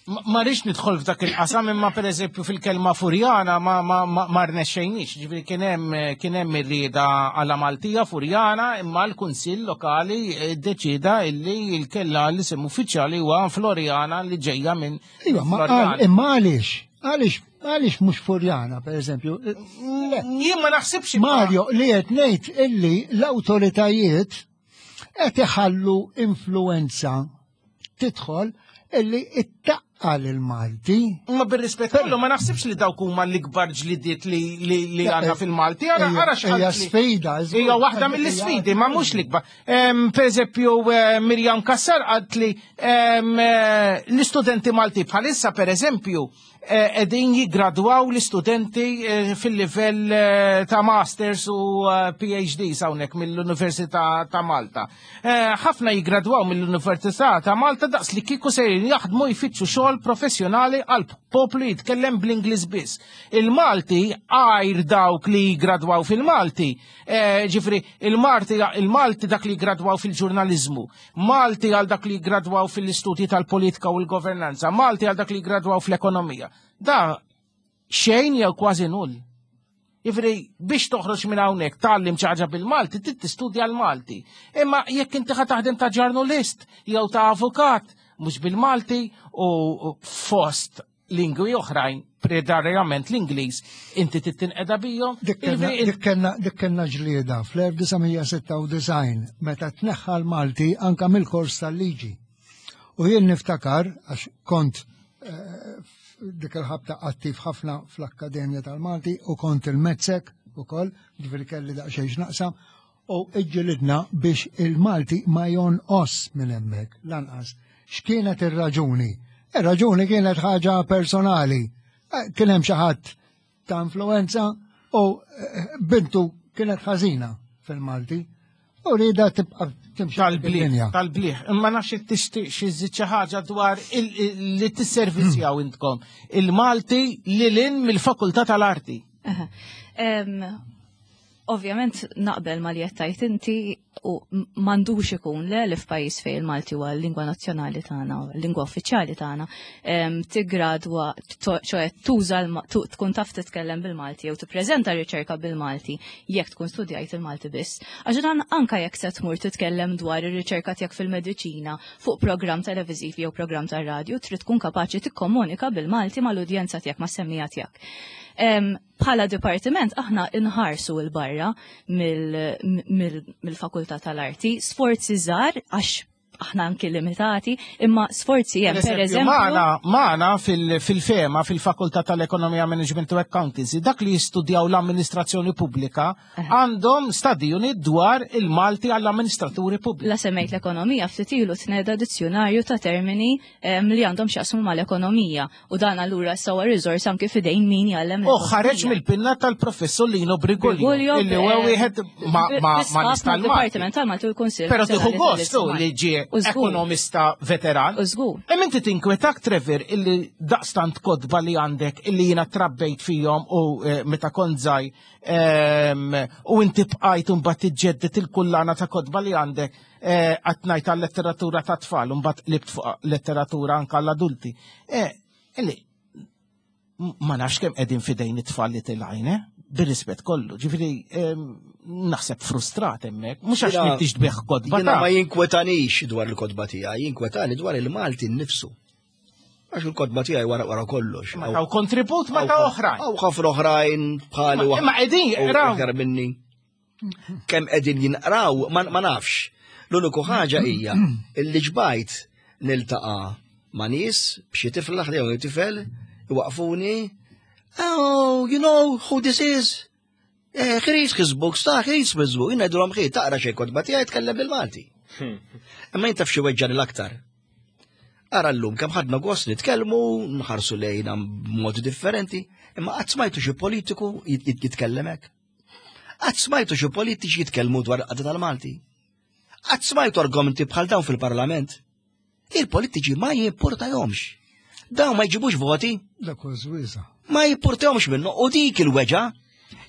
Ma rridx nidħol f'dak il-qasam imma pereżempju fil-kelma Furjana ma ma ma, ma rnexxejniex, ġifieri kien hemm kien hemm ir-rieda għala Maltija Furjana imma l-Kunsill Lokali eh, ddeċieda illi l-kella l-isem uffiċjali huwa Floriana li ġejja minn Iva, ma imma għaliex? Għaliex għaliex mhux Furjana, per eżempju? Jien ma naħsibx. Mario, li qed ngħid illi l-awtoritajiet qed iħallu influenza tidħol illi ittaqqal il-Malti. Ma bir-rispett kollu ma naħsibx li dawk huma l-ikbar ġlidiet li li għandna eh, fil-Malti. Ara ara x'ħaġa. sfida. Hija waħda mill-isfidi, ma mhux l-ikbar. Per eżempju, eh, Mirjam Kassar qalt li eh, l-istudenti Malti bħalissa per eżempju eh, qegħdin jiggradwaw l-istudenti fil-livell ta' masters u PhDs hawnhekk mill-Università ta' Malta. Ħafna jiggradwaw mill-Università ta' Malta daqs li kieku sejrin jaħdmu jfittxu xogħol professjonali għal poplu jitkellem bl-Ingliż biss. Il-Malti għajr dawk li jiggradwaw fil-Malti Eh, ġifri, il-Malti il-Malti dak li gradwaw fil-ġurnalizmu, Malti għal dak li gradwaw fil-istudji tal-politika u l-governanza, Malti għal dak li gradwaw fl-ekonomija. Da xejn jew kważi null. Ġifri, biex toħroġ minn hawnhekk tgħallim xi ħaġa bil-Malti, trid tistudja l-Malti. Imma jekk inti ħa taħdem ta' ġurnalist jew ta' avukat, mhux bil-Malti u fost lingwi oħrajn, predarjament l-Ingliż, inti tittinqeda bijom. Dik kellna ġlieda fl-1996 meta tneħħa l-Malti anka mill-kors tal-liġi. U jien niftakar, għax kont eh, dik il-ħabta attiv ħafna fl-Akkademja tal-Malti u kont il-Mezzek ukoll, ġifieri kelli daqsxejn x'naqsam, U iġġilidna biex il-Malti ma jonqos minn hemmhekk, lanqas. X'kienet ir-raġuni? Ir-raġuni kienet ħaġa personali. Eh, kien hemm xi ħadd ta' influenza u eh, bintu kienet ħażina fil-Malti. U rida tibqa' timxi tal-bliħ. Tal-bliħ. Imma nafx tixtieq xi żid xi ħaġa dwar li tisservizjaw intkom il-Malti lil mill-Fakultà tal-Arti. Ovvjament naqbel ma li qed tgħid inti u m'għandux ikun le li f'pajjiż fejn il-Malti huwa l-lingwa nazzjonali tagħna, l-lingwa uffiċjali tagħna, tiggradwa, ċoe tuża tkun taf titkellem bil-Malti jew tippreżenta riċerka bil-Malti jekk tkun studjajt il-Malti biss. Għax dan anka jekk se tmur titkellem dwar ir-riċerka tiegħek fil-mediċina fuq programm televiżiv jew programm tar-radju, trid tkun kapaċi tikkomunika bil-Malti mal-udjenza tiegħek, mas-semmiegħa tiegħek. Bħala dipartiment aħna inħarsu 'l barra mill-Fakultà tal-Arti, sforzi żgħar għax aħna anki limitati, imma sforzi hemm per eżempju. Magħna magħna fil-fema fil-Fakultà tal-Ekonomija Management u Accountancy dak li jistudjaw l-amministrazzjoni pubblika għandhom study unit dwar il-Malti għall-amministraturi pubbliċi. La semmejt l-ekonomija ftit ilu tneda dizzjonarju ta' termini li għandhom x'jaqsmu mal-ekonomija u dan allura sawa riżors anki fidejn min jgħallem. U ħareġ mill-pinna tal-professur Lino Brigolio illi huwa wieħed ma ma ma tal-Dipartiment tal-Malti u l-Kunsill. Però tieħu gostu li ġie ekonomista veteran. U żgur. Hemm inti tinkwetak Trevor illi daqstant kotba li għandek illi jiena trabbejt fihom u eh, meta kont żgħir U inti bqajt mbagħad tiġġedded il-kullana ta' kotba li għandek eh, qatt ngħid għal-letteratura ta' tfal u mbagħad qlibt fuq letteratura anke għall-adulti. Eh, illi ma nafx kemm qegħdin fidejn it-tfal li tilgħin, eh? Bir-rispett kollu, ġifieri naħseb frustrat hemmhekk, mhux għax m'intix tbigħ kotba. Jiena ma jinkwetanix dwar il-kotba tiegħi, jinkwetani dwar il-Malti nnifsu. Għax il-kotba tiegħi wara wara kollox. Ma taw kontribut ma ta' oħrajn. Hawn ħafna oħrajn bħali Imma qegħdin jaqraw. Aktar minni. Kemm qegħdin jinqraw ma nafx. L-uniku ħaġa hija illi ġbajt niltaqa' ma' nies b'xi tifla ħdejhom tifel iwaqfuni. Oh, you know who this is? Eh, he reads his books, ta' he reads his books, jien ngħidulhom ħi taqra xejn kotba tiegħi tkellem bil-Malti. Imma jien taf xi weġġani l-aktar. Ara llum kemm ħadna gost nitkellmu, nħarsu lejna b'modi differenti, imma qatt smajtu xi politiku jitkellem hekk. Qatt smajtu xi politiċi jitkellmu dwar qadda tal-Malti. Qatt smajtu argumenti bħal dawn fil-Parlament. Il-politiċi ma jimpurtajomx. Dawn ma jġibux voti. Dak żwiża. Ma jimpurtajomx minnu u dik il-weġa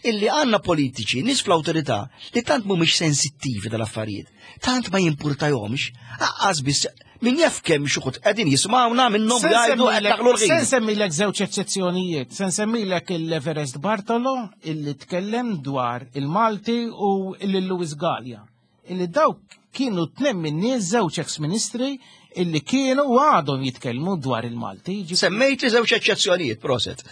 illi għanna politiċi, nis fl-autorità, li tant mhumiex sensittivi tal-affarijiet, tant ma jimpurtajomx, aqqas biss min jaf kemm xuħut qegħdin jismawna minnhom jgħidu qed daħlu l-ħin. Se nsemmilek żewġ eċċezzjonijiet, se nsemmilek il-Everest Bartolo illi tkellem dwar il-Malti u il-Louis Gallia. Illi dawk kienu tnem minn nies żewġ ex-ministri illi kienu u għadhom jitkellmu dwar il-Malti. Semmejt li żewġ eċċezzjonijiet, proset.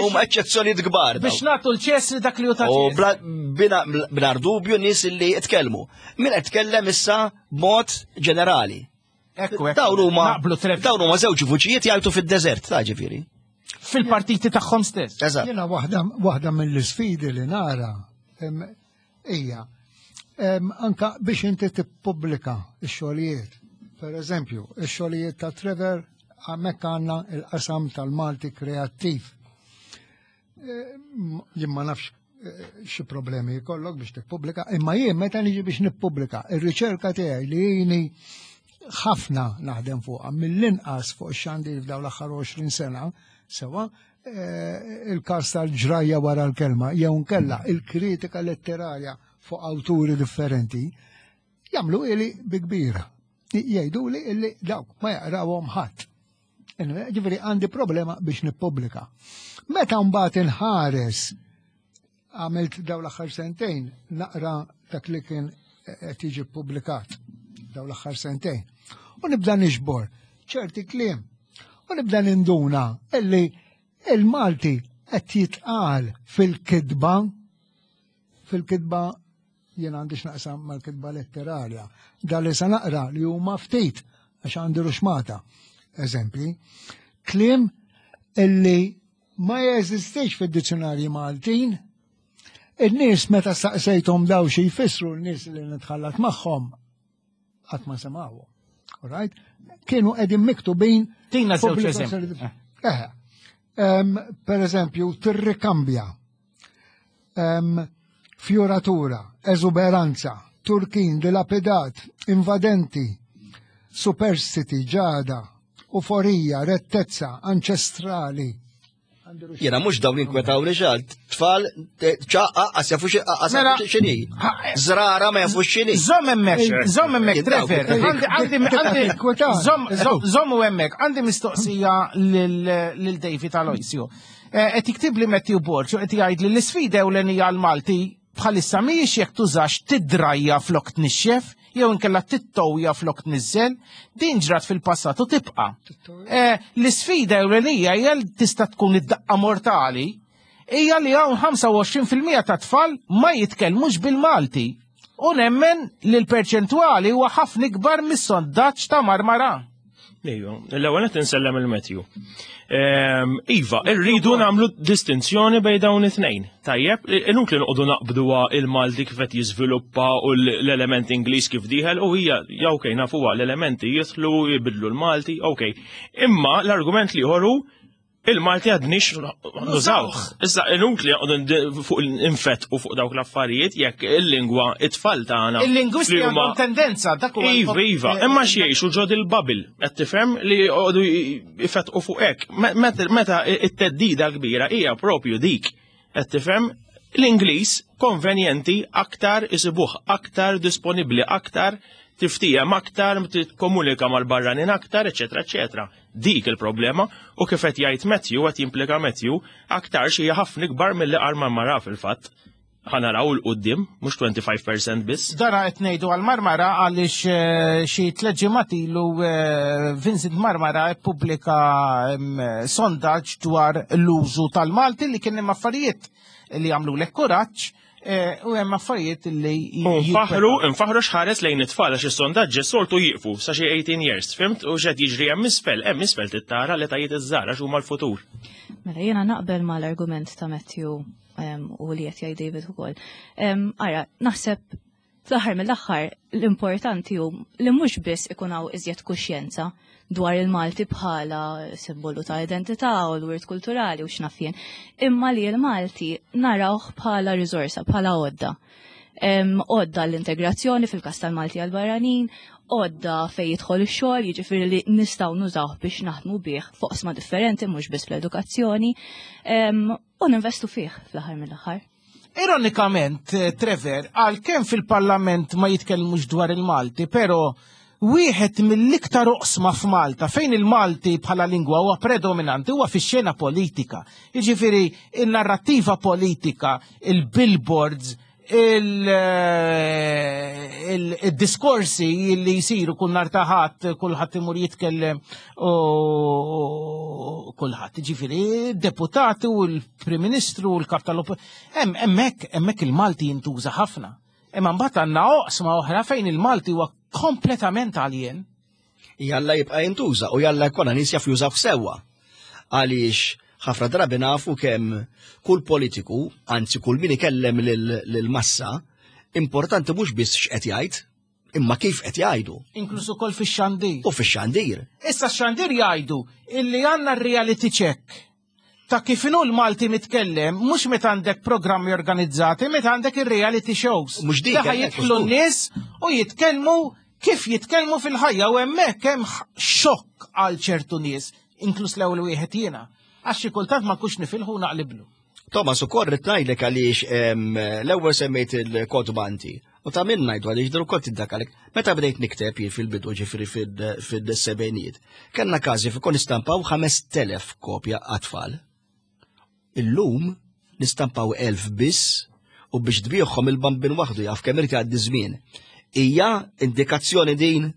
Huma eċċezzjonijiet kbar. Biex nagħtu l-ċesri dak li hu ta' U bla dubju nies illi jitkellmu. Min qed tkellem issa b'mod ġenerali. Ekku, Dawn huma dawn huma żewġ vuċijiet jgħajtu fid-deżert, ta' ġifieri. Fil-partiti tagħhom stess. Eżatt. Jiena waħda mill-isfidi li nara hija anka biex inti tippubblika x-xogħlijiet. Per eżempju, ix-xogħlijiet ta' Trevor hemmhekk għandna il-qasam tal-Malti kreattiv. Eh, jien ma nafx eh, xi problemi jkollok biex tippubblika, imma jien meta niġi biex nippubblika, ir-riċerka tiegħi li jini ħafna naħdem fuqha mill-inqas fuq ix-xandir f'dawn l-aħħar 20 sena, sewa, eh, il-każ tal-ġrajja wara l-kelma, jew nkella il-kritika letterarja fuq awturi differenti, jagħmlu ili bi kbira. Jgħidu li illi dawk ma jaqrawhom ħadd. Ġifieri għandi problema biex nippubblika. Meta mbagħad inħares għamilt daw l-aħħar sentejn naqra dak li kien qed jiġi ppubblikat daw l-aħħar sentejn. U nibda nixbor ċerti kliem. U nibda ninduna illi il-Malti qed jitqal fil-kitba fil-kitba jien għandi x'naqsam mal-kitba letterarja. Da li sa naqra li huma ftit għax għandi ruxmata. Eżempji, kliem illi ma jeżistix fid-dizzjonarji Maltin, in-nies meta staqsejthom daw xi jfissru n-nies li nitħallat magħhom qatt ma semgħuhom. Right? Kienu qegħdin miktubin. Tina żewġ eżempji. Eh, per eżempju, tirrikambja Fjoratura, eżuberanza, turkin, dilapidat, invadenti, superstiti, ġada, uforija, rettezza, anċestrali. Jena mux dawn inkwetawni xal, tfal, ċaqqa, għas jafu mela, xini. Zrara ma jafu xini. Zom emmek, zom emmek, Trevor, għandi, għandi, zom u emmek, għandi mistoqsija lil David Aloisio. Eh, qed jiktibli Matthew Borg u qed jgħid li l-isfida ewlenija għal Malti bħalissa mhijiex jekk tużax tidrajja flok tnixxef jew inkella tittowja flok tniżżel, din ġrat fil-passat u tibqa'. Eh, l-isfida ewlenija hija li tista' tkun id-daqqa mortali hija li hawn 25% ta' tfal ma jitkellmux bil-Malti. U nemmen li l-perċentwali huwa ħafna ikbar mis-sondaġġ ta' Marmara. Ejju, l-ewwel qed insellem il-Matthew. Ehm, iva, irridu nagħmlu distinzjoni bejn dawn it-tnejn. Tajjeb, inutli noqogħdu naqbduha il-Malti kif qed jiżviluppa u l-element Ingliż kif dieħel u hija ja okej nafuha l-elementi jidħlu jibidlu l-Malti, okej. Imma l-argument li hu Il-Malti għadnix nużawh. Issa inutli fuq infett u fuq dawk l-affarijiet jekk il-lingwa it-tfal tagħna. Il-lingwisti għandhom tendenza dak huwa. Iva, iva, eh, imma x'jgħixu ġod il-babil, qed tifhem li jqogħdu ifettqu fuq hekk. Meta it-teddida kbira hija propju dik. Qed tifhem l-Ingliż konvenjenti aktar isibuh aktar disponibbli aktar tiftijem aktar, tikkomunika mal-barranin aktar, eċetera, eċetera. Dik il-problema u kif qed jgħid Matthew qed jimplika Matthew aktarx hija ħafna ikbar milli qal Marmara fil-fatt. Ħa naraw 'l quddiem, mhux 25% biss. Dara qed ngħidu għal Marmara għaliex eh, xi tliet ġimgħat ilu eh, Vincent Marmara ppubblika mm, sondaġġ dwar l-użu tal-Malti li kien hemm affarijiet li għamlu lek kuraġġ Eh, u hemm affarijiet li Nfaħru, nfaħru x'ħares lejn it-tfal għax is-sondaġġi soltu jieqfu sa xi 18 years, fimt? U x'qed jiġri hemm isfel, hemm isfel tittara li tajiet iż-żgħar għax huma l-futur. Mela jiena naqbel mal-argument ta' Matthew u li qed jgħid David ukoll. Ara, naħseb Fl-aħħar mill-aħħar, l-importanti hu li mhux biss ikun hawn iżjed kuxjenza dwar il-Malti bħala simbolu ta' identità u l-wirt kulturali u x'naf jien, imma li l-Malti narawh bħala riżorsa, bħala għodda. Għodda l-integrazzjoni fil-każ tal-Malti għall-barranin, għodda fejn jidħol ix-xogħol, jiġifieri li nistgħu nużawh biex naħdmu bih f'oqsma differenti mhux biss fl-edukazzjoni, u ninvestu fih fl-aħħar mill-aħħar. Ironikament, eh, Trevor, għalkemm fil-Parlament ma jitkellmux dwar il-Malti, però wieħed mill-iktar oqsma f'Malta fejn il-Malti bħala lingwa huwa predominanti huwa fix-xena politika. Jiġifieri in-narrattiva politika, il-billboards, il-diskorsi li jisiru kull nar ta' ħadd, kulħadd imur jitkellem u kulħadd, ġifieri deputati u l-Prim Ministru u l-Kap tal Hemm hemmhekk hemmhekk il-Malti jintuża ħafna. Imma mbagħad għandna oqsma oħra fejn il-Malti huwa kompletament alien. Jalla jibqa' jintuża u jalla jkollna nies jaf jużaw sewwa. Għaliex ħafna drabi nafu kemm kull politiku, anzi kull min ikellem lill-massa, importanti mhux biss x'qed jgħid, imma kif qed jgħidu. Inkluż ukoll fix-xandir. U fix-xandir. Issa x-xandir jgħidu illi għandna r-reality check ta' kif inhu l-Malti mitkellem, mhux meta għandek programmi organizzati, meta għandek ir-reality shows. Mhux dik. Daħ jidħlu n-nies u jitkellmu kif jitkellmu fil-ħajja u hemmhekk hemm xokk għal ċertu nies, inkluż l-ewwel wieħed jiena. Għax xi kultant ma nkunx nifilħu naqliblu. Thomas, ukoll rrid ngħidlek għaliex l-ewwel semmejt il-kotba inti. U ta' minn ngħidu għaliex dan ukoll tiddakalek. Meta bdejt nikteb jien fil-bidu ġifieri fil-sebgħinijiet, kellna każi fi kon nistampaw 5000 kopja għat-tfal. Illum nistampaw 1000 biss u biex tbigħhom il-bambin waħdu jaf kemm irid jgħaddi żmien. Hija indikazzjoni din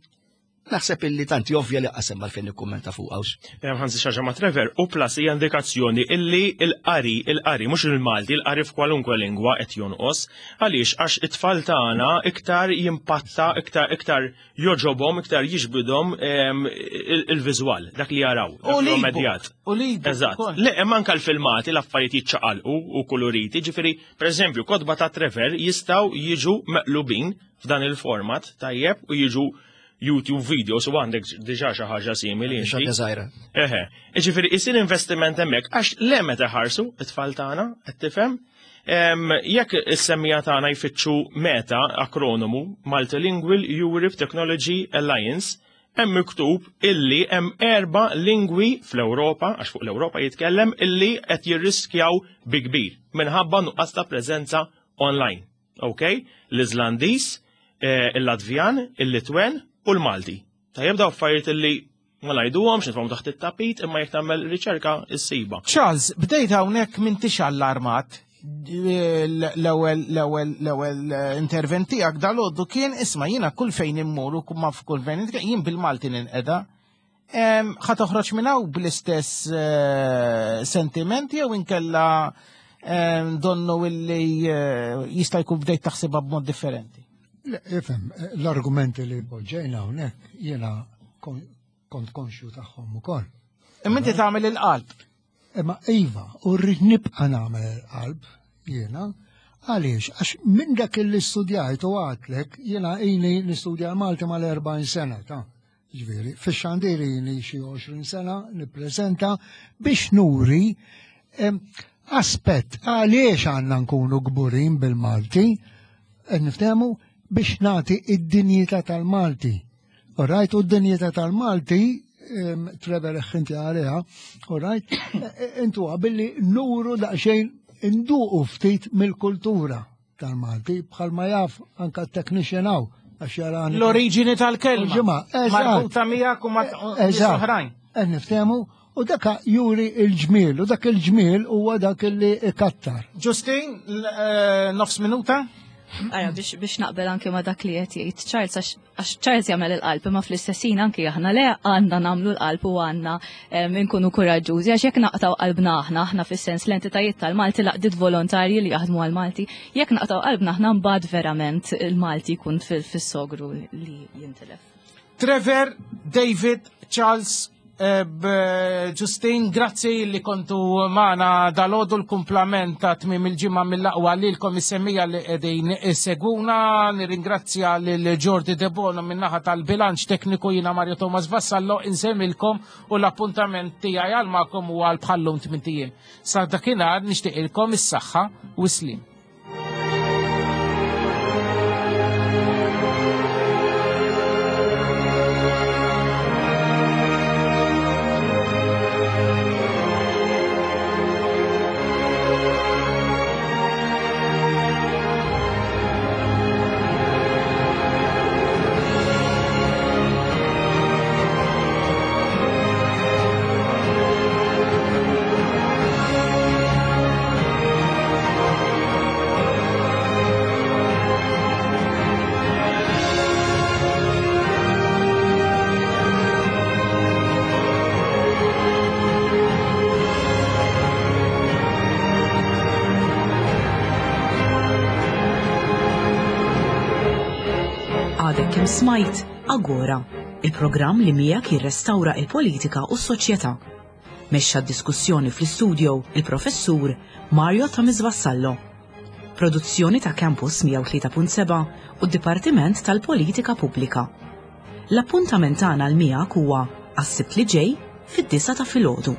Naħseb illi tanti ovvja li qasem għalfejn nikkummenta fuq hawnx. Ħansi xaġa ma' Trevor, u plus hija indikazzjoni illi l-qari, il-qari mhux il-Malti, il-qari f'kwalunkwe lingwa qed jonqos. Għaliex għax it-tfal tagħna iktar jimpatta, iktar iktar joġobhom, iktar jiġbidhom il-viżwal, dak li jaraw, dak li immedjat. U li Eżatt. Le, hemm anke l-filmati l-affarijiet jiċċaqalqu u kuluriti, ġifieri, pereżempju, kotba ta' Trevor jistgħu jiġu meqlubin f'dan il-format tajjeb u jiġu YouTube videos u għandek diġà xi ħaġa simili. Xi ħaġa żgħira. Eħe, jiġifieri isir investiment hemmhekk għax le meta ħarsu it-tfal tagħna qed tifhem. Jekk is-semmija tagħna jfittxu meta akronomu Multilingual Europe Technology Alliance, hemm miktub illi hemm erba' lingwi fl-Ewropa, għax fuq l-Ewropa jitkellem, illi qed jirriskjaw bi kbir minħabba nuqqas ta' preżenza online. Ok? L-Iżlandiż, eh, il-Latvjan, il-Litwen u l-Malti. Tajjeb daw affarijiet illi ma ngħiduhomx nitfgħu taħt it-tapit imma jekk tagħmel riċerka ssiba. Charles, bdejt hawnhekk m'intix allarmat l-ewwel l-ewwel l-ewwel eh, intervent tiegħek dal-għoddu kien isma' jiena kull fejn immur u ma f'kull fejn jien bil-Malti ninqeda. Ħa toħroġ minn hawn bl-istess eh, sentiment jew inkella donnu illi eh, jista' jkun bdejt taħsibha b'mod differenti? Le, ifhem, l-argumenti li poġġejna hawnhekk jiena kont konxju tagħhom ukoll. Imma inti tagħmel il-qalb. Imma iva, u rrid nibqa' nagħmel il-qalb jiena, għaliex għax minn dak li studjajt u għadtlek jiena ili nistudja Malti mal-40 sena ta' Ġifieri, fix-xandir ili xi 20 sena nippreżenta biex nuri aspett għaliex għandna nkunu kburin bil-Malti, qed niftehmu biex nagħti id-dinjità tal-Malti. Alright, u d-dinjità tal-Malti, Trevor inti għaliha, alright, e, e, intu billi nuru daqsxejn induqu ftit mill-kultura. tal-Malti, bħalma jaf anka t-technician hawn għax jarani. L-oriġini tal-kelma. Ġimgħa, Marbuta miegħek u ma' oħrajn. Qed niftehmu u dak juri il-ġmiel u dak il-ġmiel huwa dak li ikattar. Ġustin, eh, nofs minuta? Ara, biex naqbel anke ma dak li qed jgħid Charles għax Għax Charles jagħmel il-qalb imma fl-istess ħin anki aħna le għandna nagħmlu l-qalb u għandna nkunu kuraġġużi għax jekk naqtaw qalbna aħna, aħna fis-sens l-entitajiet tal-Malti laqdiet volontarji li jaħdmu għal-Malti, jekk naqtaw qalbna aħna mbagħad verament il-Malti jkun fis-sogru li jintilef. Trevor, David, Charles, Eh, Ġustin, grazzi li kontu maħna dal-ħodu l-kumplament ta' tmim il-ġimma mill-aqwa li l-komissemmija li edin seguna. Nirringrazzja l-Jordi Debono minnaħa tal-bilanċ tekniku jina Mario Thomas Vassallo insemmilkom u l-appuntament tijaj għal-makom u għal-bħallum tmintijiem. Sa' dakinhar nixtieqilkom is-saħħa u slim. Għadek kemm smajt Agora, il-programm li miegħek jirrestawra il-politika u s-soċjetà. Mexxa d-diskussjoni fl-istudio il-Professur Mario Thomas Vassallo. Produzzjoni ta' Campus 103.7 u d-Dipartiment tal-Politika Pubblika. L-appuntament tagħna l miegħek huwa għas-Sibt li ġej fid-9 ta' filgħodu.